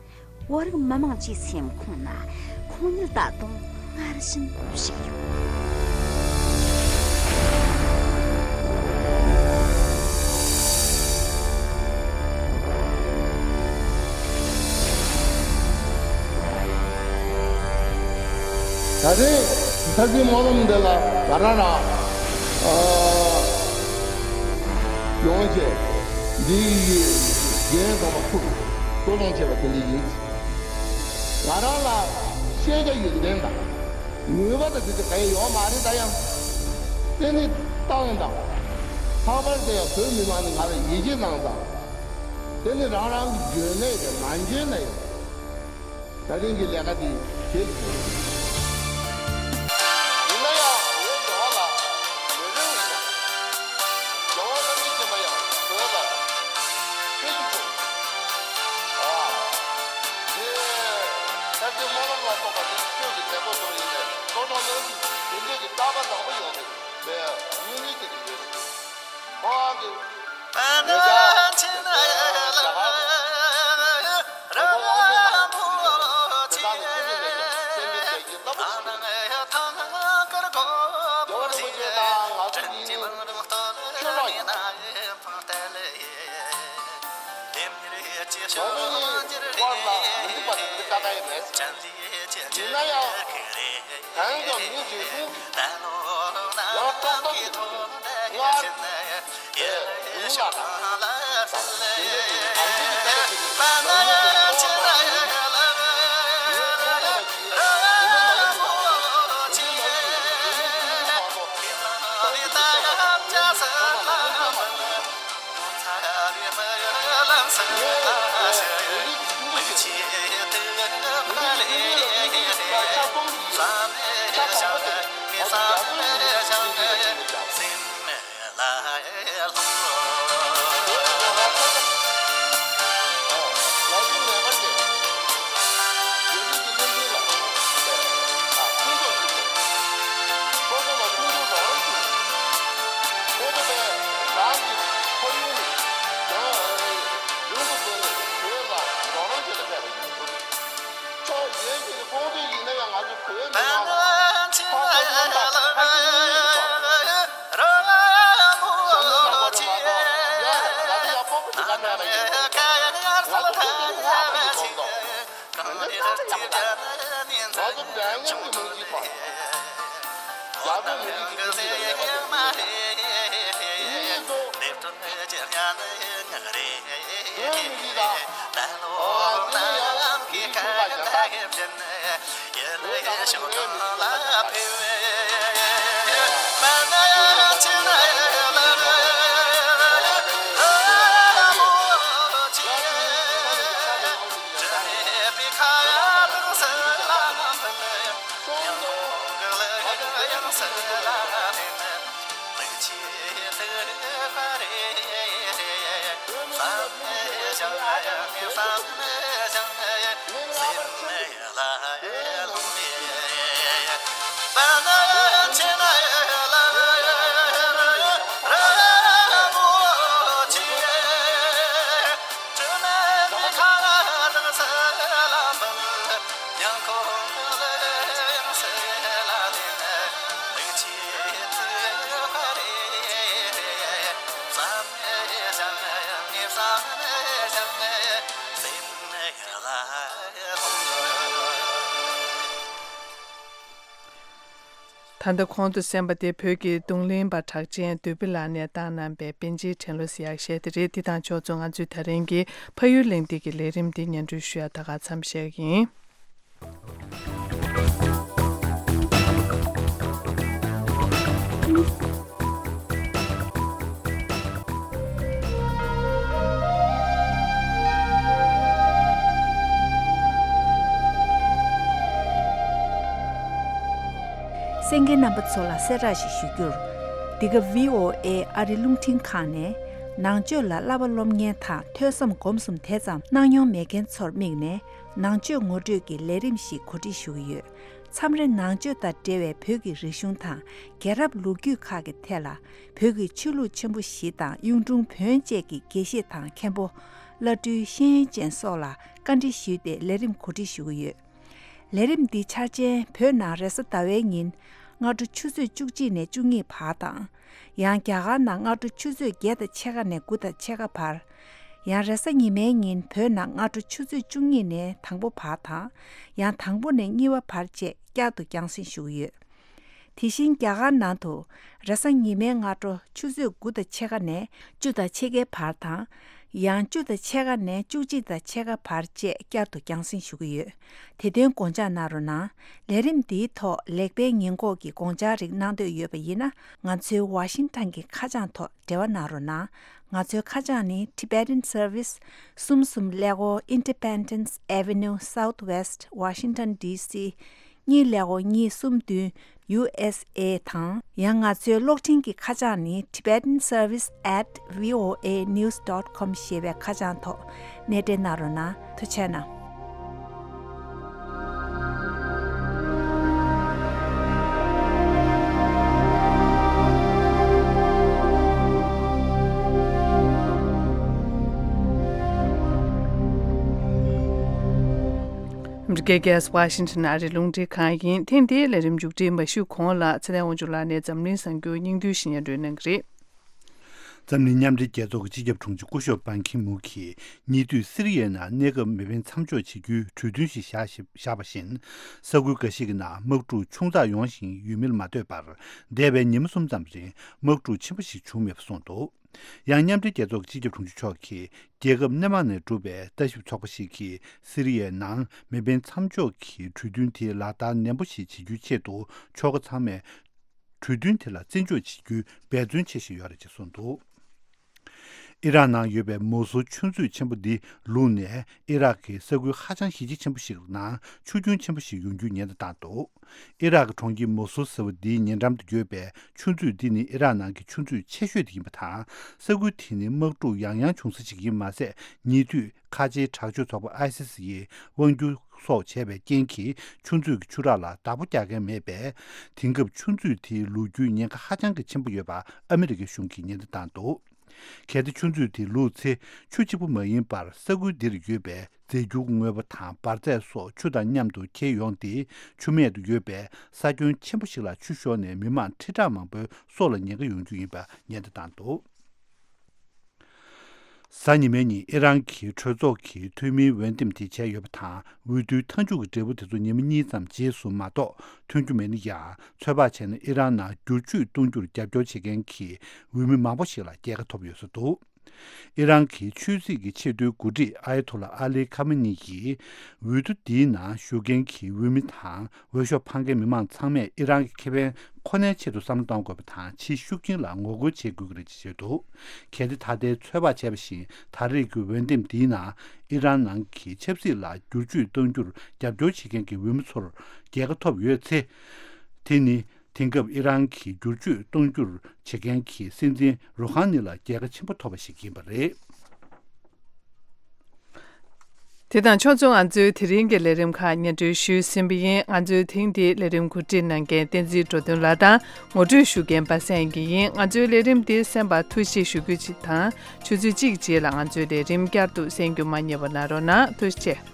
བོད་རིགས་མི་དམངས་ཀྱི་སེམས་ཁོང་ན་ཁོང་ཉིད་ད་དུང་སྔར་བཞིན་བཞུགས་ཡོད། ད་རེས་ད་གིན་སྨོན་ལམ་འདི་ལ་ང་རང་རང་ཨ་ཡོང་བྱས་འདིའི་རྒན་དམ་པ་ཕུར་སྤྲོ་སྦྱོང་བྱས་པ་དེ་འདྲ་ཡིན། ང་རང་ལ་ཤེས་བྱ་ཡོན་ཏན་དང་ནུས་པ་དང་དེ་ཚོ་གང་ཡང་ཡོད་མ་རེད། ད་ཡང་དེ་ནི་ཏང་དང་ལྷག་པར་དུ་ཡང་བོད་མི་མང་ནི་ང་ལ་ཡིད་ཆེས་གནང་དང་། དེ་ནི་རང་རང་གི་འཇོན་ནད་དང་མ་འཇོན་ནད་ཡང་། ད་ཐེངས་ཀྱི་ལས་ཀ་འདི་བྱེད་དགོས། ཡིན་ན་ཡང་ངའི་འགྲོ་བ་ལ་མི་རེ་བ་ཡིན་ན། རྒྱལ་བ་རིན་པོ་ཆེ་མ་ཡང་བོད་ལ་ཕེབས་རྒྱུ་བྱུང་། ཨ། དེ་ད་ལྟའི་སྨོན་ལམ་ལ་སོགས་པ་དེ་ཆོས་ཀྱི་མཛད་སྒོ་དུ་ཡིན་ནས་གཙོ་གྲོང་ནང་དེ་འདྲས་ཀྱི་རྟག་པ་བཟང་པོ་ཡོང་བའི་དངོས་གནས་ཀྱི་རེ་བ་རེད། ཁོང་གི་ངེད་ཅག་རྒྱ་གར་གྱི་གོ་སྐོང་དབང་ཆེན་རྣམས་དེ་དག་ནས་ཁྱོད་ཀྱི་ལས་ཀྱི་སེམས་དཔའི་རྒྱལ་གྱི་རླབས་པོ་ཆེ། རྒྱལ་བ་རིན་པོ་ཆེ་དང་ང་ཚོ་གཉིས་ནི་ཆོས་གྲོགས་ཡིན། ང་ཚོ་གཉིས་དབར་ལ་མི་འགྲིག་པ་དེ་འདྲ་ད་ལྟ་ཡང་མེད། ཡིན་ན་ཡང་། གང་ཡང་མི་བྱེད་དུས། ཡང་ཏོག་ཏོག་གི་སྔར་དེ་སྒྲུང་ལ་དང་། དེ་འདྲ་ཡིན་ཨ་འདི་གི་ལྟ་བ་དེ་ནི་ནམ་རྒྱུན་གྱི་ཚོགས་གཙོ་ཡིན་ནས་ངས་ཁོང་ལ་ཞུས། དེ་ནི་མ་ཡིན་ནོ། དེ་ནི་མ་ཡིན་ནོ། དེ་ནི་མ་ཡིན་ནོ། ཁོང་ཚོ་དེ་ནི་མ་ཡིན་ནོ། ཁོང་ཚོ་ལ་ཕུགས་འདུན་རོགས་རམ་ཞུ། ཁོང་ཚོ་པས་རང་གི་ཁོར་ཡུག་ནས་ཀྱང་ཡོངས་སུ་རྫོགས་ནས་བོད་ལ་རོགས་རམ་བྱེད་ལ་ཕེབས་པ་ཡིན། ཕྱོགས་གཞན་ཞིག་ནས་ཁོང་ཚོ་ཡིན་ན་ཡང་ང་ཚོ་བོད་མི་མང་ལ་ཁོང་ཚོ་རྣམ་དག་ཕ་གི་གཉིས་ཀྱི་ཐོག་ཞབས་འདེགས་གནང་དགོས་རེད་མ་གཏོགས་ཡ་རེད། ང་ཚོ་ཡང་སྤོབས་པ་ཞིག་ག་མེད་པ་ཡིན། ང་ཚོ་ཁོང་ཚོ་ཧ་མ་གི་ཐོག་ཏུ། ང་ཚོ་འདྲ་མཉམ་གྱི་མི་གཅིག་པ། རྒྱ་བོད་མི་རིགས་ཀྱི་མཐུན་སྒྲིལ་ལ་ལས་ཀ་བྱེད་མཁན་དེ་ཡིན་ནོ། དེ་ནི་ཚོ་བོད་མི་རིགས་དང་། ཨ་ནི་ཡང་མི་རིགས་ཁྱུ་ཁ་གཞན་དག་བོད་དང་ནི་ངའི་མི་རིགས་ཁྱུ་ཁ་གཞན་དག་ཡིན་པ། ད་ལྟ་གོང་དུ་གསན་པ་དེ་བོད་ཀྱི་རྡུང་ལེན་པ་གྲགས་ཅན་བདུད་བྷེ་ལགས་ནས་བཏང་གནང་པའི་པཎ་ཆེན་ཕྲན་ལུ་ཟེར་ཡག་གཞས་དེ་རེད། འདི་དང་ཕྱོགས་མཚུངས་ང་ཚོའི་ད་རིང་གི་ཕ་ཡུལ་གླེང་སྟེགས་ཀྱི་ལས་རིམ་འདི་སྙན་སྒྲོན་ཞུ་ཡག་ད་ག་མཚམས་བཞག་གི་ཡིན། གཏན་འཁེལ་རྣམ་པ་ཚོ་ལ་གསལ་བསྒྲགས་ཤིག་ཞུ་རྒྱུར། འདི་ག་V O A ཨ་རི་རླུང་འཕྲིན་ཁང་ནས་ནང་ཆོས་ལ་བསླབ་པ་སློབ་གཉེར་དང་ཐོས་བསམ་སྒོམ་གསུམ་དེ་ཙམ་གནང་མྱོང་མེད་མཁན་ཚོར་དམིགས་ནས་ནང་ཆོས་ངོ་སྤྲོད་ཀྱི་ལས་རིམ་ཞིག་གོ་སྒྲིག་ཞུ་གི་ཡོད། མཚམས་རེ་ནང་ཆོས་དང་འབྲེལ་བའི་བོད་ཀྱི་རིག་གཞུང་དང་རྒྱལ་རབས་ལོ་རྒྱུས་ཁག་གི་ཐད་ལ་བོད་ཀྱི་ཆོས་ལུགས་ཆེན་པོ་བཞི་དང་གཡུང་དྲུང་བོན་བཅས་ཀྱི་དགེ་བཤེས་དང་མཁན་པོ། བླ་སྤྲུལ་ཤེས་ཡོན་ཅན་སོགས་ལ་བཀའ་འདྲི་ཞུས་ཏེ་ལས་རིམ་གོ་སྒྲིག་ཞུ་གི་ཡོད། ལས་རིམ་འདི་འཆར་ཅན་བོད་ནང་རེས་གཟའ་ཟླ་བའི་ཉིན་སྔ་དྲོ་ཆུ་ཚོད་བཅུ་གཅིག་ནས་བཅུ་གཉིས་བར་དང་། ཡང་རྒྱ་གར་ནང་སྔ་དྲོ་ཆུ་ཚོད་བརྒྱད་དང་ཕྱེད་ཀ་ནས་དགུ་དང་ཕྱེད་ཀ་བར། ཡང་རེས་གཟའ་ཉི་མའི་ཉིན་བོད་ནང་སྔ་དྲོ་ཆུ་ཚོད་བཅུ་གཉིས་ནས་དང་པོ་བར་དང་། ཡང་དང་པོ་ནས་གཉིས་པ་བར་བཅས་བསྐྱར་དུ་རྒྱང་སྲིང་ཞུ་གི་ཡོད། དེ་བཞིན་རྒྱ་གར་ནང་དུ་རེས་གཟའ་ཉི་མའི་སྔ་དྲོ་ཆུ་ཚོད་དགུ་དང་ཕྱེད་ཀ་ནས་བཅུ་དང་ཕྱེད་ཀའི་བར་དང་། ཡང་བཅུ་དང་ཕྱེད་ཀ་ནས་བཅུ་གཅིག་དང་ཕྱེད་ཀ་བར་བཅས་བསྐྱར་དུ་རྒྱང་སྲིང་ཞུ་གི་ཡོད། དེ་དོན་དགོངས་འཇགས་གནང་རོགས་གནང་། ལས་རིམ་འདིའི་ཐོག་ལེགས་སྤེལ་ཉེས་འགོག་གི་དགོངས་འཆར་རིགས་གནང་འདོད་ཡོད་པ་ཡིན་ན། ང་ཚོའི་ཝ་ཤིང་ཊོན་གྱི་ཁ་བྱང་ཐོག་འབྲེལ་བ་གནང་རོགས་གནང་། ང་ཚོའི་ཁ་བྱང་ནི་Tibetan Service། གསུམ་གསུམ་ཀླད་ཀོར་Independence Avenue Southwest Washington D C གཉིས་ཀླད་ཀོར་གཉིས་གསུམ་བདུན་U S A དང་། ཡང་ང་ཚོའི་གློག་འཕྲིན་གྱི་ཁ་བྱང་ནི Tibetan Service at V O A news dot com ཞེས་པའི་ཁ་བྱང་ཐོག་གནས་འབྲེལ་གནང་རོགས་གནང་། ཐུགས་རྗེ་གནང་། ཨ་མི་རི་ཀའི་རྒྱལ་ས་ཝ་ཤིང་ཊོན་ཨ་རིའི་རླུང་འཕྲིན་ཁང་ཡིན། ཐེངས་འདིའི་ལས་རིམ་མཇུག་སྒྲིལ་མ་ཞུས་གོང་ལ་ཚེ་བརྟན་དབང་ཕྱུག་ལགས་ནས་འཛམ་གླིང་གསར་འགྱུར་སྙིང་བསྡུས་ཤིག་སྙན་སྒྲོན་གནང་གི་རེད། འཛམ་གླིང་མཉམ་འབྲེལ་རྒྱལ་ཚོགས་ཀྱི་སྤྱི་ཁྱབ་དྲུང་ཆེ་སྐུ་ཞབས་པན་ཁི་མུ་གིས་ཉེ་དུས་སི་རི་ཡའི་ནང་གནས་སྐབས་མེ་འཕེན་མཚམས་འཇོག་བྱེད་རྒྱུའི་གྲོས་མཐུན་ཞིག་བཞག་བཞག་པ་བཞིན། ས་ཁུལ་འགའ་ཞིག་གི་ནང་དམག་འཁྲུག་ཆུང་ཙག་ཡོང་བཞིན་ཡོད་མིན་ལ་མ་ལྟོས་པར། འདས་པའི་ཉིན་མོ་གསུམ་ཙམ་རིང་དམག་འཁྲུག་ཆེན་པོ་ཞིག་བྱུང་མེད་པ་གསུངས་འདུག། ཡང་མཉམ་འབྲེལ་རྒྱལ་ཚོགས་ཀྱི་སྤྱི་ཁྱབ་དྲུང་ཆེ་མཆོག་གིས་རྒྱལ་ཁབ་སྣེ་མང་ནས་གྲུབ་པའི་ལྟ་ཞིབ་ཚོགས་པ་ཞིག་གིས་སི་རི་ཡའི་ནང་མེ་འཕེན་མཚམས་འཇོག་གི་གྲོས་མཐུན་དེ་ལག་བསྟར་ནན་པོ་ཞིག་བྱེད་རྒྱུའི་ཆེད་དུ་ཕྱོགས་ཁག་ཚང་མས་གྲོས་མཐུན་དེ་ལ་བརྩི་འཇོག་བྱེད་རྒྱུའི་འབད་བརྩོན་བྱེད་བཞིན་ཡོད་རེད་ཅེས་གསུངས་འདུག། ཨི་རག་ནང་ཡོད་པའི་མོ་སུལ་ཆུ་མཛོད་ཆེན་པོ་འདི་ལུག་ནས་ཨི་རག་གི་ས་ཁུལ་ཧ་ཅང་གཞི་རྒྱ་ཆེན་པོ་ཞིག་ནང་ཆུ་རྒྱུན་ཆེན་པོ་ཞིག་ཡོང་རྒྱུའི་ཉེན་བརྡ་བཏང་འདུག། ཨི་རག་གི་གྲོང་ཁྱེར་མོ་སུལ་ཟེར་བ་འདིའི་ཉེ་འགྲམ་དུ་ཡོད་པའི་ཆུ་མཛོད་འདི་ནི་ཨི་རག་ནང་གི་ཆུ་མཛོད་ཆེ་ཤོས་དེ་ཡིན་པ་དང་། ས་ཁུལ་དེ་ནི་དམག་འཁྲུག་ཡང་ཡང་བྱུང་ས་ཞིག་ཡིན་མ་ཟད། ཉེ་དུས་ཁ་ཆེའི་དྲག་སྤྱོད་ཚོགས་པ་ཨའི་སི་སི་ཡིས་དབང་སྒྱུར་སོགས་བྱས་པའི་རྐྱེན་གྱིས་ཆུ་མཛོད་ཀྱི་ཆུ་རགས་ལ་བདག་པོ་རྒྱག་མཁན་མེད་པས། དེང་སྐབས་ཆུ་མཛོད་དེའི་ལོ་རྒྱུས་ཉེན་ཁ་ཧ་ཅང་གི་ཆེན་པོ་ཡོད་པ་ཨ་མི་རི་ཀའི་གཞུང་གིས་ཉེན་བརྡ་བཏང་འདུག། གལ་ཏེ་ཆུ་མཛོད་དེ་ལུག་ཚེ་ཆུ་གཅིག་པུ་མ་ཡིན་པར་ས་ཁུལ་འདིར་ཡོད་པའི་རྫས་འགྱུར་དངོས་པོ་དང་འབར་རྫས་སོགས་ཆུ་དང་མཉམ་དུ་འཁྱེར་ཡོང་སྟེ་ཆུ་སྨད་དུ་ཡོད་པའི་ས་ཁྱོན་ཆེན་པོ་ཞིག་ལ་ཆུ་ཤོར་ནས་མི་མང་ཁྲི་ཕྲག་མང་པོའི་སྲོག་ལ་ཉེན་ཁ་ཡོང་རྒྱུ་ཡིན་པ་ཉེན་བརྡ་བཏང་འདུག། གཟའ་ཉི་མའི་ཉིན་ཨི་རན་གྱི་གྲོས་ཚོགས་ཀྱི་འཐུས་མིའི་འོས་འདེམས་དེ་བྱས་ཡོད་པ་དང་། འོས་བསྡུའི་མཐའ་མཇུག་གི་འབྲས་བུ་དེ་ཚོ་ཉི་མ་གཉིས་ཙམ་རྗེས་སུ་མ་གཏོགས་ཐོན་རྒྱུ་མེད་ན་ཡང་། ཚོད་དཔག་བྱས་ན་ཨི་རན་ནང་བསྒྱུར་བཅོས་གཏོང་རྒྱུར་རྒྱབ་སྐྱོར་བྱེད་མཁན་གྱི་འོས་མི་མང་པོ་ཞིག་ལ་རྒྱལ་ཁ་ཐོབ་ཡོད་ས་འདུག། ཨི་རན་གྱི་ཆོས་སྲིད་ཀྱི་ཆེས་མཐོའི་འགོ་ཁྲིད་ཨ་ཡ་ཐོ་ལ་ཨ་ལི་ཁ་མེ་ནི་ཡིས་འོས་བསྡུ་འདིའི་ནང་ཞུགས་མཁན་གྱི་འོས་མི་དང་། འོས་ཤོག་འཕང་མཁན་མི་མང་ཚང་མས་ཨི་རན་གྱི་ཁེ་ཕན་ཁོ་ནའི་ཆེད་དུ་བསམ་བློ་གཏོང་དགོས་པ་དང་། ཕྱིའི་ཤུགས་རྐྱེན་ལ་ངོ་རྒོལ་བྱེད་དགོས་ཀྱི་རེད་ཅེས་བརྗོད་འདུག། གལ་ཏེ་ད་ལྟའི་ཚོད་དཔག་བྱས་པ་བཞིན་ད་རེས་ཀྱི་འོས་འདེམས་འདིའི་ནང་ཨི་རན་ནང་གི་ཆབ་སྲིད་ལ་བསྒྱུར་བཅོས་གཏོང་རྒྱུར་རྒྱབ་སྐྱོར་བྱེད་མཁན་གྱི་འོས་མི་ཚོར་རྒྱལ་ཁ་ཐོབ་ཡོད་ཚེ། དེ་ནི་དེང་སྐབས་ཨི་རན་གྱི་བསྒྱུར་བཅོས་གཏོང་རྒྱུར་བྱེད་མཁན་གྱི་སྲིད་འཛིན་རུ་ཧ་ནི་ལ་རྒྱལ་ཁ་ཆེན་པོ་ཐོབ་པ་ཞིག་ཡིན་པ་རེད། དེ་དང་ཕྱོགས་མཚུངས་ང་ཚོའི་དེ་རིང་གི་ལས་རིམ་ཁག་སྙན་སྒྲོན་ཞུས་ཟིན་པ་ཡིན། ང་ཚོའི་ཐེངས་འདིའི་ལས་རིམ་གོ་སྒྲིག་གནང་མཁན་བསྟན་འཛིན་འགྲོ་དོན་ལགས་དང་ངོ་སྤྲོད་ཞུ་མཁན་པ་སངས་སྐྱིད་ཡིན། ང་ཚོའི་ལས་རིམ་འདི་གསན་པར་ཐུགས་རྗེ་ཞུ་རྒྱུ་ཅིག་དང་། ཆུ་ཚོད་གཅིག་རྗེས་ལ་ང་ཚོའི་ལས་རིམ་བསྐྱར་དུ་གསན་རྒྱུ་མ་བསྙེལ་བ་གནང་རོགས་གནང་། ཐུགས་རྗེ་ཆེ།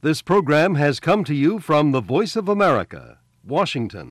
This program has come to you from the Voice of America, Washington.